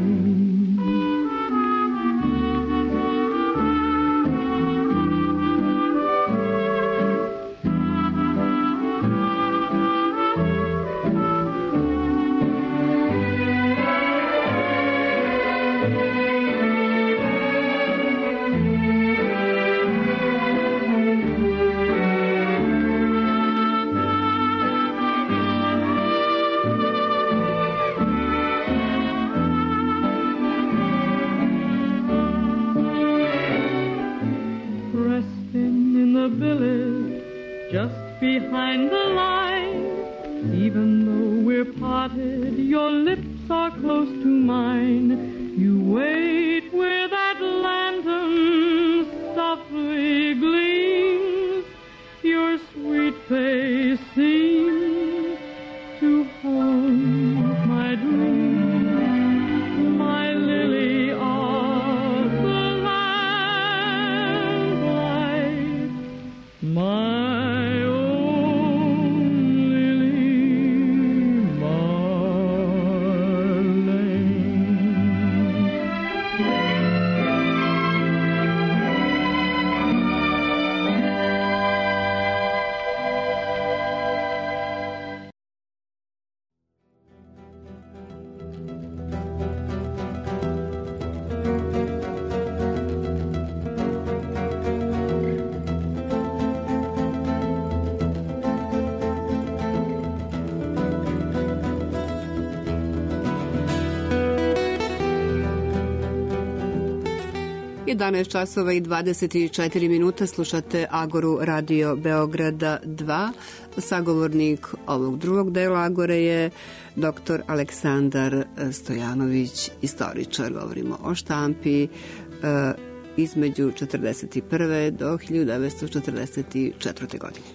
Speaker 16: Resting in the billet just behind the line, even though we're parted, your lips are close to mine. You wait where that lantern softly gleams. Your sweet face seems to haunt my dreams. My lily of the lamplight, my own Lily Marlene.
Speaker 1: jedanaest časova i dvadeset četiri minuta, slušate Agoru Radio Beograda dva. Sagovornik ovog drugog dela Agore je doktor Aleksandar Stojanović, istoričar. Govorimo o štampi e, između četrdeset prve do hiljadu devetsto četrdeset četvrte. godine.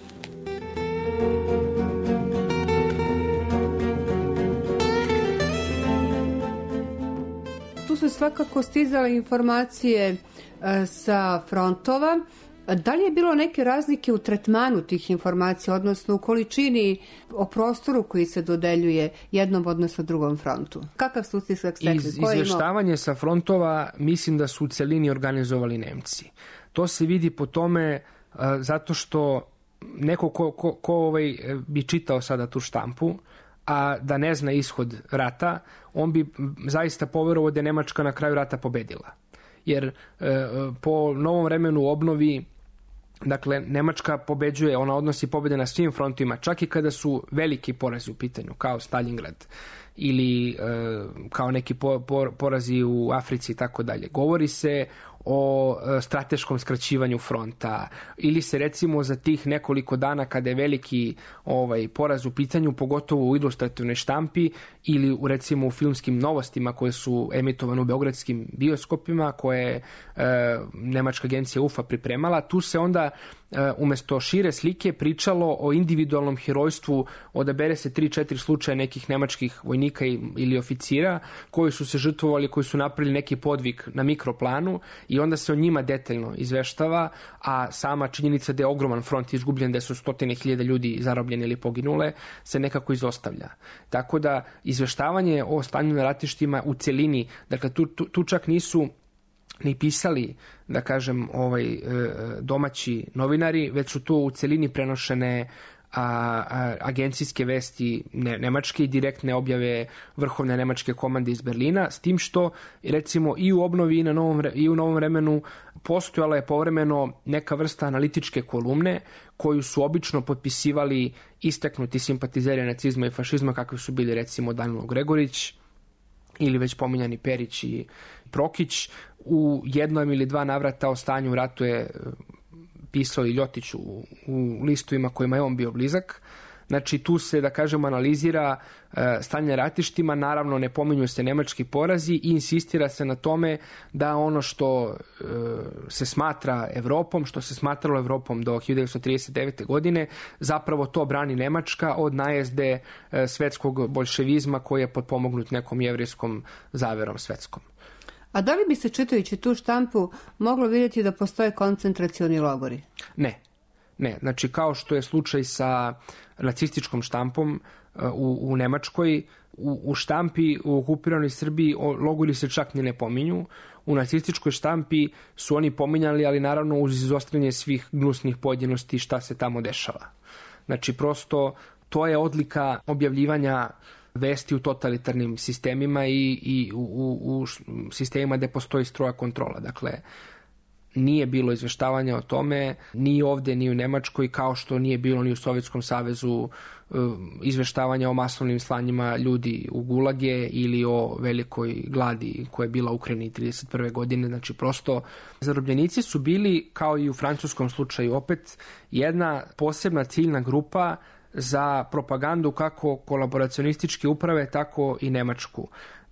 Speaker 1: Tu su svakako stizale informacije e, sa frontova. Da li je bilo neke razlike u tretmanu tih informacija, odnosno u količini, o prostoru koji se dodeljuje jednom, odnosno drugom frontu? Kakav su utisak stekli?
Speaker 15: Iz, izveštavanje sa frontova mislim da su u celini organizovali Nemci. To se vidi po tome uh, zato što neko ko, ko, ko ovaj, bi čitao sada tu štampu, a da ne zna ishod rata, on bi zaista poverovao da je Nemačka na kraju rata pobedila. Jer uh, po novom vremenu u obnovi, dakle, Nemačka pobeđuje, ona odnosi pobjede na svim frontovima, čak i kada su veliki porazi u pitanju, kao Stalingrad ili e, kao neki po, po, porazi u Africi i tako dalje. Govori se o e, strateškom skraćivanju fronta ili se recimo za tih nekoliko dana kada je veliki ovaj poraz u pitanju, pogotovo u ilustrativnoj štampi ili u recimo u filmskim novostima koje su emitovane u beogradskim bioskopima koje je e, nemačka agencija U F A pripremala, tu se onda e, umesto šire slike pričalo o individualnom herojstvu, odabere se tri četiri slučaja nekih nemačkih vojnika ili oficira koji su se žrtvovali, koji su napravili neki podvig na mikroplanu i onda se o njima detaljno izveštava, a sama činjenica da je ogroman front izgubljen, da su stotine hiljada ljudi zarobljeni ili poginule, se nekako izostavlja. Tako da izveštavanje o stanju na ratištima u celini, dakle tu, tu, tu čak nisu ni pisali, da kažem, ovaj, domaći novinari, već su tu u celini prenošene A, a, agencijske vesti ne, nemačke i direktne objave vrhovne nemačke komande iz Berlina, s tim što recimo i u obnovi i, na novom, i u novom vremenu postojala je povremeno neka vrsta analitičke kolumne koju su obično potpisivali istaknuti simpatizeri nacizma i fašizma kakvi su bili recimo Danilo Gregorić ili već pominjani Perić i Prokić. U jednom ili dva navrata o stanju u ratu je pisao i Ljotić u, u listovima kojima je on bio blizak. Znači tu se, da kažem, analizira e, stanje na ratištima, naravno ne pominju se nemački porazi i insistira se na tome da ono što e, se smatra Evropom, što se smatralo Evropom do hiljadu devetsto trideset devete. godine, zapravo to brani Nemačka od najezde e, svetskog boljševizma koji je potpomognut nekom jevrijskom zaverom svetskom.
Speaker 1: A da li bi se, čitajući tu štampu, moglo vidjeti da postoje koncentracioni logori?
Speaker 15: Ne. Ne. Znači, kao što je slučaj sa nacističkom štampom u, u Nemačkoj, u, u štampi u okupiranoj Srbiji logori se čak ni ne pominju. U nacističkoj štampi su oni pominjali, ali naravno uz izostavljanje svih gnusnih pojedinosti šta se tamo dešava. Znači, prosto to je odlika objavljivanja vesti u totalitarnim sistemima i, i u, u, u sistemima gde postoji stroga kontrola. Dakle, nije bilo izveštavanja o tome ni ovde, ni u Nemačkoj, kao što nije bilo ni u Sovjetskom savezu izveštavanja o masovnim slanjima ljudi u gulage ili o velikoj gladi koja je bila u Ukrajini trideset prve. godine. Znači, prosto zarobljenici su bili, kao i u francuskom slučaju opet, jedna posebna ciljna grupa za propagandu kako kolaboracionističke uprave, tako i Nemačku.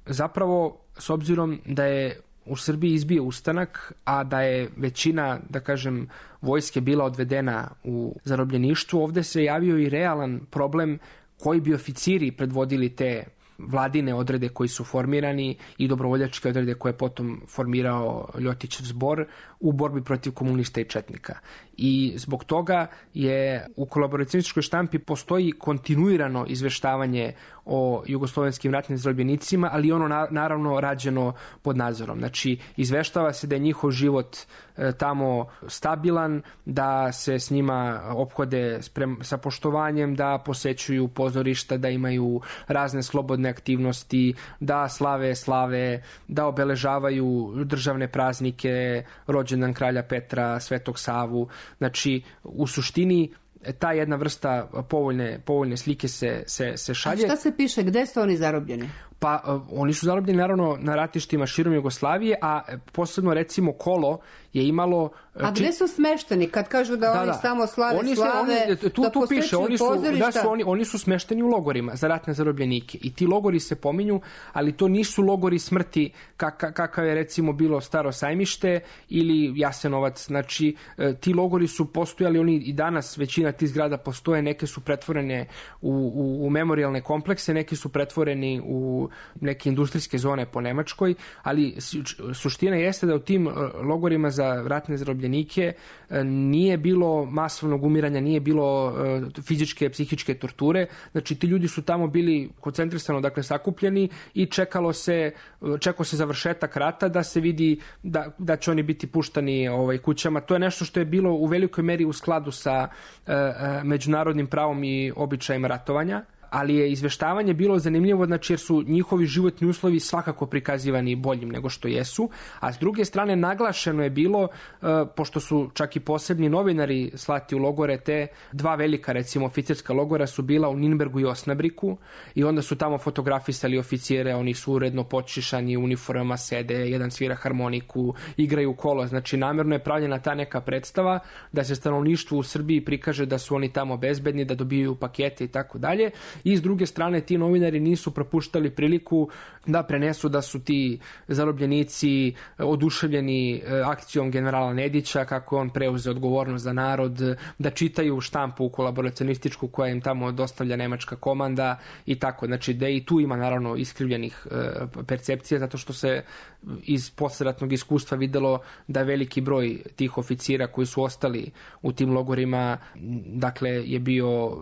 Speaker 15: Zapravo, s obzirom da je u Srbiji izbio ustanak, a da je većina, da kažem, vojske bila odvedena u zarobljeništvu, ovde se javio i realan problem koji bi oficiri predvodili te vladine odrede koji su formirani i dobrovoljačke odrede koje je potom formirao Ljotićev zbor u borbi protiv komunista i četnika. I zbog toga je u kolaboracionističkoj štampi postoji kontinuirano izveštavanje o jugoslovenskim ratnim zarobljenicima, ali ono na, naravno rađeno pod nadzorom. Znači, izveštava se da je njihov život e, tamo stabilan, da se s njima ophode sprem, sa poštovanjem, da posećuju pozorišta, da imaju razne slobodne aktivnosti, da slave slave, da obeležavaju državne praznike, rođendan kralja Petra, Svetog Savu. Znači, u suštini ta jedna vrsta povoljne, povoljne slike se, se, se šalje.
Speaker 1: A šta se piše? Gde su oni zarobljeni?
Speaker 15: Pa uh, oni su zarobljeni naravno na ratištima širom Jugoslavije, a posebno recimo Kolo je imalo...
Speaker 1: A gde su smešteni kad kažu da, da oni da. samo slave
Speaker 15: oni se,
Speaker 1: slave,
Speaker 15: oni, tu,
Speaker 1: da
Speaker 15: tu piše, oni su,
Speaker 1: pozorišta?
Speaker 15: Da su oni, oni su smešteni u logorima za ratne zarobljenike i ti logori se pominju, ali to nisu logori smrti kaka, kakav je recimo bilo Staro Sajmište ili Jasenovac. Znači, ti logori su postojali, oni i danas većina tih zgrada postoje, neke su pretvorene u, u, u memorijalne komplekse, neki su pretvoreni u neke industrijske zone po Nemačkoj, ali suština jeste da u tim logorima za ratne zarobljenike nije bilo masovnog umiranja, nije bilo fizičke, psihičke torture. Znači, ti ljudi su tamo bili koncentrisano, dakle, sakupljeni i čekalo se, čekao se završetak rata da se vidi da, da će oni biti puštani ovaj, kućama. To je nešto što je bilo u velikoj meri u skladu sa e, međunarodnim pravom i običajem ratovanja, ali je izveštavanje bilo zanimljivo, znači jer su njihovi životni uslovi svakako prikazivani boljim nego što jesu, a s druge strane naglašeno je bilo, e, pošto su čak i posebni novinari slati u logore, te dva velika, recimo, oficirska logora su bila u Ninbergu i Osnabriku i onda su tamo fotografisali oficijere, oni su uredno počišani, u uniformama sede, jedan svira harmoniku, igraju kolo, znači namjerno je pravljena ta neka predstava da se stanovništvu u Srbiji prikaže da su oni tamo bezbedni, da dobijaju pakete i tako dalje. I s druge strane ti novinari nisu propuštali priliku da prenesu da su ti zarobljenici oduševljeni akcijom generala Nedića, kako on preuzeo odgovornost za narod, da čitaju štampu kolaboracionističku koja im tamo dostavlja nemačka komanda i tako. Znači da i tu ima naravno iskrivljenih percepcija, zato što se iz posleratnog iskustva videlo da veliki broj tih oficira koji su ostali u tim logorima, dakle, je bio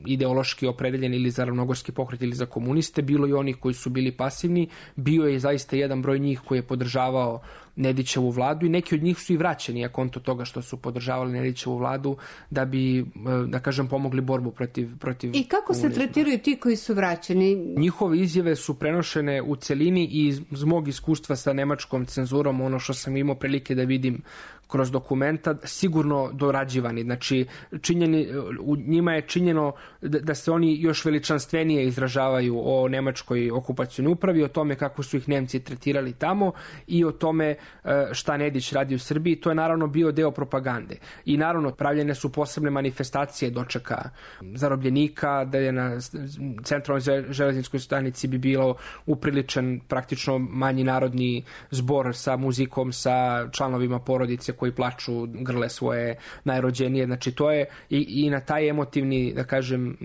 Speaker 15: ideološki opredeljen ili za ravnogorski pokret ili za komuniste, bilo i onih koji su bili pasivni, bio je zaista jedan broj njih koji je podržavao Nedićevu vladu i neki od njih su i vraćeni, a konto toga što su podržavali Nedićevu vladu, da bi, da kažem, pomogli borbu protiv, protiv
Speaker 1: I kako
Speaker 15: komunizma.
Speaker 1: se tretiraju ti koji su vraćeni?
Speaker 15: Njihove izjave su prenošene u celini i iz mog iskustva sa nemačkom cenzurom, ono što sam imao prilike da vidim kroz dokumenta, sigurno dorađivani. Znači, činjeni, u njima je činjeno da, da se oni još veličanstvenije izražavaju o nemačkoj okupacionoj upravi, o tome kako su ih Nemci tretirali tamo i o tome šta Nedić radi u Srbiji. To je naravno bio deo propagande. I naravno pravljene su posebne manifestacije dočeka zarobljenika, da je na centralnoj železničkoj stanici bi bilo upriličen praktično manji narodni zbor sa muzikom, sa članovima porodice koji plaču, grle svoje najrođenije. Znači to je i, i na taj emotivni, da kažem,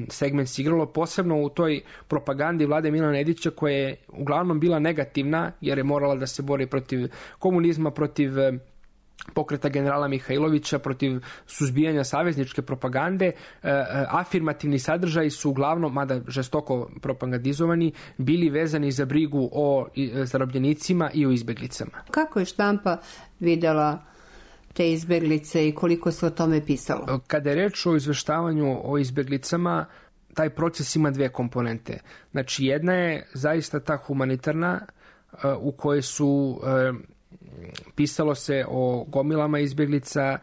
Speaker 15: segment se igralo, posebno u toj propagandi vlade Milana Nedića koja je uglavnom bila negativna jer je morala da se bori protiv komunizma, protiv pokreta generala Mihajlovića, protiv suzbijanja savezničke propagande. E, afirmativni sadržaji su uglavnom, mada žestoko propagandizovani, bili vezani za brigu o zarobljenicima i o izbeglicama.
Speaker 1: Kako je štampa videla te izbeglice i koliko se o tome pisalo?
Speaker 15: Kada je reč o izveštavanju o izbeglicama, taj proces ima dve komponente. Znači, jedna je zaista ta humanitarna, u kojoj su pisalo se o gomilama izbjeglica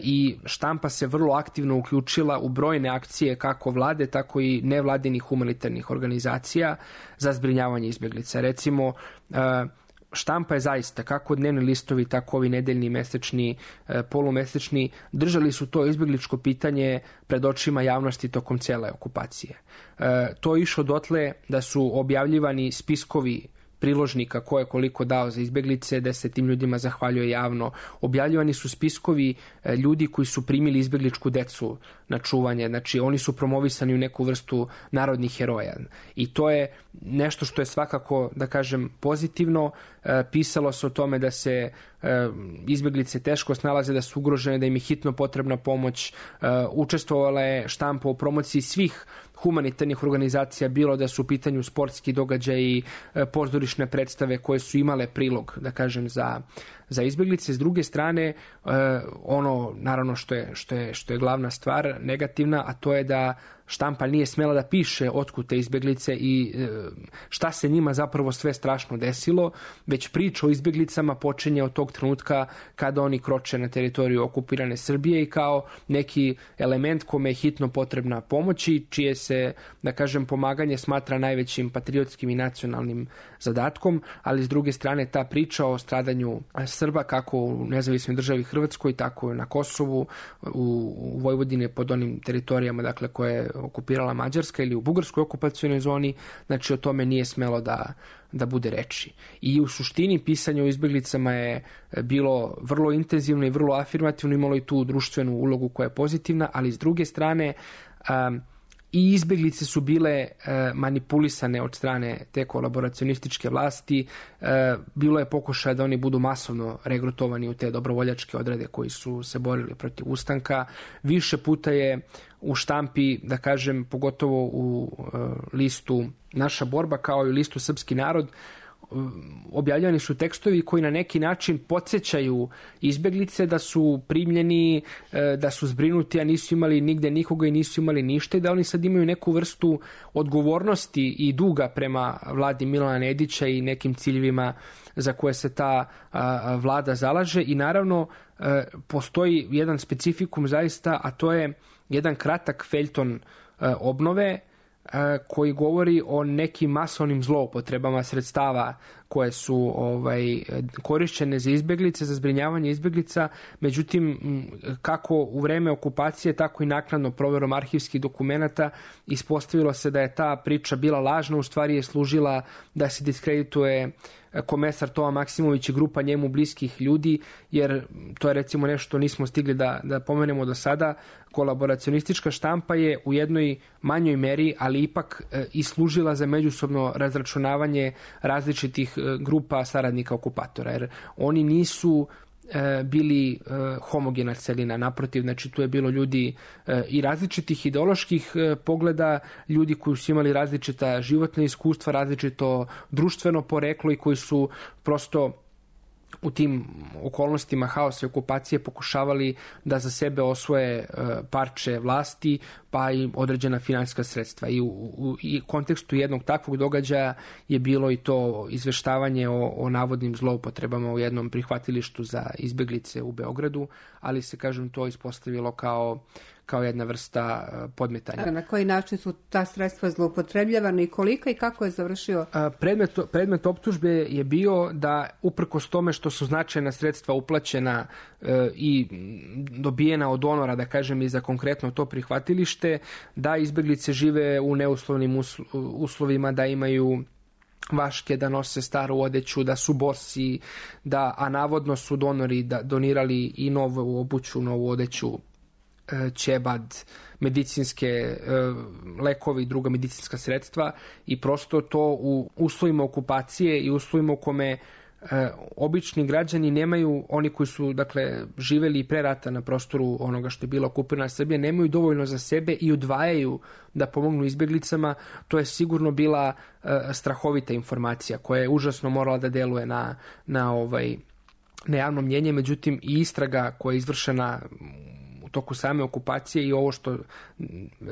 Speaker 15: i štampa se vrlo aktivno uključila u brojne akcije kako vlade, tako i nevladinih humanitarnih organizacija za zbrinjavanje izbjeglica. Recimo, štampa je zaista, kako dnevni listovi, tako ovi nedeljni, mesečni, polumesečni, držali su to izbjegličko pitanje pred očima javnosti tokom cijele okupacije. To je išlo dotle da su objavljivani spiskovi priložnika ko je koliko dao za izbjeglice, da se tim ljudima zahvaljuje javno. Objavljivani su spiskovi ljudi koji su primili izbjegličku decu na čuvanje. Znači, oni su promovisani u neku vrstu narodnih heroja. I to je nešto što je svakako, da kažem, pozitivno. Pisalo se o tome da se izbjeglice teško snalaze, da su ugrožene, da im je hitno potrebna pomoć. Učestvovala je štampa u promociji svih humanitarnih organizacija, bilo da su u pitanju sportski događaji, pozorišne predstave koje su imale prilog, da kažem, za, za izbjeglice. S druge strane, ono naravno što je, što je, što je glavna stvar negativna, a to je da štampa nije smjela da piše otkud te izbjeglice i šta se njima zapravo sve strašno desilo, već priča o izbjeglicama počinje od tog trenutka kada oni kroče na teritoriju okupirane Srbije i kao neki element kome je hitno potrebna pomoć i čije se, da kažem, pomaganje smatra najvećim patriotskim i nacionalnim zadatkom, ali s druge strane ta priča o stradanju Srba kako u nezavisnoj državi Hrvatskoj, tako i na Kosovu, u Vojvodini pod onim teritorijama dakle koje je okupirala Mađarska ili u bugarskoj okupacionoj zoni, znači o tome nije smelo da, da bude reči. I u suštini pisanje o izbjeglicama je bilo vrlo intenzivno i vrlo afirmativno, imalo i tu društvenu ulogu koja je pozitivna, ali s druge strane um, i izbjeglice su bile e, manipulisane od strane te kolaboracionističke vlasti. E, bilo je pokušaja da oni budu masovno regrutovani u te dobrovoljačke odrede koji su se borili protiv ustanka. Više puta je u štampi, da kažem, pogotovo u e, listu Naša borba kao i listu Srpski narod, objavljeni su tekstovi koji na neki način podsjećaju izbjeglice da su primljeni, da su zbrinuti, a nisu imali nigde nikoga i nisu imali ništa i da oni sad imaju neku vrstu odgovornosti i duga prema vladi Milana Nedića i nekim ciljevima za koje se ta a, vlada zalaže. I naravno a, postoji jedan specifikum zaista, a to je jedan kratak feljton a, obnove koji govori o nekim masovnim zloupotrebama sredstava koje su ovaj, korišćene za izbjeglice, za zbrinjavanje izbjeglica. Međutim, kako u vreme okupacije, tako i naknadno provjerom arhivskih dokumenata ispostavilo se da je ta priča bila lažna, u stvari je služila da se diskredituje komesar Toma Maksimović i grupa njemu bliskih ljudi, jer to je recimo nešto nismo stigli da, da pomenemo do sada. Kolaboracionistička štampa je u jednoj manjoj meri, ali ipak e, i služila za međusobno razračunavanje različitih e, grupa saradnika okupatora, jer oni nisu e, bili e, homogena celina, naprotiv, znači tu je bilo ljudi e, i različitih ideoloških e, pogleda, ljudi koji su imali različita životna iskustva, različito društveno poreklo i koji su prosto u tim okolnostima haosa i okupacije pokušavali da za sebe osvoje parče vlasti, pa i određena finansijska sredstva. I u, u i kontekstu jednog takvog događaja je bilo i to izveštavanje o, o navodnim zloupotrebama u jednom prihvatilištu za izbjeglice u Beogradu, ali se, kažem, to ispostavilo kao kao jedna vrsta podmetanja.
Speaker 1: Na koji način su ta sredstva zloupotrebljavana i koliko i kako je završio?
Speaker 15: Predmet, predmet optužbe je bio da uprkos tome što su značajna sredstva uplaćena e, i dobijena od donora, da kažem, i za konkretno to prihvatilište, da izbjeglice žive u neuslovnim uslovima, da imaju vaške, da nose staru odeću, da su bosi, da, a navodno su donori da donirali i novu obuću, novu odeću, ćebad, medicinske lekovi i druga medicinska sredstva, i prosto to u uslovima okupacije i uslovima u kome obični građani nemaju, oni koji su dakle živeli i pre rata na prostoru onoga što je bila okupirana Srbija, nemaju dovoljno za sebe i odvajaju da pomognu izbjeglicama. To je sigurno bila strahovita informacija koja je užasno morala da deluje na, na, ovaj, na javno mnjenje. Međutim, i istraga koja je izvršena u toku same okupacije i ovo što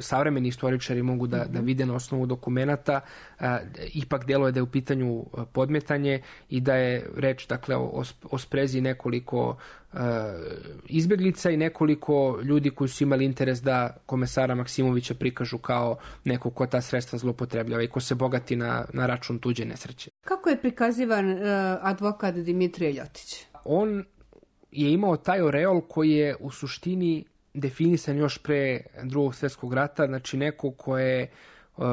Speaker 15: savremeni istoričari mogu da, da vide na osnovu dokumenata, a, ipak deluje da je u pitanju podmetanje i da je reč, dakle, o, o sprezi nekoliko a, izbjeglica i nekoliko ljudi koji su imali interes da komesara Maksimovića prikažu kao neko ko ta sredstva zloupotrebljava i ko se bogati na, na račun tuđe nesreće.
Speaker 1: Kako je prikazivan uh, advokat Dimitrije Ljotić?
Speaker 15: On je imao taj oreol koji je u suštini definisan još pre Drugog svjetskog rata, znači neko ko je uh,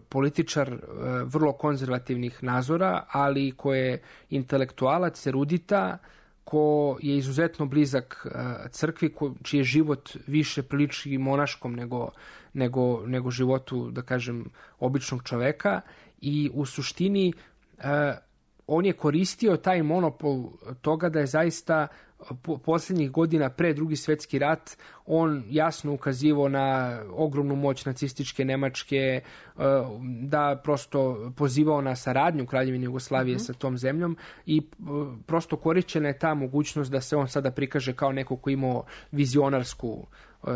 Speaker 15: političar uh, vrlo konzervativnih nazora, ali ko je intelektualac, erudita, ko je izuzetno blizak uh, crkvi, ko, čiji je život više priliči monaškom nego, nego, nego životu, da kažem, običnog čoveka, i u suštini uh, on je koristio taj monopol toga da je zaista po posljednjih godina pre Drugi svjetski rat on jasno ukazivao na ogromnu moć nacističke Nemačke, da prosto pozivao na saradnju Kraljevine Jugoslavije mm-hmm. sa tom zemljom i prosto korišćena je ta mogućnost da se on sada prikaže kao neko ko imao vizionarsku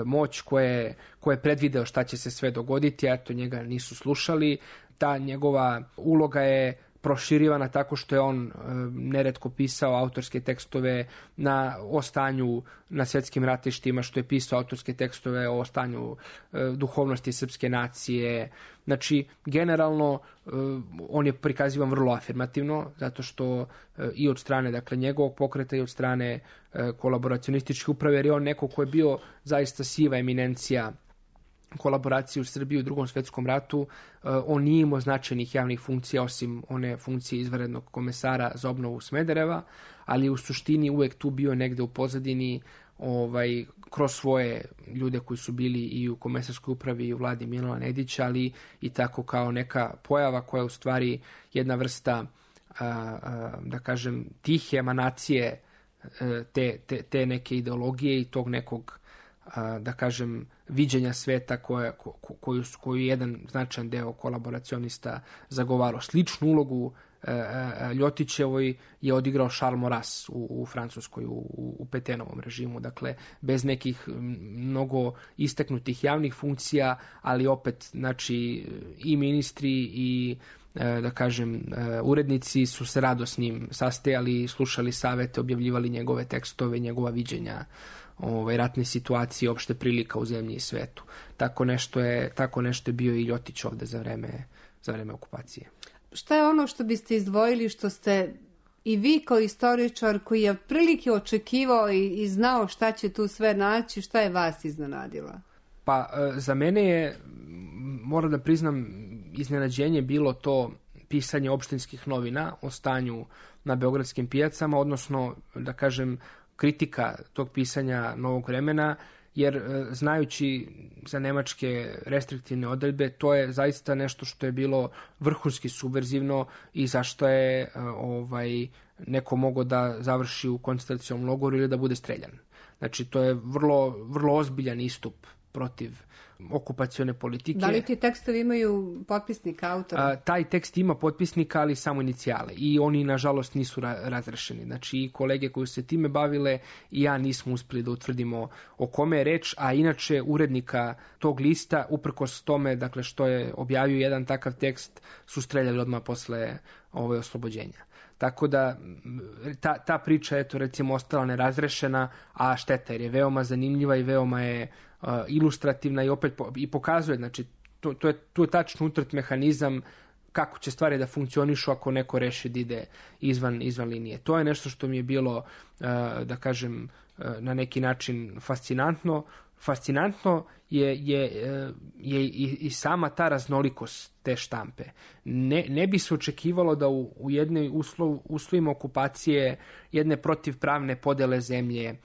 Speaker 15: moć, koje, koje je predvideo šta će se sve dogoditi, a to njega nisu slušali. Ta njegova uloga je proširivana tako što je on e, neretko pisao autorske tekstove na, o stanju na svjetskim ratištima, što je pisao autorske tekstove o stanju e, duhovnosti srpske nacije. Znači, generalno, e, on je prikazivan vrlo afirmativno, zato što e, i od strane dakle, njegovog pokreta i od strane e, kolaboracionističke uprave, jer je on neko ko je bio zaista siva eminencija kolaboracije u Srbiji u Drugom svjetskom ratu. On nije imao značajnih javnih funkcija osim one funkcije izvanrednog komesara za obnovu Smedereva, ali u suštini uvek tu bio negde u pozadini ovaj, kroz svoje ljude koji su bili i u komesarskoj upravi i u vladi Milana Nedića, ali i tako kao neka pojava koja je u stvari jedna vrsta, a, a, da kažem, tihe emanacije te, te, te neke ideologije i tog nekog, da kažem, viđenja sveta koje, ko, koju, koju jedan značajan deo kolaboracionista zagovarao. Sličnu ulogu e, e, Ljotićevoj je odigrao Charles Maurras u, u Francuskoj, u, u Petenovom režimu. Dakle, bez nekih mnogo istaknutih javnih funkcija, ali opet, znači, i ministri i e, da kažem, e, urednici su se rado s njim sastajali, slušali savete, objavljivali njegove tekstove, njegova viđenja ovaj, ratne situacije, opšte prilika u zemlji i svetu. Tako nešto je, tako nešto je bio i Ljotić ovde za vreme, za vreme okupacije.
Speaker 1: Šta je ono što biste izdvojili, što ste i vi kao istoričar koji je prilike očekivao i, i znao šta će tu sve naći, šta je vas iznenadilo?
Speaker 15: Pa za mene je, moram da priznam, iznenađenje bilo to pisanje opštinskih novina o stanju na beogradskim pijacama, odnosno, da kažem, kritika tog pisanja Novog vremena, jer znajući za nemačke restriktivne odredbe, to je zaista nešto što je bilo vrhunski subverzivno i zašto je ovaj, neko mogao da završi u koncentracionom logoru ili da bude streljan. Znači, to je vrlo, vrlo ozbiljan istup protiv okupacione politike.
Speaker 1: Da li ti tekstovi imaju potpisnika, autora?
Speaker 15: A, taj tekst ima potpisnika, ali samo inicijale. I oni, nažalost, nisu ra- razrešeni. Znači, i kolege koji su se time bavile i ja nismo uspeli da utvrdimo o kome je reč, a inače urednika tog lista, uprkos tome, dakle, što je objavio jedan takav tekst, su streljali odmah posle ove oslobođenja. Tako da ta, ta priča, eto, recimo, ostala nerazrešena, a šteta, jer je veoma zanimljiva i veoma je uh, ilustrativna i opet po, i pokazuje, znači, to, to je, tu je tačno utrt mehanizam kako će stvari da funkcionišu ako neko reši da ide izvan, izvan linije. To je nešto što mi je bilo, uh, da kažem, uh, na neki način fascinantno. Fascinantno je, je, je i, i sama ta raznolikost te štampe. Ne, ne bi se očekivalo da u, u jednoj uslov, uslovima okupacije jedne protivpravne podele zemlje, e,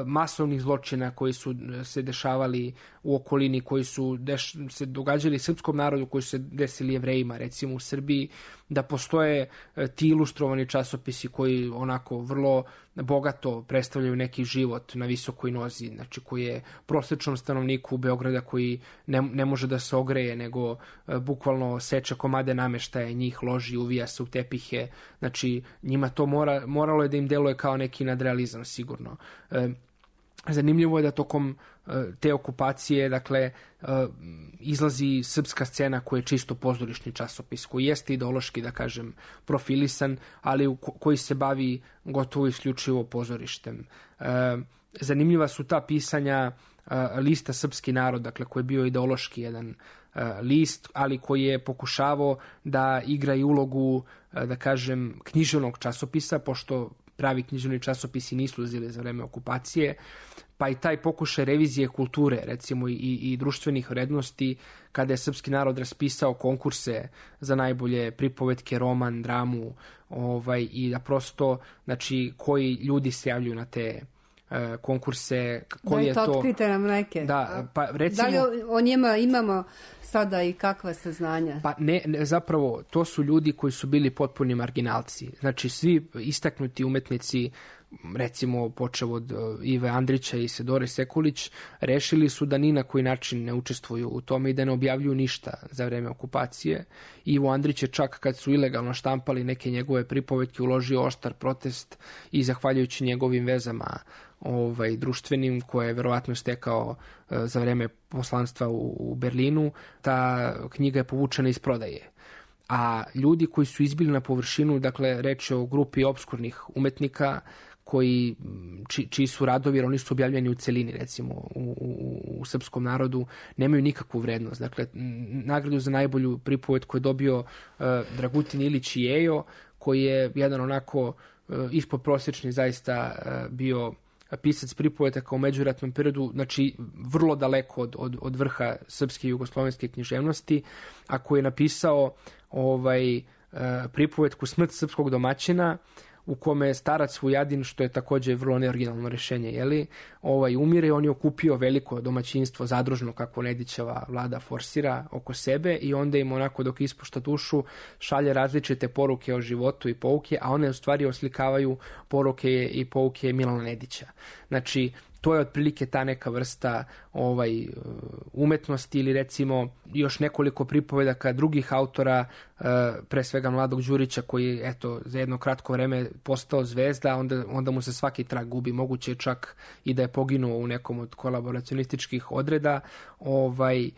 Speaker 15: masovnih zločina koji su se dešavali u okolini, koji su deš, se događali srpskom narodu, koji su se desili Jevrejima, recimo u Srbiji, da postoje ti ilustrovani časopisi koji onako vrlo bogato predstavljaju neki život na visokoj nozi, znači koji je prosječnom stanovniku Beograda koji ne, ne može da se ogreje, nego e, bukvalno seče komade nameštaja, njih loži, uvija se u tepihe, znači njima to mora, moralo je da im deluje kao neki nadrealizam sigurno. E, zanimljivo je da tokom te okupacije, dakle, izlazi srpska scena koja je čisto pozorišni časopis, koji jeste ideološki, da kažem, profilisan, ali koji se bavi gotovo isključivo pozorištem. Zanimljiva su ta pisanja lista Srpski narod, dakle, koji je bio ideološki jedan list, ali koji je pokušavao da igra i ulogu, da kažem, književnog časopisa, pošto pravi književni časopisi nisu uzeli za vreme okupacije, pa i taj pokušaj revizije kulture, recimo i, i društvenih vrednosti, kada je Srpski narod raspisao konkurse za najbolje pripovetke, roman, dramu, ovaj, i da prosto, znači, koji ljudi se javljaju na te e, konkurse, koji je
Speaker 1: to...
Speaker 15: to...
Speaker 1: Otkrite nam neke.
Speaker 15: Da, pa recimo...
Speaker 1: Da li o, o njima imamo sada i kakva saznanja?
Speaker 15: Pa ne, ne, zapravo, to su ljudi koji su bili potpuni marginalci. Znači, svi istaknuti umetnici, recimo počev od uh, Ive Andrića i Sedore Sekulić, rešili su da ni na koji način ne učestvuju u tome i da ne objavljuju ništa za vreme okupacije. Ivo Andrić je čak kad su ilegalno štampali neke njegove pripovetke uložio oštar protest i zahvaljujući njegovim vezama ovaj, društvenim, koje je verovatno stekao uh, za vreme poslanstva u, u Berlinu, ta knjiga je povučena iz prodaje. A ljudi koji su izbili na površinu, dakle reč je o grupi opskurnih umetnika koji, či, čiji su radovi, jer oni su objavljeni u celini, recimo u, u, u srpskom narodu, nemaju nikakvu vrednost. Dakle, nagradu za najbolju pripovetku je dobio uh, Dragutin Ilić Jejo, koji je jedan onako uh, ispodprosječni zaista uh, bio pisac pripovetaka u međuratnom periodu, znači vrlo daleko od, od, od vrha srpske i jugoslovenske književnosti, a koji je napisao ovaj, uh, pripovetku Smrt srpskog domaćina, u kome je starac Vujadin, što je također vrlo neoriginalno rješenje, jeli, ovaj, umire i on je okupio veliko domaćinstvo zadružno, kako Nedićeva vlada forsira, oko sebe i onda im onako dok ispušta dušu šalje različite poruke o životu i pouke, a one u stvari oslikavaju poruke i pouke Milana Nedića. Znači, to je otprilike ta neka vrsta ovaj, umetnosti ili recimo još nekoliko pripovedaka drugih autora, pre svega Mladog Đurića koji eto za jedno kratko vreme postao zvezda, onda, onda mu se svaki trag gubi, moguće je čak i da je poginuo u nekom od kolaboracionističkih odreda, ovaj,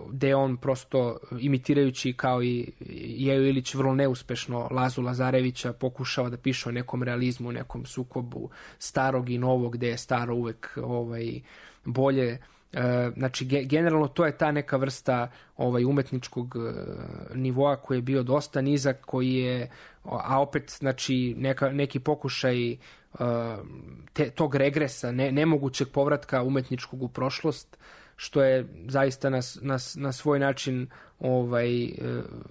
Speaker 15: gde on prosto imitirajući kao i Jejo Ilić vrlo neuspešno Lazu Lazarevića pokušava da piše o nekom realizmu, nekom sukobu starog i novog, gde je staro uvek ovaj, bolje. Znači, generalno to je ta neka vrsta ovaj, umetničkog nivoa koji je bio dosta nizak, koji je, a opet znači, neka, neki pokušaj te, tog regresa, ne, nemogućeg povratka umetničkog u prošlost, što je zaista na, na, na svoj način ovaj,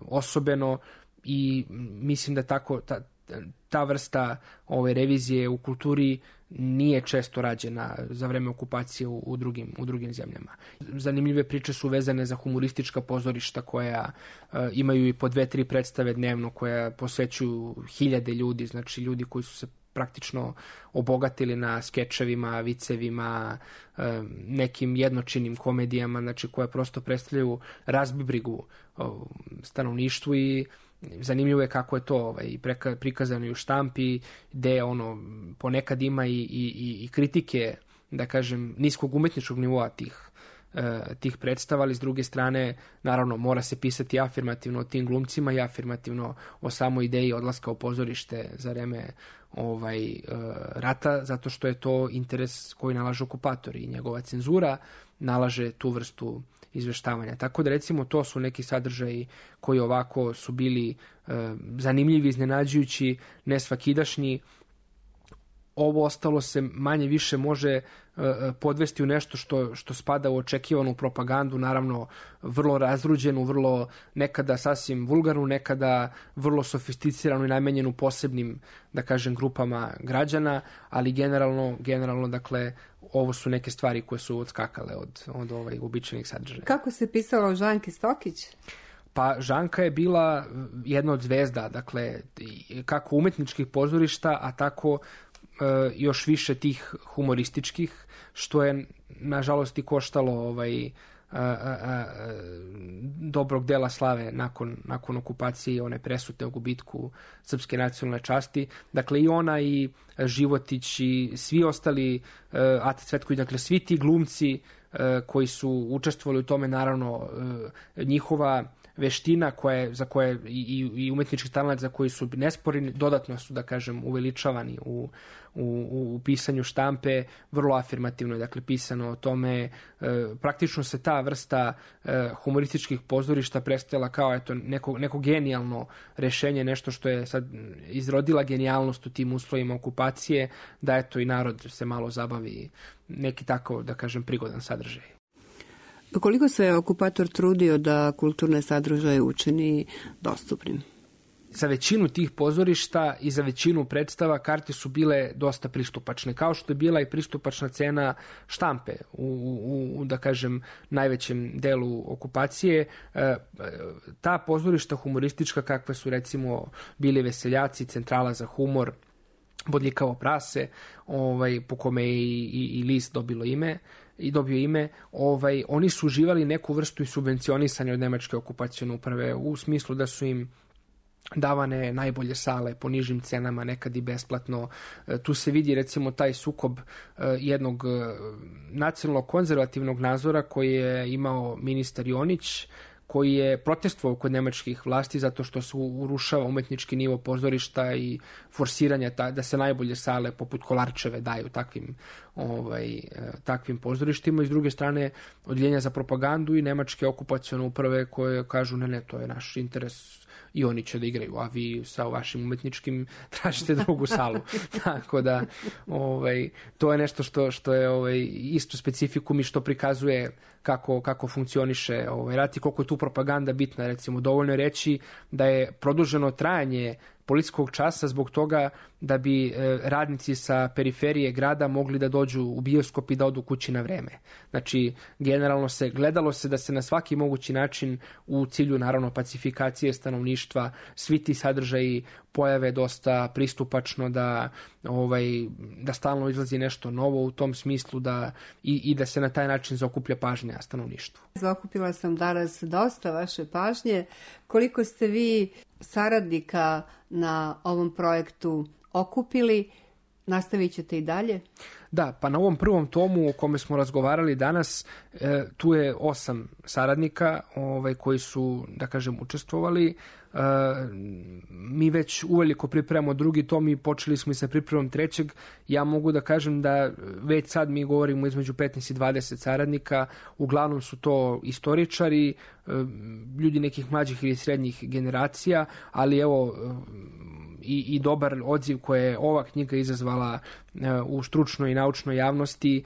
Speaker 15: osobeno i mislim da tako ta, ta vrsta ove revizije u kulturi nije često rađena za vreme okupacije u, u, drugim, u drugim zemljama. Zanimljive priče su vezane za humoristička pozorišta koja uh, imaju i po dve, tri predstave dnevno, koja posvećuju hiljade ljudi, znači ljudi koji su se praktično obogatili na skečevima, vicevima, uh, nekim jednočinim komedijama, znači koje prosto predstavljaju razbibrigu uh, stanovništvu i zanimljivo je kako je to ovaj, preka, prikazano i u štampi, gde ono, ponekad ima i, i, i kritike, da kažem, niskog umetničkog nivoa tih, e, tih predstava, ali s druge strane, naravno, mora se pisati afirmativno o tim glumcima i afirmativno o samoj ideji odlaska u pozorište za vreme ovaj, e, rata, zato što je to interes koji nalaže okupator i njegova cenzura nalaže tu vrstu izveštavanja. Tako da recimo to su neki sadržaji koji ovako su bili e, zanimljivi, iznenađujući, nesvakidašnji. Ovo ostalo se manje više može e, podvesti u nešto što, što spada u očekivanu propagandu, naravno vrlo razruđenu, vrlo nekada sasvim vulgarnu, nekada vrlo sofisticiranu i namenjenu posebnim, da kažem, grupama građana, ali generalno, generalno dakle, ovo su neke stvari koje su odskakale od, od ovaj uobičajenih sadržaja.
Speaker 1: Kako se pisalo o Žanki Stokić?
Speaker 15: Pa Žanka je bila jedna od zvezda, dakle, kako umetničkih pozorišta, a tako e, još više tih humorističkih, što je nažalost i koštalo ovaj, a, a, a, dobrog dela slave nakon, nakon okupacije, one presute o gubitku srpske nacionalne časti. Dakle, i ona i Životić i svi ostali, uh, Ata Cvetković, dakle, svi ti glumci uh, koji su učestvovali u tome, naravno, uh, njihova veština koje, za koje i, i umetnički talent za koji su nesporni, dodatno su, da kažem, uveličavani u, u, u pisanju štampe, vrlo afirmativno je, dakle, pisano o tome. E, praktično se ta vrsta e, humorističkih pozorišta predstavila kao eto, neko, neko genijalno rešenje, nešto što je sad izrodila genijalnost u tim uslovima okupacije, da eto i narod se malo zabavi, neki tako, da kažem, prigodan sadržaj.
Speaker 1: Koliko se okupator trudio da kulturne sadržaje učini dostupnim?
Speaker 15: za većinu tih pozorišta i za većinu predstava karte su bile dosta pristupačne, kao što je bila i pristupačna cena štampe u, u, u da kažem, najvećem delu okupacije. E, ta pozorišta humoristička, kakve su recimo bili Veseljaci, Centrala za humor, Bodljikavo prase, ovaj, po kome je i, i, i list dobilo ime, i dobio ime, ovaj, oni su uživali neku vrstu i subvencionisanja od nemačke okupacione uprave, u smislu da su im davane najbolje sale po nižim cenama, nekad i besplatno. Tu se vidi recimo taj sukob jednog nacionalno konzervativnog nadzora koji je imao ministar Jonić, koji je protestovao kod nemačkih vlasti zato što se urušava umetnički nivo pozorišta i forsiranja ta, da se najbolje sale poput Kolarčeve daju takvim, ovaj, takvim pozorištima. I s druge strane odjeljenja za propagandu i nemačke okupacione uprave koje kažu ne, ne, to je naš interes i oni će da igraju, a vi sa vašim umetničkim tražite drugu salu. Tako da ovaj, to je nešto što, što je ovaj, isto specifikum i što prikazuje kako, kako funkcioniše ovaj, rat i koliko je tu propaganda bitna. Recimo, dovoljno je reći da je produženo trajanje policijskog časa zbog toga da bi e, radnici sa periferije grada mogli da dođu u bioskop i da odu kući na vreme. Znači, generalno se gledalo se da se na svaki mogući način u cilju, naravno, pacifikacije stanovništva svi ti sadržaji pojave dosta pristupačno, da, ovaj, da stalno izlazi nešto novo u tom smislu da, i, i da se na taj način zaokuplja pažnja stanovništvu.
Speaker 1: Zaokupila sam danas dosta vaše pažnje. Koliko ste vi saradnika na ovom projektu okupili? Nastavit ćete i dalje?
Speaker 15: Da, pa na ovom prvom tomu o kome smo razgovarali danas, e, tu je osam saradnika ovaj, koji su, da kažem, učestvovali. E, mi već uveliko pripremamo drugi tom i počeli smo i sa pripremom trećeg. Ja mogu da kažem da već sad mi govorimo između petnaest i dvadeset saradnika. Uglavnom su to istoričari, e, ljudi nekih mlađih ili srednjih generacija, ali evo i, i dobar odziv koje je ova knjiga izazvala e, u stručnoj i naučnoj javnosti,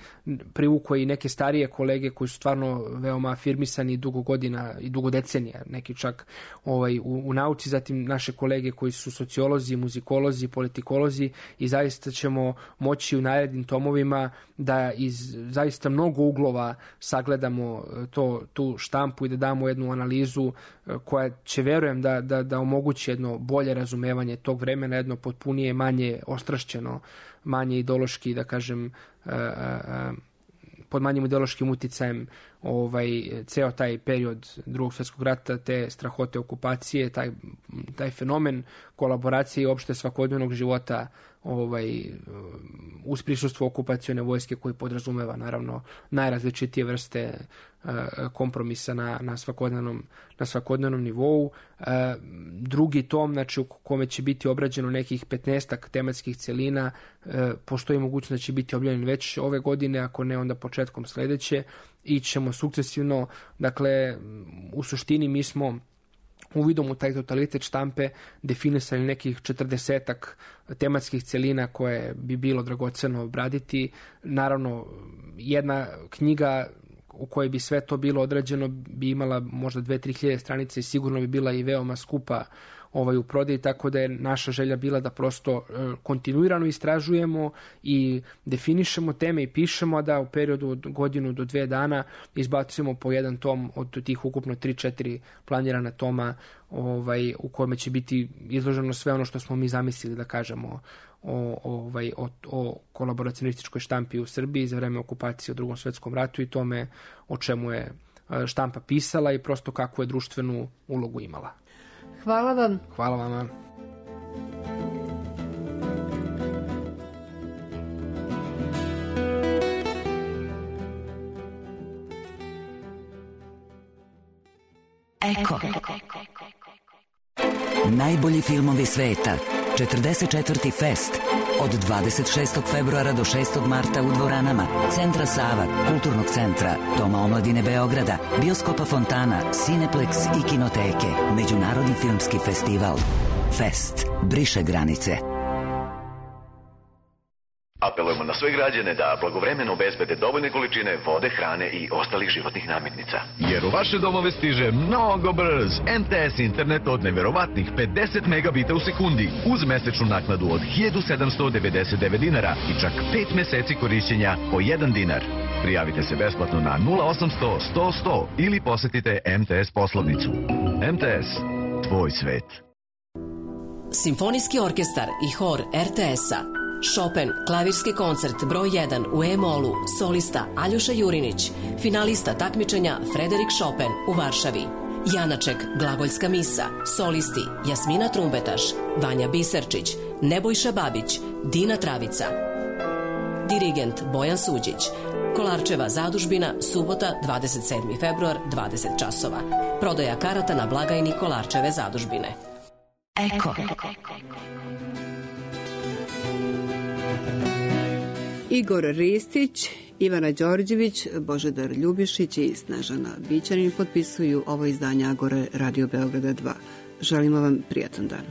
Speaker 15: privukao i neke starije kolege koji su stvarno veoma afirmisani dugo godina i dugo decenija, neki čak ovaj, u, u nauci, zatim naše kolege koji su sociolozi, muzikolozi, politikolozi i zaista ćemo moći u narednim tomovima da iz zaista mnogo uglova sagledamo to, tu štampu i da damo jednu analizu koja će, verujem, da, da, da omogući jedno bolje razumevanje tog vremena, jedno potpunije, manje ostrašćeno, manje ideološki, da kažem, pod manjim ideološkim uticajem ovaj, ceo taj period Drugog svjetskog rata, te strahote okupacije, taj, taj fenomen kolaboracije i opšte svakodnevnog života ovaj, uz prisustvo okupacione vojske koji podrazumeva naravno najrazličitije vrste uh, kompromisa na, na, svakodnevnom, na svakodnevnom nivou. Uh, drugi tom, znači u kome će biti obrađeno nekih petnaestak tematskih celina, uh, postoji mogućnost da će biti objavljen već ove godine, ako ne onda početkom sledeće, i ćemo sukcesivno, dakle u suštini mi smo uvidom u taj totalitet štampe definisali nekih četrdesetak tematskih celina koje bi bilo dragoceno obraditi. Naravno, jedna knjiga u kojoj bi sve to bilo odrađeno bi imala možda dve do tri hiljade stranice i sigurno bi bila i veoma skupa ovaj, u prodaji, tako da je naša želja bila da prosto e, kontinuirano istražujemo i definišemo teme i pišemo, da u periodu od godinu do dve dana izbacujemo po jedan tom od tih ukupno tri četiri planirana toma ovaj, u kojima će biti izloženo sve ono što smo mi zamislili da kažemo o, ovaj, o, o kolaboracionističkoj štampi u Srbiji za vreme okupacije u Drugom svjetskom ratu i tome o čemu je štampa pisala i prosto kakvu je društvenu ulogu imala.
Speaker 1: Hvala vam.
Speaker 15: Hvala vama.
Speaker 8: Eko. Najbolji filmovi sveta. četrdeset četvrti Fest. Od dvadeset šestog februara do šestog marta u dvoranama Centra Sava, Kulturnog centra, Doma omladine Beograda, Bioskopa Fontana, Cineplex i Kinoteke. Međunarodni filmski festival. Fest. Briše granice.
Speaker 9: Apelujemo na sve građane da blagovremeno obezbede dovoljne količine vode, hrane i ostalih životnih namirnica.
Speaker 10: Jer u vaše domove stiže mnogo brz M T S internet od neverovatnih pedeset megabita u sekundi uz mesečnu naknadu od hiljadu sedamsto devedeset devet dinara i čak pet meseci korišćenja po jedan dinar. Prijavite se besplatno na nula osamsto sto sto ili posetite M T S poslovnicu. M T S, tvoj svet.
Speaker 11: Simfonijski orkestar i hor R T S-a. Chopin, klavirski koncert broj jedan u E-molu, solista Aljoša Jurinić, finalista takmičenja Frederik Chopin u Varšavi. Janaček, glagolska misa, solisti Jasmina Trumbetaš, Vanja Biserčić, Nebojša Babić, Dina Travica. Dirigent Bojan Suđić. Kolarčeva zadužbina, subota, dvadeset sedmi februar, dvadeset časova. Prodaja karata na blagajni Kolarčeve zadužbine.
Speaker 8: Eko.
Speaker 1: Igor Ristić, Ivana Đorđević, Božidar Ljubišić i Snežana Bićanin potpisuju ovo izdanje Agore Radio Beograda dva. Želimo vam prijatan dan.